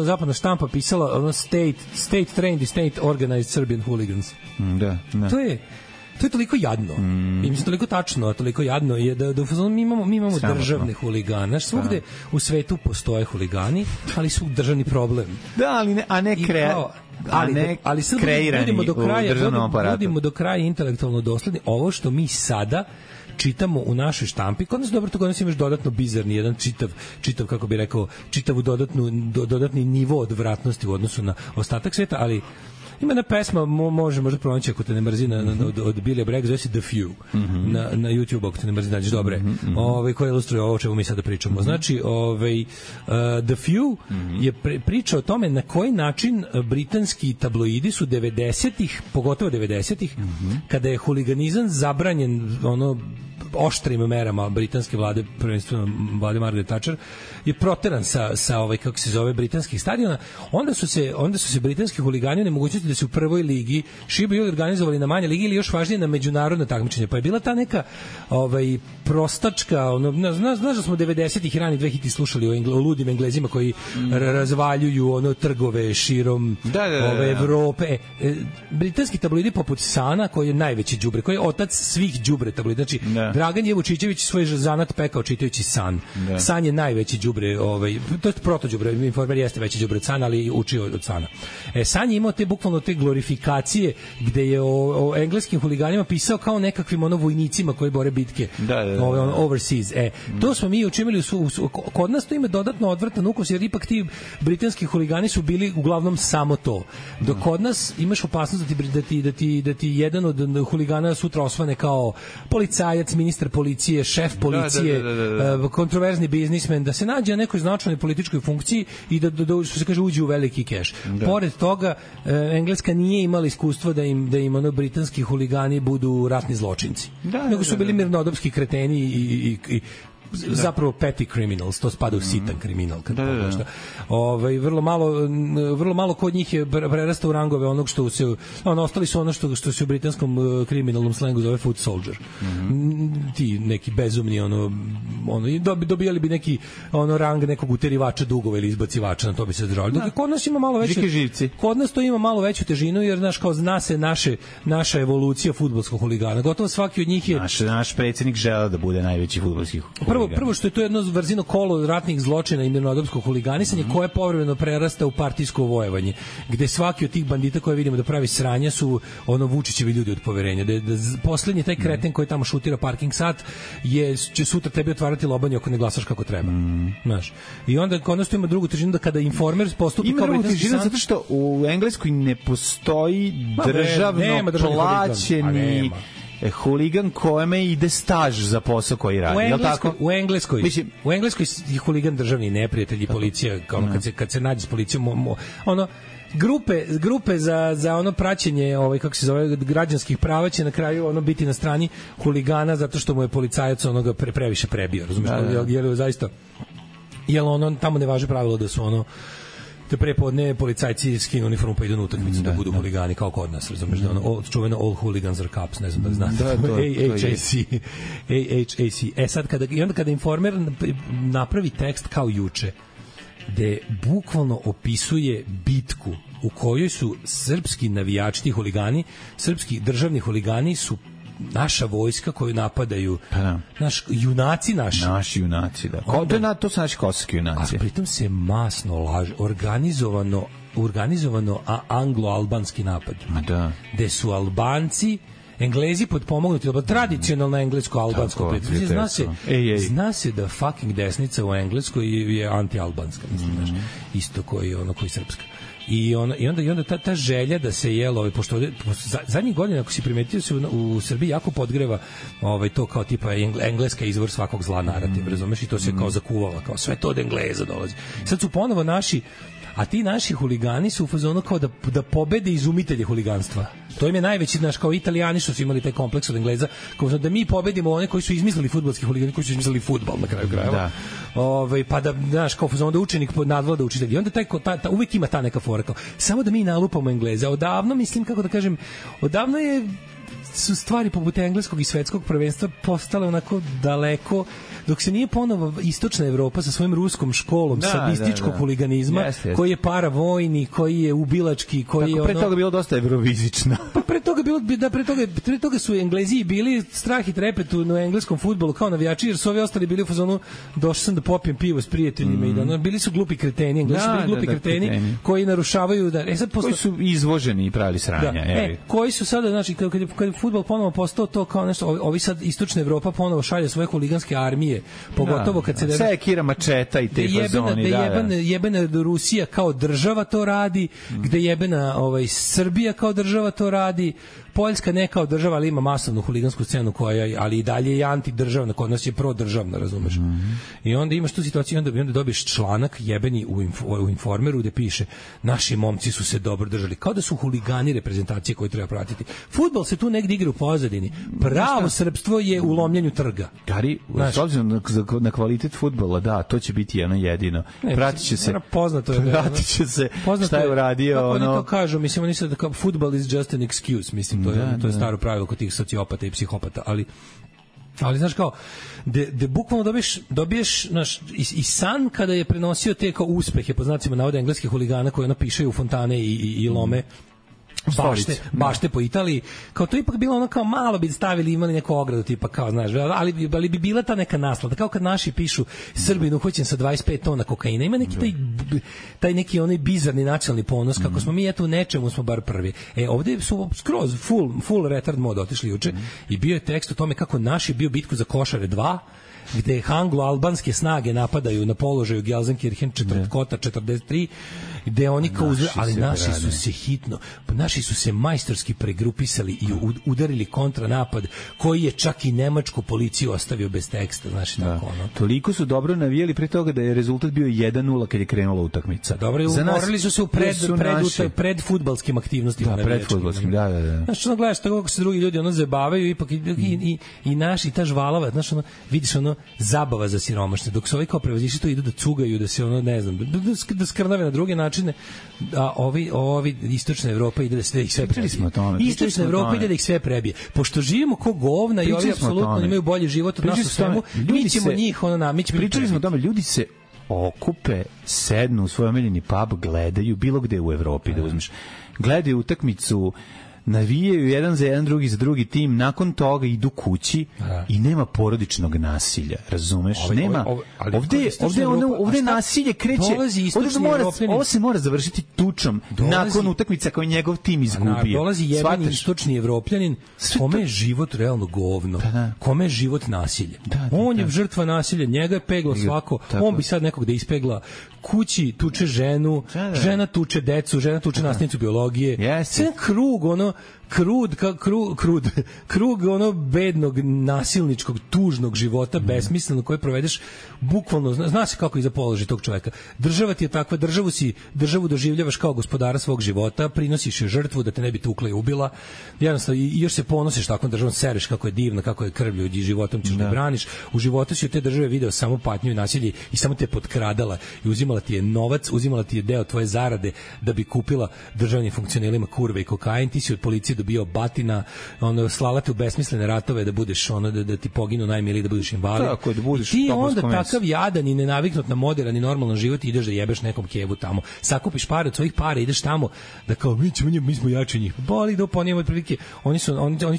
zapadna štampa pisala state trained i state organized Serbian hooligans. Da. To je toliko jadno. I mislim toliko tačno, a toliko jadno je da mi imamo državne huligane. Svugde u svetu postoje huligani, ali su državni problem. Da, ali ne kreirani u državnom aparatu. Budimo do kraja intelektualno dosledni. Ovo što mi sada čitamo u našoj štampi, kod nas dobro, to kod nas imaš dodatno bizarni, jedan čitav kako bi rekao, čitavu dodatni nivo odvratnosti u odnosu na ostatak sveta, ali ima jedna pesma, možda pronaći ako te ne mrzi od Billy Bragg, zove se The Few na YouTube, ako te ne mrzi nađeš dobre, koja ilustruje ovo o čemu mi sada pričamo. Znači, The Few je priča o tome na koji način britanski tabloidi su 90-ih, pogotovo 90-ih, kada je huliganizam zabranjen oštrim merama britanske vlade, prvenstveno vlade Margaret Thatcher, je proteran sa kako se zove, britanskih stadiona. Onda su se britanski huligani nemogućnosti da se u prvoj ligi šibaju organizovali na manje ligi ili još važnije na međunarodno takmičenje. Pa je bila ta neka prostačka, znaš da smo 90-ih i rani 2000 slušali o ludim Englezima koji razvaljuju trgove širom Evrope. Britanski tabloidi poput Sana, koji je najveći đubre, koji je otac svih đubre tabloida, znači Dragan je Vučićević svoj zanat pekao čitajući San. San je najveći đubre, to je protođubre, Informer jeste veći đubre od Sana, ali učio od Sana. San je imao bukvalno te glorifikacije gde je o engleskim huliganima pisao kao nekakvim vojnicima koji bore bitke overseas. To smo mi učinili, kod nas to ima dodatno odvratan ukus, jer ipak ti britanski huligani su bili uglavnom samo to. Dok kod nas imaš opasnost da ti jedan od huligana sutra osvane kao policajac, ministar policije, šef policije, kontroverzni biznismen, da se nađe na nekoj značajnoj političkoj funkciji i da što se kaže, uđe u veliki keš. Pored toga, Engleska nije imala iskustva da im britanski huligani budu ratni zločinci. Nego su bili mirnodopski kreteni i zapravo petty criminals, to spada u sitan kriminal kad pogledaš. Vrlo malo kod njih je prerasta u rangove onog što se ostali su ono što se u britanskom kriminalnom slengu zove foot soldier. Ti neki bezumni dobijali bi neki rang nekog uterivača dugova ili izbacivača, na to bi se držali. Dok kod nas ima malo veće kod nas to ima malo veću težinu, jer znaš, kao zna se naša evolucija fudbalskog huligana. Gotovo svaki od njih je naš predsjednik želeo da bude najveći fudbalski huligan. Prvo što je to jedno vrzino kolo ratnih zločina i mirnodopskog huliganisanja koje povremeno prerasta u partijsko vojevanje, gde svaki od tih bandita koje vidimo da pravi sranja su Vučićevi ljudi od poverenja. Da poslednji taj kreten koji tamo šutira parking sat će sutra tebi otvarati lobanju ako ne glasaš kako treba. Znaš. I onda konačno ima drugu težinu da kada Informer postupi kao britanski san... zato što u Engleskoj ne postoji državno plaćeni huligan kojeme ide staž za posao koji radi. U Engleskoj je huligan državni neprijatelj i policija, kad se nađe s policijom, grupe za ono praćenje kako se zove građanskih prava će na kraju biti na strani huligana zato što mu je policajac onoga previše prebio, razumiješ? Je zaista, jel tamo ne važi pravilo da su te prepodne policajci skinu uniformu pa idu na utakmicu da budu huligani kao kod nas, razumiješ? Čuveno all hooligans are cops, ne znam da li znate. AHAC. Sad kada Informer napravi tekst kao juče, gde bukvalno opisuje bitku u kojoj su srpski navijači, ti huligani, srpski državni huligani su naša vojska koju napadaju, junaci naši. Naši junaci, da. To su naši kosovski junaci. A pritom se masno laže, organizovano anglo-albanski napad. Da. Gde su Albanci, Englezi potpomognuti, tradicionalno englesko-albansko prijateljstvo. Zna se da fucking desnica u Engleskoj je anti-albanska, mislim, isto koji srpska. I onda ta želja da se pošto zadnjih godina, ako si primetio, se u Srbiji jako podgreva to kao tipa engleska izvor svakog zla narativ, razumeš, i to se kao zakuvala, kao sve to od Engleza dolazi. Sad su ponovo a ti naši huligani su u fazonu kao da pobede izumitelje huliganstva. To im je najveći, kao Italijani što su imali taj kompleks od Engleza, kao da mi pobedimo one koji su izmislili fudbalski huligani, koji su izmislili fudbal na kraju krajeva. Pa da, kao fazonu da učenik nadvlada učitelj. I onda uvek ima ta neka fora, kao samo da mi nalupamo Engleze. Odavno, mislim, kako da kažem, odavno su stvari poput engleskog i svetskog prvenstva postale onako daleko, dok se nije ponovo istočna Evropa sa svojim ruskom školom sadističkog huliganizma, koji je paravojni, koji je ubilački, koji je pre toga bilo dosta evrovizično. Pa pre toga su Englezi bili strah i trepet u engleskom fudbalu kao navijači, jer su ovi ostali bili u fazonu došao sam da popijem pivo s prijateljima i da bili su glupi kreteni, Englezi su bili glupi kreteni koji narušavaju koji su izvoženi i pravili sranja. Koji su sada, znači, kad fudbal ponovo postao to kao nešto, ovi sad istočna Evropa ponovo šalje svoje huliganske armije, pogotovo kad se sekira mačeta i te fazoni, jebena Rusija kao država to radi, gde jebena Srbija kao država to radi, Poljska ne kao država, ali ima masovnu huligansku scenu koja, ali i dalje je antidržavna, kod nas je prodržavna, razumeš? I onda imaš tu situaciju, onda dobiješ članak jebeni u Informeru gde piše naši momci su se dobro držali, kao da su huligani reprezentacije koje treba pratiti. Fudbal se tu negdje igra u pozadini. Pravo srpstvo je u lomljenju trga. Gari, s obzirom na kvalitet fudbala, da, to će biti jedno jedino. Pratit će se šta je uradio. Kako oni to kažu, mislim, oni sad kao fudbal is just an excuse, mislim, to je staro pravilo kod tih sociopata i psihopata, ali znaš kao, de bukvalno dobiješ i san kada je prenosio te kao uspehe, po znacima navoda engleskih huligana koji pišaju u fontane i lome bašte po Italiji, kao to ipak bilo ono kao malo bi stavili, imali neku ogradu tipa kao, znaš, ali bi bila ta neka naslada, kao kad naši pišu Srbin uhoćen sa 25 tona kokaina, ima neki taj neki onaj bizarni nacionalni ponos, kako smo mi eto u nečemu smo bar prvi. Ovdje su skroz full retard mode otišli juče i bio je tekst o tome kako naši bio bitku za Košare 2, gde anglo-albanske snage napadaju na položaju Gelsenkirchen Kota 43, gde oni kao ali naši su se majstorski pregrupisali i udarili kontranapad koji je čak i nemačku policiju ostavio bez teksta, znaš, tako ono. Toliko su dobro navijeli pre toga da je rezultat bio 1:0 kad je krenula utakmica. Dobro, umorili su se u pred fudbalskim aktivnostima. Da, pred fudbalskim, da. Znaš, gledaš tako kako se drugi ljudi zabavaju, ipak i naši, ta žvalava, znaš, vidiš zabava za siromašne, dok se ovi kao prevazišli to idu da cugaju, da se ono, ne znam, da skrnave na druge načine, a ovi istočna Evropa ide da sve ih sve prebije. Istočna Evropa ide da ih sve prebije. Pošto živimo ko govna i ovi apsolutno imaju bolji život od nas u svemu, mi ćemo njih pričali smo o tome, ljudi se okupe, sednu u svoj omiljeni pub, gledaju bilo gde u Evropi da uzmeš. Gledaju utakmicu, navijaju jedan za jedan, drugi za drugi tim, nakon toga idu kući i nema porodičnog nasilja, razumeš? Nema. Ovde nasilje kreće, ovo se mora završiti tučom nakon utakmica koju njegov tim izgubio. Dolazi jebeni istočni Evropljanin, kome je život realno govno, kome je život nasilje. On je žrtva nasilja, njega je peglo svako, on bi sad nekog da ispegla, kući tuče ženu, žena tuče decu, žena tuče nastavnicu biologije, sve krug, ono, krug ono bednog, nasilničkog, tužnog života, besmisleno, koje provedeš bukvalno, zna se kako iza položi tog čoveka. Država ti je takva, državu doživljavaš kao gospodara svog života, prinosiš je žrtvu da te ne bi tukla i ubila, jednostavno, i još se ponosiš takvom državom, sereš kako je divna, kako je krvlju i životom ćeš da braniš. U životu si od te države video samo patnju i nasilje i samo te potkradala i uzimala ti je novac, uzimala ti je deo tvoje zarade da bi kupila državnim funkcionerima kurve i kokain, ti si od policije dobio batina, ono, slala te u besmislene ratove da budeš, ono, da ti poginu najmiliji, da budeš invalid. Tako, da budeš ti onda takav jadan i nenaviknut na moderan i normalan život, ideš da jebeš nekom kevu tamo. Sakupiš pare od svojih para, ideš tamo da kao mi smo jači njih. Boli da ponijemo otprilike. Oni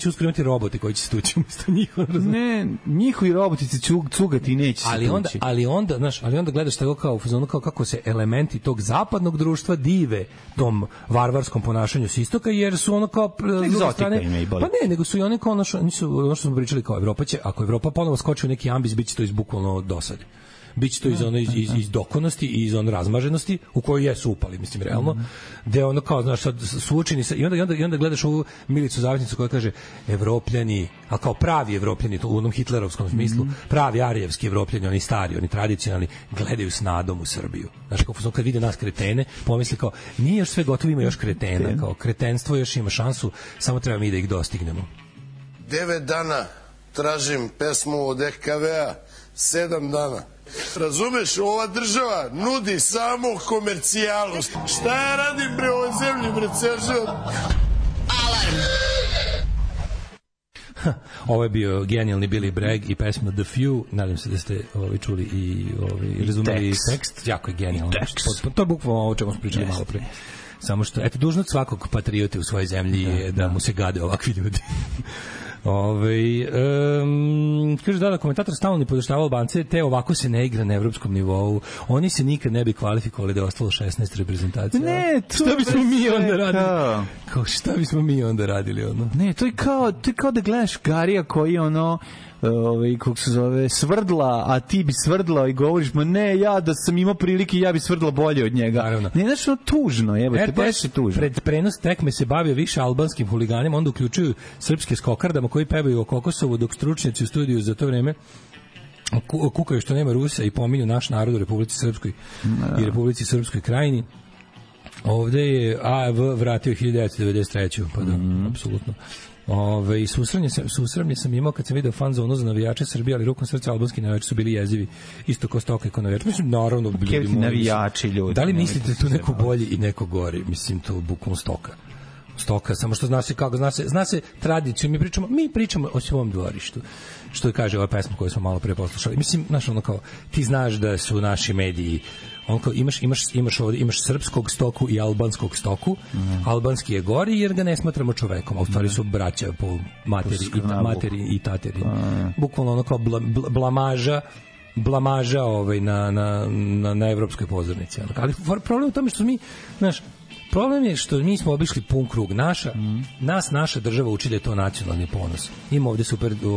će uskoro imati robote koji će se tući umesto njih. Ne, njihovi roboti će cugati i neće se tući. Ali onda gledaš tako kao fazonu, kao kako se elementi tog zapadnog društva dive tom varvarskom ponašanju s istoka, jer su ono kao strane, pa ne, nego su i oni kao ono što smo pričali kao Evropa će, ako Evropa ponovo skoči u neki ambis, bit će to iz bukvalno dosade. Biće to iz dokonosti i iz razmaženosti u kojoj jesu upali, mislim, realno, gde ono kao, znaš, sad suočeni sa, i onda gledaš ovu Milicu Zavetnicu koja kaže Evropljani, a kao pravi Evropljani, to u onom hitlerovskom smislu, pravi arijevski Evropljani, oni stari, oni tradicionalni, gledaju s nadom u Srbiju. Znaš, kao kad vide nas kretene, pomisli kao, nije još sve gotovo, ima još kretena, kao kretenstvo još ima šansu, samo treba mi da ih dostignemo. 9 dana tražim pesmu od EKV-a, 7 dana. Razumeš, ova država nudi samo komercijalu. Šta ja radim bre ovoj zemlji, bre, Seržan? Alarm! Ovo je bio genijalni Billy Bragg i pesma The Few. Nadam se da ste čuli i razumeli tekst. Jako je genijalno. To je bukvalno ovo čemu smo pričali malo pre. Samo što, eto, dužnost svakog patriote u svojoj zemlji je da mu se gade ovakvi ljudi. Kaže da komentator stalno ne podoštava Albance, te ovako se ne igra na evropskom nivou. Oni se nikad ne bi kvalifikovali da je ostalo 16 reprezentacija. Ne, šta bismo mi onda radili? Kao šta bismo mi onda radili ono? Ne, to je kao da gledaš Garija koji ono kako se zove, svrdla, a ti bi svrdlao i govoriš, ma ne, ja da sam imao prilike, ja bi svrdla bolje od njega. Naravno. Ne, znači, no, tužno, jebote, baš je tužno. Pred prenos tekme se bavio više albanskim huliganima, onda uključuju srpske skokardama koji pevaju o Kokosovu, dok stručnjaci u studiju za to vreme kukaju što nema Rusa i pominju naš narod u Republici Srpskoj i Republici Srpskoj krajini. Ovde je AV vratio 1993. Pa da, apsolutno. Susramlje sam imao kad sam video fanzonu za navijače Srbije, ali rukom srca albanski navijači su bili jezivi, isto kao Stoka i kao navijači. Mislim, naravno, navijači ljudi. Da li mislite tu neko bolji i neko gori? Mislim, to bukvalno Stoka, samo što zna se kako, zna se tradiciju, mi pričamo o svom dvorištu, što je kaže ova pesma koju smo malo pre poslušali. Mislim, znaš, ono kao, ti znaš da su naši mediji, on kao, imaš srpskog Stoku i albanskog Stoku, albanski je gori jer ga ne smatramo čovekom, a u stvari su braća po materi i tateri. Bukvalno ono kao blamaža na evropskoj pozornici. Ali problem u tome što mi, znaš, problem je što mi smo obišli pun krug. Naša država uči da je to nacionalni ponos. Ima ovde super u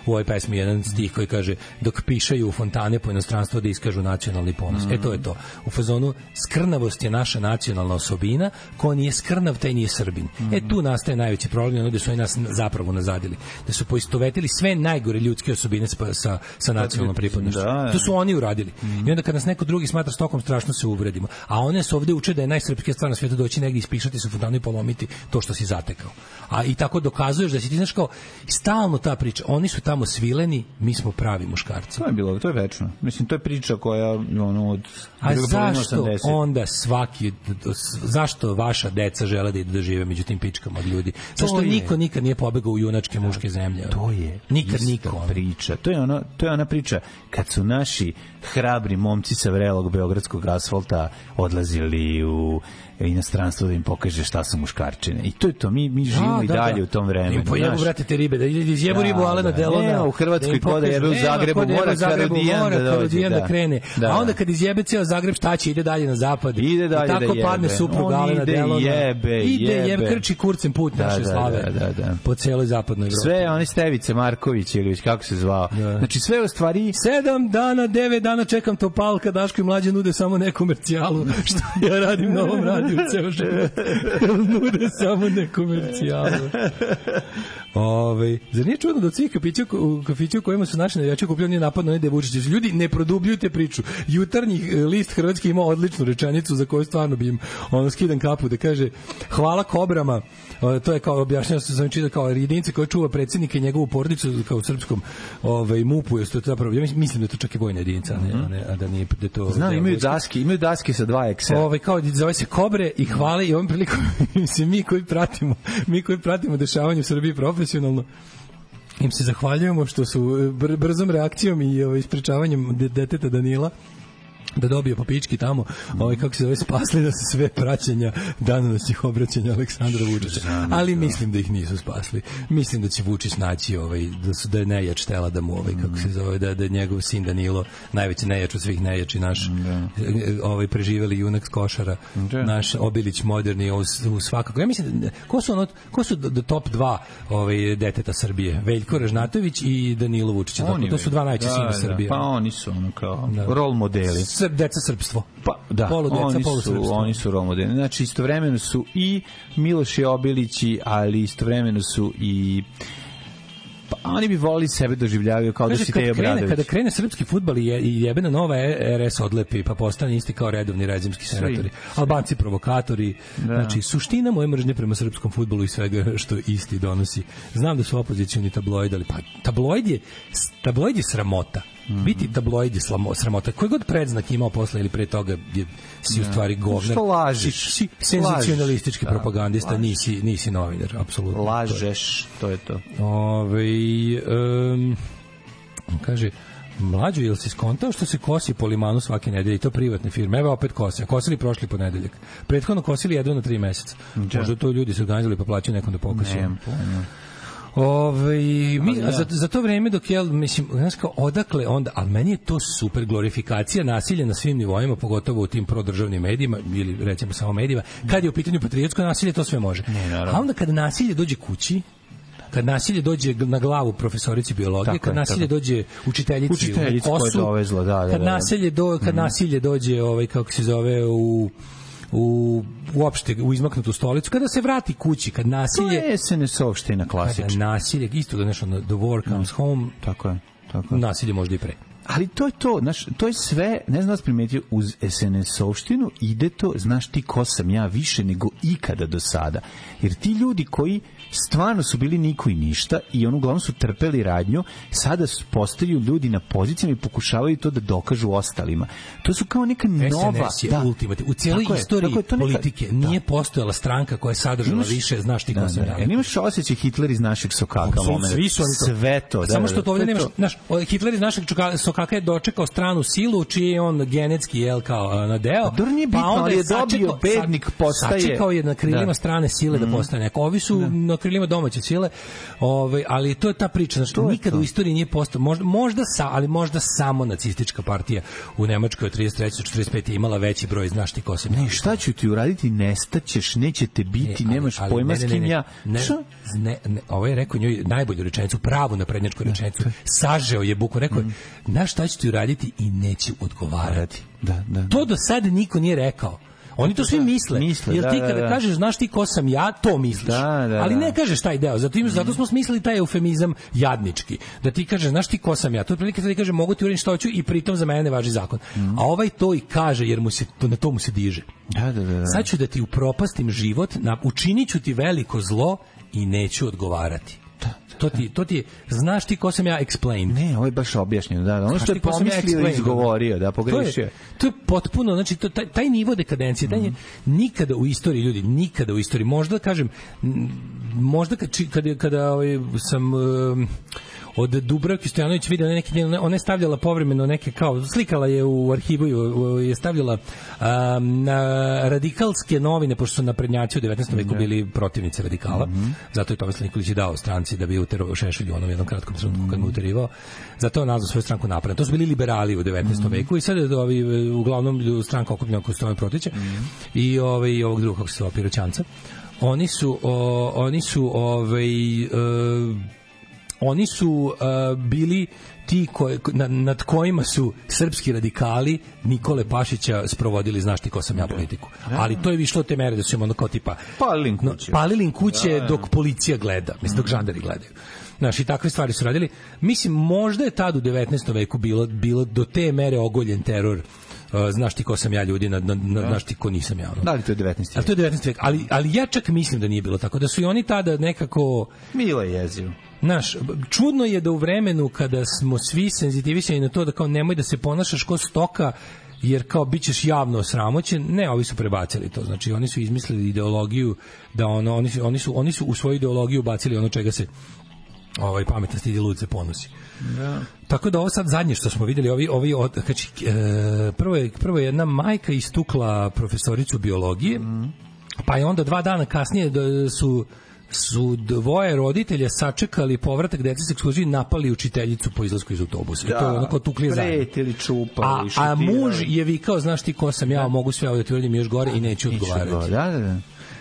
ovoj pesmi jedan stih koji kaže dok pišaju u fontane po inostranstvu da iskažu nacionalni ponos. To je to. U fazonu skrnavost je naša nacionalna osobina, ko nije skrnav, taj nije Srbin. Tu nastaje najveći problem, da su oni nas zapravo nazadili. Da su poistovetili sve najgore ljudske osobine sa nacionalnom pripadnošću. To su oni uradili. I onda kad nas neko drugi smatra Stokom, strašno se uvredimo. A one se ovde uče da je najsrpskija stvar stvar na svijetu doći negdje ispišati se u fontanu i polomiti to što si zatekao. A i tako dokazuješ da si ti, znaš, kao stalno ta priča, oni su tamo svileni, mi smo pravi muškarci. To je večno. Mislim, to je priča koja od... A zašto 80. onda zašto vaša deca žele da idu da žive među tim pičkama od ljudi? Zašto niko nikad nije pobegao u junačke muške zemlje? To je nikad priča. To je ona priča kad su naši hrabri momci sa vrelog beogradskog asfalta odlazili u inostranstvo da im pokaže šta su muškarčine. I to je to. Mi živimo i dalje u tom vremenu. Im pojebu, vrate, te ribe, da izjebu ribu Alena Delona. Nema u Hrvatskoj kod da jebe u Zagrebu, mora Karodijan da krene. A onda kad izjebe ceo Zagreb, šta će? Ide dalje na zapad. Ide dalje da jebe. I tako padne suprug Alena Delona. Ide jebe, krči kurcem put naše slave. Po celoj zapadnoj Evropi. Sve one Stevice Marković ili već kako se zvao. Znači sve u stvari 7 dana, 9 dana čekam Topalka, Daško i Mlađe nude samo nekomercijalu. Što ja radim na ovom radiju ceo život. Nude samo nekomercijalu. Zar nije čudno da od svih kafića u kojima su naši navijači okupljeni napad na Nede Vučića? Ljudi, ne produbljujte priču. Jutarnji list Hrvatski ima odličnu rečenicu za koju stvarno bi im skidan kapu da kaže hvala kobrama. To je kao objašnjeno sam čitao kao jedinice koja čuva predsjednika i njegovu porodicu kao u srpskom MUP-u. Ja mislim da je to čak i vojna jedinica, a da nije da to. Znam, imaju daske sa 2 Excel. Kao zove se kobre i hvale i ovom prilikom mislim mi koji pratimo dešavanje u Srbiji profesionalno im se zahvaljujemo što su brzom reakcijom i ispričavanjem deteta Danila da dobije po pički tamo, kako se zove, spasli da se sve praćenja danonoćnih obraćanja Aleksandra Vučića. Ali mislim da ih nisu spasli. Mislim da će Vučić naći da je nejač tela da mu kako se zove, da je njegov sin Danilo najveći nejač od svih nejači naš preživeli junak s Košara, naš Obilić moderni u svakako. Ja mislim, ko su do top 2 deteta Srbije? Veljko Ražnatović i Danilo Vučić. To su dva najčešća sina Srbije. Pa oni su kao rol modeli. Deca srpstvo. Pa da, oni su rol modeli. Znači istovremeno su i Miloš i Obilići, ali istovremeno su i oni bi volili sebe doživljavaju kao da si Teja Obradović. Kada krene srpski fudbal i jebena nova RS odlepi, pa postane isti kao redovni rezimski senatori. Albanci provokatori. Znači, suština moje mržnje prema srpskom fudbalu i svega što isti donosi. Znam da su opozicioni tabloidi, ali pa tabloid je sramota. Biti tabloid je sramota. Koji god predznak imao posle ili pre toga si u stvari govnar. Što lažeš? Si senzacionalistički propagandista, nisi novinar, apsolutno. Lažeš, to je to. Kaže, Mlađo, jel si skontao što se kosi po limanu svake nedelje i to privatne firme? Evo opet kose. Kosili prošli ponedeljak. Prethodno kosili jedno na 3 meseca. Možda to ljudi su organizovali pa plaćaju nekom da pokosi. Za to vreme dok mislim, znaš kao, odakle onda, ali meni je to super glorifikacija nasilja na svim nivoima, pogotovo u tim prodržavnim medijima ili recimo samo medijima, kad je u pitanju patriotsko nasilje, to sve može. A onda kad nasilje dođe kući, kad nasilje dođe na glavu profesorici biologije, kad nasilje dođe učiteljici u kosu, kad nasilje dođe kako se zove uopšte u izmaknutu stolicu, kada se vrati kući, kad nasilje... To je SNS-ovština klasična. Kada nasilje, isto da nešto, the war comes home, tako je. Nasilje možda i pre. Ali to je to, znaš, to je sve, ne znam da vas primetio, uz SNS-ovštinu ide to, znaš ti ko sam ja, više nego ikada do sada. Jer ti ljudi koji stvarno su bili niko i ništa i uglavnom su trpeli radnju, sada postaju ljudi na pozicijama i pokušavaju to da dokažu ostalima. To su kao neka nova... SNS je ultimativno. U cijeloj istoriji politike nije postojala stranka koja je sadržala više, znaš ti ko sam ja. Imaš osjećaj Hitler iz našeg sokaka moment. Sve to. Samo što to ovdje nemaš, znaš, Hitler iz našeg sokaka je dočekao stranu silu, čiji je on genetski kao nadeo, pa onda je dobio bednik postaje. Sačekao je na krilima strane sile da postane neko. Ovi su na krilima domaće sile, ali to je ta priča, znači nikada u istoriji nije postao, možda samo nacistička partija u Nemačkoj od 33. do 45. imala veći broj, znaš ti ko se... Ne, šta ću ti uraditi, nestaćeš, nećete biti, nemaš pojma s kim ja... Ovo je rekao njoj najbolju rečenicu, pravu naprednjačku rečenicu, sažeo je buku, rekao je, znaš šta ću ti uraditi i neću odgovarati. Da. To do sada niko nije rekao. Oni to svi misle. Jer ti kada kažeš, znaš ti ko sam ja, to misliš. Ali ne kažeš taj deo. Zato smo smislili taj eufemizam jadnički. Da ti kažeš, znaš ti ko sam ja. To je prilike da ti kaže, mogu ti uraditi što hoću i pritom za mene ne važi zakon. A ovaj to i kaže, jer na to mu se diže. Sad ću da ti upropastim život, učinit ću ti veliko zlo i neću odgovarati. To ti znaš ti ko sam ja explained. Ne, ovo je baš objašnjeno, ono što je pomislio i izgovorio, pogrešio. To je potpuno, znači taj nivo dekadencije, taj nikada u istoriji ljudi, nikada u istoriji, možda kažem, možda kada sam od Dubravke Stojanović vidio ona je stavljala povremeno neke kao, slikala je u arhivu, je stavljala na radikalske novine, pošto su naprednjaci u 19. veku bili protivnici radikala, zato je Tomislav Nikolić dao stranci da bi uterao Šešelju onom jednom kratkom trenutku kad mu uterivao, zato je nazvao svoju stranku Napred. To su bili liberali u 19. veku i sad je uglavnom stranka okupljena oko Stojan Protića i ovog drugog, kako se zove, Piroćanca. Oni su bili ti nad kojima su srpski radikali Nikole Pašića sprovodili, znaš ti ko sam ja, politiku. Ali to je išlo od te mere da su im ono kao tipa palili kuće dok policija gleda, mislim dok žandari gledaju. Znaš, i takve stvari su radili. Mislim, možda je tad u 19. veku bilo do te mere ogoljen teror. Znaš ti ko sam ja, ljudi, znaš ti ko nisam ja. Da li to je 19. vek? Ali to je 19. vek. Ali ja čak mislim da nije bilo tako. Da su i oni tada nekako... Milo je jezivo. Znaš, čudno je da u vremenu kada smo svi senzitivisani na to da kao nemoj da se ponašaš ko stoka, jer kao bit ćeš javno osramoćen, ne, ovi su prebacili to. Znači, oni su izmislili ideologiju da oni su u svoju ideologiju bacili ono čega se pametan stidi, lud se ponosi. Da. Tako da ovo sad zadnje što smo videli, prvo je jedna majka istukla profesoricu biologije, pa je onda 2 dana kasnije su dvoje roditelja sačekali povratak dece s ekskurzije i napali učiteljicu po izlasku iz autobusa. I to je onako tukli zajedno. Pretili, čupali, a muž je vikao, znaš ti ko sam ja, mogu sve ovo da ti uradim još gore i neću odgovarati. Da.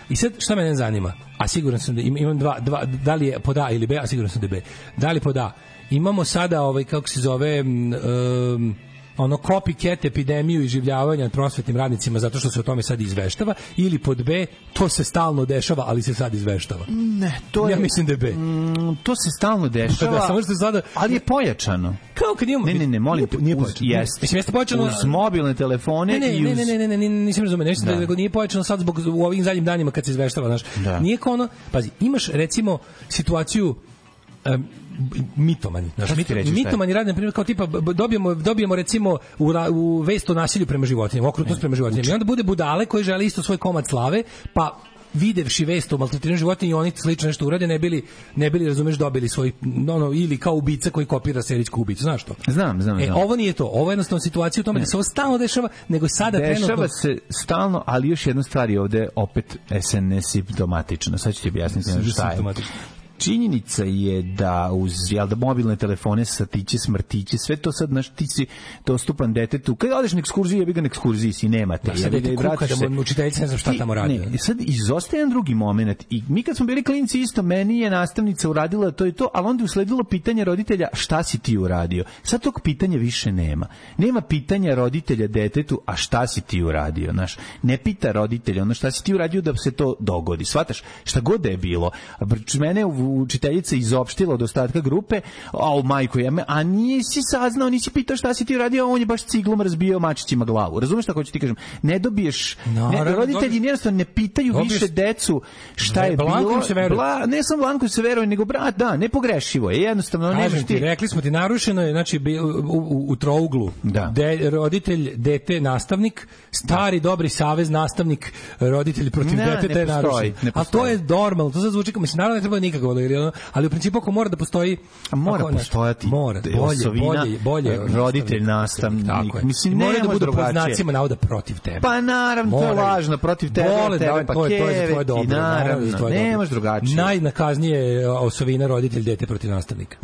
I sad, šta mene zanima? A siguran sam da imam dva, da li je pod A ili B, a siguran sam da je B. Da li pod A? Imamo sada, kako se zove, copycat epidemiju i življavanja prosvetnim radnicima zato što se o tome sad izveštava, ili pod B, to se stalno dešava, ali se sad izveštava. Ne, ja mislim da je B. To se stalno dešava, samo što sada... ali je pojačano. Kao kad imamo... Ne, molim te, nije pojačano. Jeste pojačano... Uz mobilne telefone i uz... Ne, nisam razumio, nešto da nije pojačano sad zbog u ovim zadnjim danima kad se izveštava, znaš. Nije kao ono... Pazi, imaš recimo situaciju mitomani. Mitomani rade, na primjer, kao tipa dobijemo recimo u vest o nasilju prema životinjama, okrutnost prema životinjama. I onda bude budale koji žele isto svoj komad slave, pa videvši vest o maltretiranju životinja i oni slično nešto urade, ne bili razumeš, dobili svoj ili kao ubica koji kopira serijsku ubicu, znaš to? Znam. Ovo nije to, ovo je jednostavno situacija u tome da se ovo stalno dešava, nego sada dešava se stalno, ali još jedna stvar je ovde opet nesimptomatična. Sad ću ti objasniti šta je. Činjenica je da uz mobilne telefone, satiće, smrtiće, sve to sad, znaš, ti si dostupan detetu. Kad odeš na ekskurziju, jebi ga na ekskurziji si, nemate. Da, sad dete kuka da mu učiteljica ne znam šta tamo radi. Ne, sad izostaje jedan drugi moment. I mi kad smo bili klinci isto, meni je nastavnica uradila to i to, ali onda je usledilo pitanje roditelja šta si ti uradio. Sad tog pitanja više nema. Nema pitanja roditelja detetu, a šta si ti uradio, znaš. Ne pita roditelja, šta si ti uradio da se to dogodi. Shvataš, šta god da je bilo. Mene učiteljica izopštila od ostatka grupe, majko, a nisi saznao, nisi pitao šta si ti radio, on je baš ciglom razbijao mačićima glavu. Razumeš šta hoću ti kažem? Ne dobiješ, roditelji jednostavno ne pitaju više decu šta je bilo. Ne samo Blanko se veruje, nego brat, da, nepogrešivo je, jednostavno. Kažem ti, rekli smo ti, narušeno je, znači, u trouglu, roditelj, dete, nastavnik, stari, dobri savez, nastavnik, roditelj protiv deteta je narušen. A to je normalno, to sad zvuči kao, mislim, naravno ne treba nikako, ali u principu ako mora da postoji, postojati bolje roditelj, nastavnik, mislim, mora da budu pod znacima navoda protiv tebe. Pa naravno, to je važno, protiv tebe, to je tvoje dobro, naravno, nemaš drugačije. Najnakaznije osovina roditelj, dete protiv nastavnika.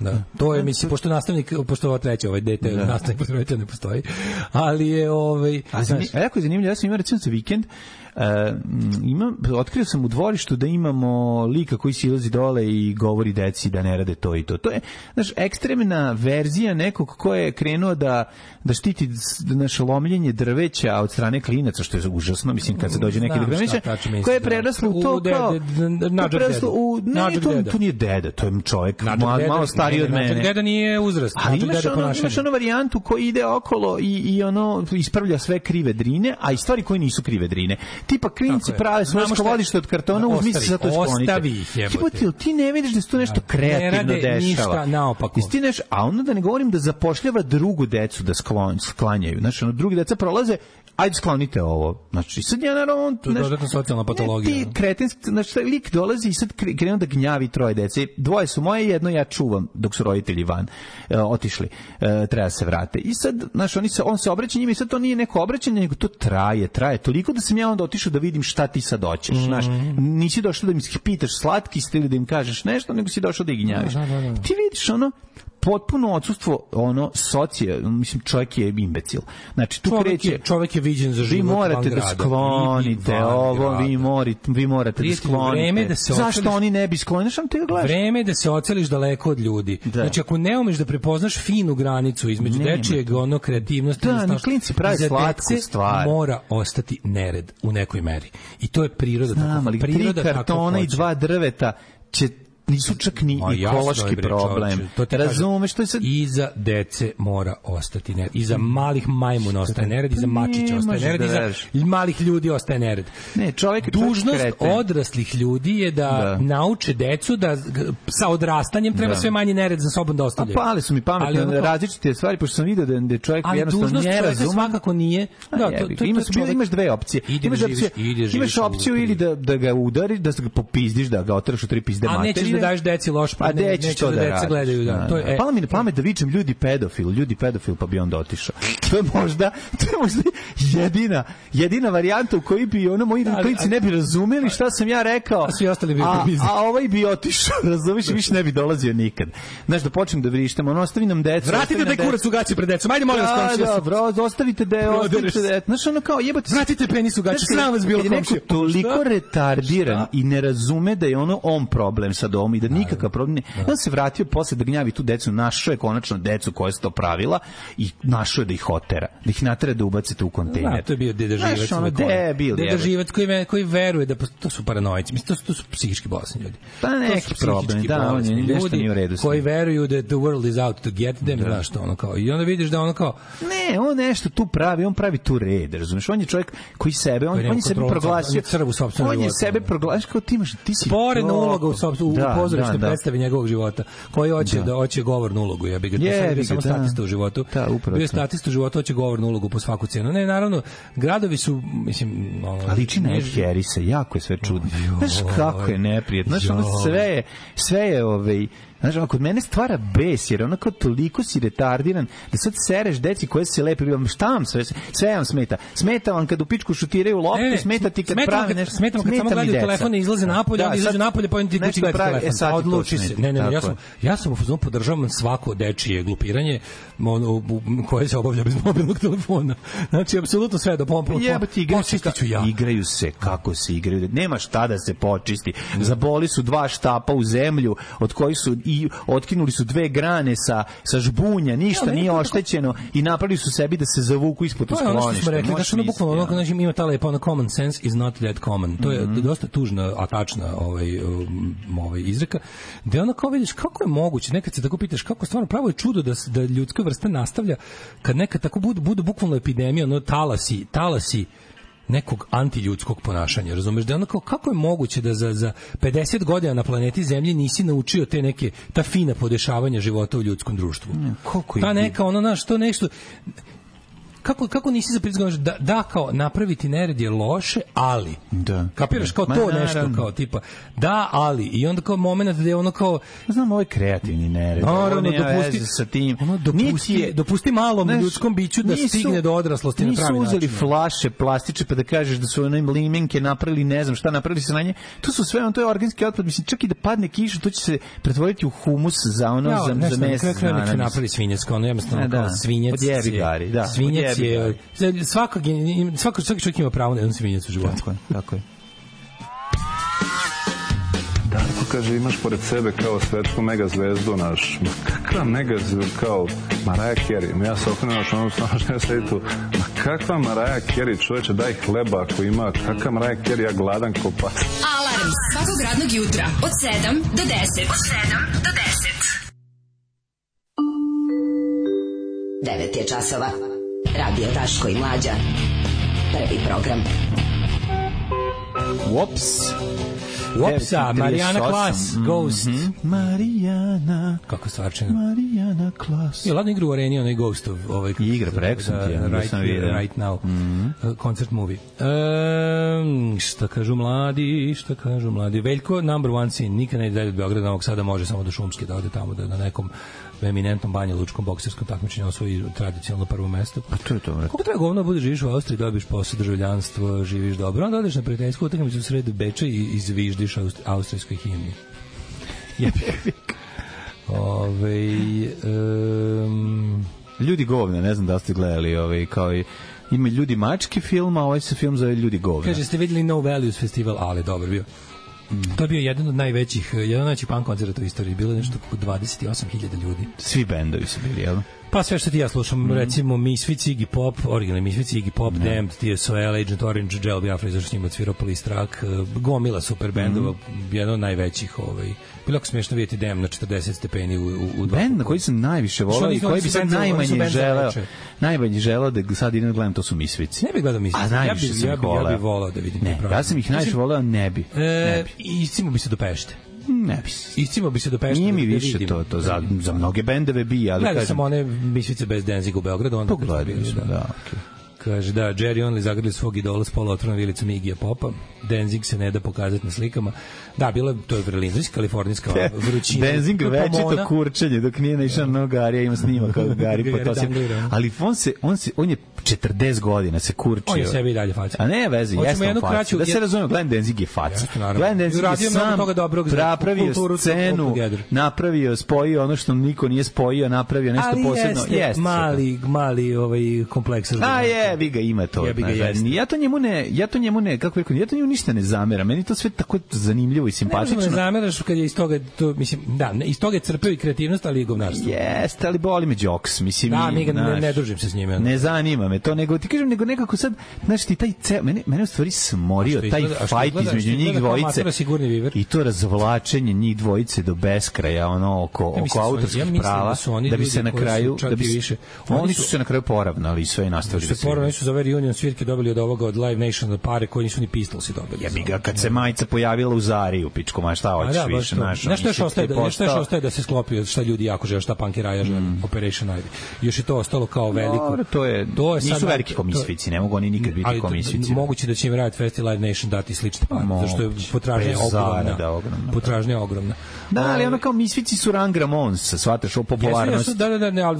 Da. To je, mislim, pošto nastavnik, pošto ovo treće, dete, nastavnik protiv roditelja ne postoji, ali je a jako je zanimljivo, ja sam imao recimo za vikend, otkrio sam u dvorištu da imamo lika koji silazi dole i govori deci da ne rade to i to. To je, znaš, ekstremna verzija nekog ko je krenuo da štiti naše lomljenje drveća od strane klinaca, što je užasno, mislim, kad se dođe neki drveća, koje je preraslo u to kao... To nije deda, to je čovjek malo stariji od mene. Deda nije uzrast. Ali imaš onu varijantu koji ide okolo i ono ispravlja sve krive drine, a i stvari koje nisu krive drine. Tipa klinci prave svoje skladište od kartona, uzmi se za to sklonite. Ostavi ih, jebote. Ti ne vidiš da se to nešto kreativno dešava. Ništa naopako. A onda da ne govorim da zapošljava drugu decu da sklanjaju. Znači, drugi deca prolaze, ajde sklonite ovo. Znači, sad ja naravno... To je dodatna socijalna patologija. Ti kretenski, znači, lik dolazi i sad krenu da gnjavi troje dece. Dvoje su moje, jedno ja čuvam dok su roditelji van otišli. Treba se vrate. I sad, znači, on se obraća njima i sad to nije neko obraćanje, nego to traje toliko da sam ja onda otišao da vidim šta ti sad hoćeš. Znaš, nisi došao da mi pitaš slatki ste ili da im kažeš nešto, nego si došao da ih gnjaviš. Ti vidiš ono, potpuno odsustvo mislim, čovjek je imbecil. Znači, tu kreće... Čovjek je viđen za život van grada. Vi morate da sklonite ovo, vi morate da sklonite. Zašto oni ne bi sklonili? Što ti ga gledaš? Vreme je da se oceliš daleko od ljudi. Znači, ako ne umeš da prepoznaš finu granicu između dečijeg, ono, kreativnosti... Da, klinci pravi slatku stvar. Mora ostati nered u nekoj meri. I to je priroda. Znam, ali 3 kartona i 2 drveta će nisu čak ni ekološki problem. Razumeš, to je sad... Iza dece mora ostati nered. Iza malih majmuna ostaje nered, iza mačića ostaje nered, iza malih ljudi ostaje nered. Ne, dužnost odraslih ljudi je da nauče decu da sa odrastanjem treba sve manje nered za sobom da ostavljaju. Pali su mi pametne različite stvari, pošto sam vidio da je čovjek jednostavno ne razume. Svakako nije. Imaš dve opcije. Imaš opciju ili da ga udari, da ga popizdiš, da ga oteraš u 3 pizde materije. Da daješ deci loš, pa neće da deca gledaju. Palo mi na pamet da vičem ljudi pedofil, pa bi onda otišao. To je možda jedina varijanta u kojoj bi moji klinci ne bi razumeli šta sam ja rekao, a ovaj bi otišao, razumiješ, više ne bi dolazio nikad. Znaš, da počnem da vrištem, ostavi nam decu. Vratite da kurac u gaće pred decom, ajde molim vas. Dobro, ostavite da je, znaš, ono kao jebate. Vratite penis u gaće, sram vas bilo komšija. Toliko retardiran i ne razume da je on problem sa domom i da nikakav problem ne. On se vratio posle da gnjavi tu decu, našao je konačno decu koja su to pravila i našao je da ih otera, da ih natera da ubacite u kontejner. To je bio Deda Živac. Deda Živac koji veruje da to su paranoici. Mislim, to su psihički bolesni ljudi. Pa neki problem, da, on je nešto nije u redu. Koji veruju da the world is out to get them, znaš to, ono kao. I onda vidiš da ono kao... Ne, on nešto tu pravi, on pravi tu red, razumiješ? On je čovjek koji sebe, on je sebi proglasio... On je sebe proglasio kao ti si... Sporedna uloga u pozorišnoj predstavi njegovog života, koji hoće govornu ulogu, ja bih ga to samo statista u životu. Bio je statista u životu, hoće govornu ulogu po svaku cenu. Ne, naravno, gradovi su, mislim... Ali liči na Ed Harrisa, jako je sve čudno. Znaš kako je neprijetno, znaš, sve je znaš, kod mene stvara bes, jer onako toliko si retardiran da sad sereš deci koje se lepe, šta vam sve vam smeta. Smeta vam kad u pičku šutiraju lopte, smeta ti kad prave nešto. Smeta vam kad samo gledaju telefon i izlaze napolje, onda izađu napolje, pa ti kući gledaju telefon. Odluči se. Ne, ja sam u fazonu podržavam svako dečije glupiranje koje se obavlja bez mobilnog telefona. Znači, apsolutno sve do pompa. Igraju se kako se igraju. Nema šta da se počisti. Zaboli su 2 štapa u zemlju, od kojih su i otkinuli su 2 grane sa žbunja, ništa nije oštećeno i napravili su sebi da se zavuku ispod skloništa. Ono što smo rekli, znači bukvalno ima ta lepa ona common sense is not that common. To je dosta tužna, a tačna izreka. Da ono kao vidiš kako je moguće, nekad se tako pitaš kako stvarno pravo je čudo da ljudska vrsta nastavlja kad nekad tako budu bukvalno epidemija, ono talasi nekog antiljudskog ponašanja, razumeš, da onako kako je moguće da za 50 godina na planeti Zemlji nisi naučio ta fina podešavanja života u ljudskom društvu. Ta neka to nešto kako nisi zaprizgao da kao napraviti nered je loše, ali kapiraš kao to nešto kao tipa da, ali i onda kao moment da je ono kao znam ovo je kreativni nered, naravno dopusti malom ljudskom biću da stigne do odraslosti na pravi način. Nisu uzeli flaše plastične pa da kažeš da su one limenke napravili, ne znam šta napravili se na nje, to su sve to je organski otpad, mislim čak i da padne kiša to će se pretvoriti u humus za mesec dana. Napravili svinjac, jednostavno kao svinjac je svaki čovjek ima pravo na jedan svinjac u životu. Tako je. Darko kaže, imaš pored sebe kao svetsku megazvezdu naš. Kakva megazvezdu kao Mariah Carey? Ja se okrenuo što ono snažno ja sedi tu. Kakva Mariah Carey, čoveče, daj hleba ako ima. Kakva Mariah Carey, ja gladan ko pas. Alarm svakog radnog jutra od 7 do 10. Od 7 do 10. 9 je časova. Radio Daško i Mlađa. Prvi program. Whoops. Whoopsa, Marijana Klas, Ghost. Marijana. Kako stvarčina. Marijana Klas. I ladno igra u areni, onaj Ghost of igra, preko sam ti, da sam vidio. Right Now. Concert movie. Šta kažu mladi? Veljko, number one sin, nikad ne ide od Beograda, Novog Sada, može samo do Šumske, da ode tamo, da na nekom eminentnom Banja Lučkom bokserskom takmičenju osvoji tradicionalno prvo mesto. Pa to je to. Kako treba govno bude živiš u Austriji, dobiš posao, državljanstvo, živiš dobro, onda odeš na prijateljsku utakmicu u sred Beča i izviždiš austrijskoj himni. Ljudi govne, ne znam da ste gledali, kao i ima Ljudi mački film, a ovaj se film zove Ljudi govne. Kaže, ste videli No Values festival, ali dobro bio. To je bio jedan od najvećih punk koncerta u istoriji. Bilo je nešto oko 28.000 ljudi. Svi bendovi su bili, jel? Pa sve što ti ja slušam, recimo Misfits, Iggy Pop, originalni Misfits, Iggy Pop, Damned, TSOL, Agent Orange, Jello Biafra, zašto s njima odsvirao Police Track, gomila super bendova, jedan od najvećih. Bilo ako smiješno vidjeti Damned na 40 stepeni u bend na koji sam najviše volao i koji bi sad najmanje želeo da sad idem da gledam, to su Misfits. Ne bih gledao Misfits, ja bih volao da vidim. Ne, ja sam ih najviše volao, ne bi. Iscimo bi se do Pešte. Ne bi. Iscimo bi se do Pešte. Nije mi više to za mnoge bendove bi, ali gledao sam one Misfice bez Danziga u Beogradu. Pogledali smo, da, okej. Kaže, da, Jerry Only zagrli svog idola s poluotvornom vilicom Igija Popa. Danzig se ne da pokazati na slikama. Da, to je vrlinska, kalifornijska vrućina. Danzig večito kurčenje, dok nije naišao na Garija, ima snima kao Gari Potosip. Ali on je 40 godina se kurčio. On je sebi i dalje faca. A ne veze, jeste on faca. Da se razumemo, Glenn Danzig je faca. Glenn Danzig je sam napravio scenu, napravio, spojio ono što niko nije spojio, napravio nešto posebno. Ali jeste mali kompleks. A vi ga ima to. Ja to njemu ne, kako rekao, ja to njemu ništa ne zameram. Meni to sve tako zanimljivo i simpatično. Ne zameraš kad je iz toga, to, mislim, da, iz toga je crpeo i kreativnost, ali i govnarstvo. Jeste, ali boli me jokes, mislim. Da, ne družim se s njime. Ne zanima me to, nego ti kažem, nego nekako sad, znaš ti, mene u stvari smorio, taj fajt između njih dvojice i to razvlačenje njih dvojice do beskraja, ono, oko autorskih prava, da bi se na kraju, oni su se na kraju poravnali i sve i nastavili da se. Oni su za ove reunion svirke dobili od ovoga, od Live Nation pare koji nisu ni Pistolsi dobili. Jebi ga, kad se majica pojavila u Zari u pičku, ma šta hoćeš više našo. Nešto još ostaje da se sklopi, šta ljudi jako žele, šta punk i raja žele, Operation Ivy. Još je to ostalo kao veliko. To nisu veliki komisvici, ne mogu oni nikad biti komisvici. Moguće da će im Riot Fest i Live Nation dati slične pare, zašto je potražnja ogromna. Da, ali ono kao misvici su Rang Ramons, shvataš o popularnosti. Da, ali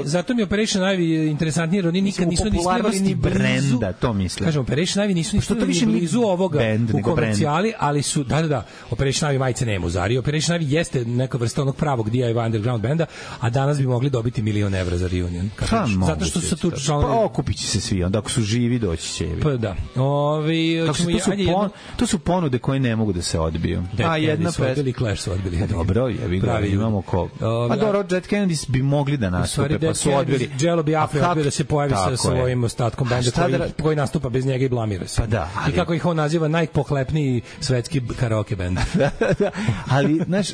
zato mi Operation Ivy interesantniji, jer oni nikad nisu ni snimali ni brenda, to mislim. Kažem, Operation Ivy nisu ni blizu ovoga u komercijali, ali su, da, Operation Ivy majice nema u Zari. Operation Ivy jeste neka vrsta onog pravog DIY underground benda, a danas bi mogli dobiti $1.000.000 za reunion. Zato što su tu članovi... Pa okupit će se svi, onda ako su živi doći će. Pa da. To su ponude koje ne mogu da se odbiju. A jedna odbili, Clash su odbili. Dobro, jebi ga, imamo ko... A dobro, Dead Kennedys bi mogli da nastupe, pa su odbili. Jello Biafra odbio da se pojavi sa svojim ostatkom benda koji nastupa bez njega i blamira se. Pa da. I kako ih on naziva, najpohlepniji svetski karaoke bend. Ali, znaš,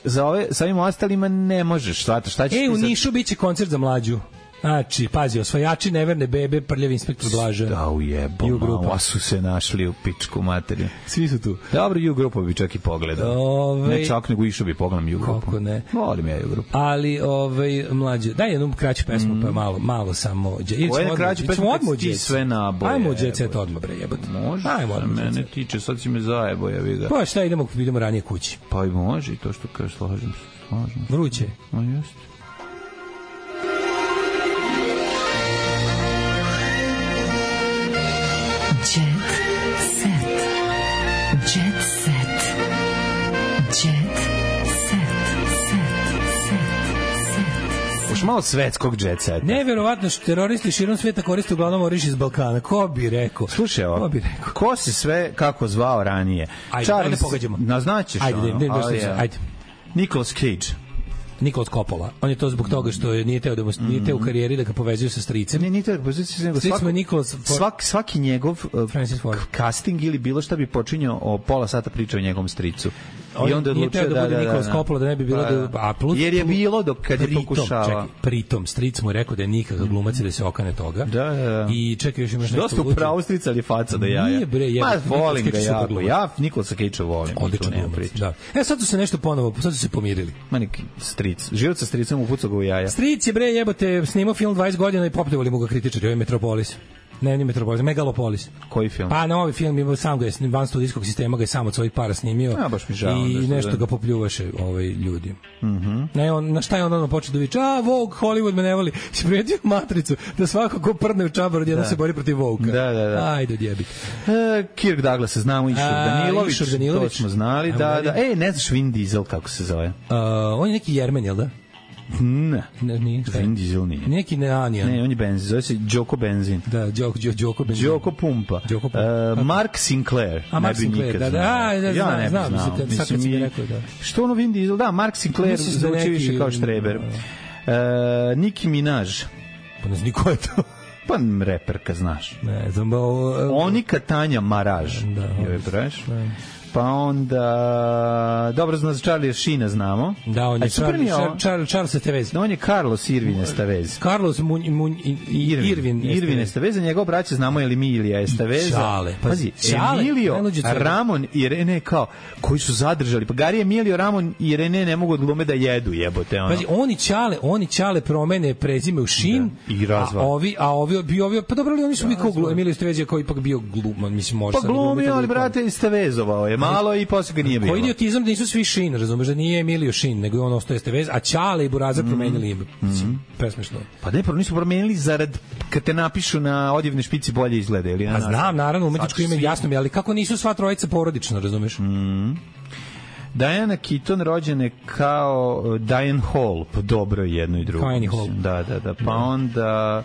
sa ovim ostalima ne možeš, šta ćeš ti... u Nišu biće koncert za mlađu. Znači, pazi, osvajači neverne bebe, prljavi inspektor Blaža. Da, ujebo, malo su se našli u pičku materiju. Svi su tu. Dobro, U-grupu bi čak i pogledao. Ne čak, nego išao bi pogledam U-grupu. Kako ne. Volim ja U-grupu. Ali, mlađe, daj jednu kraću pesmu, pa malo samo... Ovo je kraću pesmu, kad ti sve naboje. Ajmo Jet Set odmah, bre, jebate. Može, mene tiče, sad si me zajebo, jebi ga. Pa šta, idemo ranije kući. Pa i može, i to što kažeš, slažem se. Vruće. A jeste. Još malo svetskog jet seta. Neverovatno što teroristi širom sveta koriste uglavnom oriš iz Balkana. Ko bi rekao? Slušaj ovo, ko se sve kako zvao ranije? Ajde pogađamo. Naznačiš Ajde. Nicolas Cage. Nikolas Coppola. On je to zbog toga što nije teo u karijeri da ga povezuju sa stricem. Nije teo da ga povezuju sa stricem. Svaki njegov casting ili bilo šta bi počinjao o pola sata priča o njegovom stricu. I onda nije teo da bude Nikolas Coppola, da ne bi bilo jer je bilo dok kad je pokušava. Čekaj, pritom stric mu je rekao da je nikakav glumac da se okane toga. Da. I čekaj, još imaš nešto. Dosta upravo strica ali faca da jaja. Nije bre, volim ga jako. Ja Nikolasa Cagea volim. Odličan glumac, da. Sad su se nešto ponovo, sad su se pomirili. Ma neki stric. Život sa stricom upucao ga u jaja. Stric je bre jebote snimao film 20 godina i popljuvali mu ga kritičari, ovaj Metropolis. Ne Metropolis, Megalopolis. Koji film? Pa novi film ima sam ga je van studijskog sistema ga je sam od svojih para snimio. Ja baš mi žao. I nešto ga popljuvaše ljudi. Ne, on na šta je on počeo da viče? Vogue, Hollywood me ne voli. Si primetio Matricu da svako ko prdne u čabar odjednom se bori protiv Vogue-a. Da. Ajde odjebik. Kirk Douglas, znamo Išur Danilović. To smo znali, da. Ne znaš Vin Diesel kako se zove? On je neki Jermen, jel da? Ne, Vin Diesel nije. Neki neanijan. Ne, on je benzin, zove se Đoko Benzin. Da, Đoko Benzin. Đoko Pumpa. Mark Sinclair. Mark Sinclair, da. Ja ne znam. Sad kad si mi rekao, da. Što ono Vin Diesel? Da, Mark Sinclair zvuči više kao Štreber. Nicki Minaj. Pa ne znam ko je to. Pa reperka, znaš. Ne znam. Onika Tanja Maraž. Da, pa onda dobro za Charlie Sheena znamo. Da, on je Charles Tevez. On je Carlos Irvin Estevez. Carlos Irvin Estevez, njegov braća znamo je Emilija Estevez. Pazi, Emilio, Ramon i Rene kao koji su zadržali. Pa Gari Emilio, Ramon i Rene ne mogu od glume da jedu, jebote ono. Pazi, oni Čale promene prezime u Šin. I razva. A ovi pa dobro li oni su mi kao Emilio Estevez je kao ipak bio gluman, mislim može. Pa glumio, ali brate Estevezovao je malo i posle ga nije bilo. Koji idiotizam da nisu svi Šin, razumeš, da nije Emilio Šin, nego je on ostao Estevez, a Čale i Burazar promenili ime. Presmešno. Pa ne, nisu promenili zarad kad te napišu na odjevne špici bolje izgleda ili na. A znam, naravno, umetničko ime jasno mi, ali kako nisu sva trojica porodično, razumeš? Diana Keaton rođene kao Diane Hall, po dobro jedno i drugo. Diane Hall. Da. Pa onda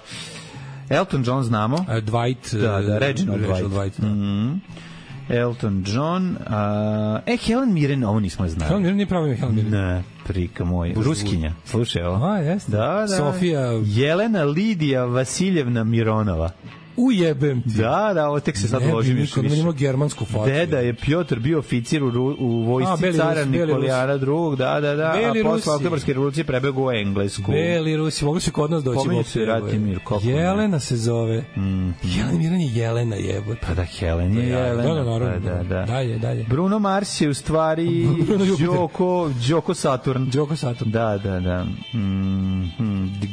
Elton John znamo. Dwight. Da, Reginald Dwight. Elton John, Helen Mirren, ovo nismo znali. Helen Mirren nije pravi Helen Mirren. Ne, prika moj. Ruskinja, slušaj ovo. Jeste. Da. Sofija. Jelena Lidija Vasiljevna Mironova. Ujebem ti. Da, ovo tek se sad ložim još više. Ne bi nikad germansku facu. Deda je Piotr bio oficir u vojsci cara Nikolijana II, da, a posle Oktobarske revolucije prebegao u Englesku. Beli Rusi, mogli su kod nas doći. Pominju se Ratimir. Jelena se zove. Jelena Miran je Jelena, jebote. Pa da, Helen je Jelena. Da. Dalje. Bruno Mars je u stvari Đoko Saturn. Da.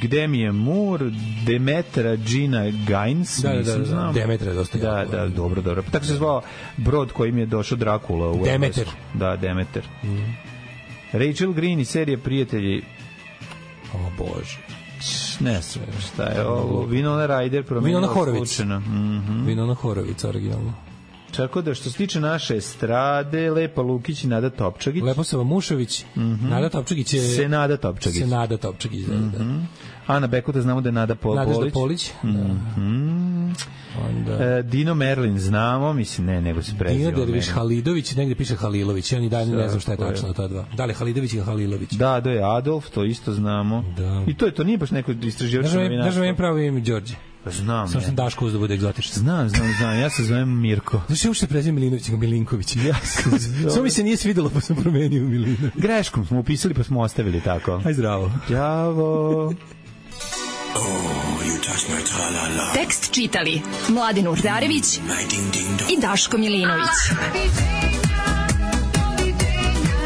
Gde mi je Moore, Demetra Gina Gaines. Da, Demeter je dosta. Da, dobro. Pa tako se zvao brod kojim je došao Drakula u Demeter. Da, Demeter. Rachel Green i serije Prijatelji. O Bože. Ne sve, šta je ovo? Winona Ryder promenila slučajno. Winona Horovic, originalno. Tako da što se tiče naše estrade, Lepa Lukić i Nada Topčagić. Leposava Mušović, Nada Topčagić je... Senada Topčagić. Da. Ana Bekuta znamo da je Nada Polić. Onda... Dino Merlin znamo, mislim nego se preziva. Dino Derviš Halidović, negde piše Halilović, ja ni dalje ne znam šta je tačno ta dva. Da li Halidović ili Halilović? Da, je Adolf, to isto znamo. Da. I to nije baš neko istraživačko novinarstvo. Znaš vam pravo ime Đorđe? Znam. Samo sam Daško da bude egzotično. Znam. Ja se zovem Mirko. Znaš, ja ušte prezivim Milinović, Milinković. Samo mi se nije svidelo, pa sam promenio Milinović. Greškom smo upisali, pa smo ostavili tako. Aj zdravo. Đavo. Tekst čitali Mladin Urdarević i Daško Milinović.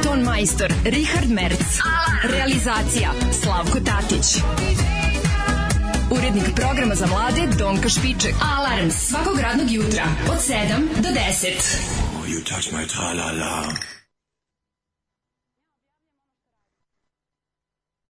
Ton majstor Richard Merc. Realizacija Slavko Tatić. Urednik programa za mlade Donka Špiček. Alarms svakog radnog jutra od 7 do 10. You touch my tra-la-la.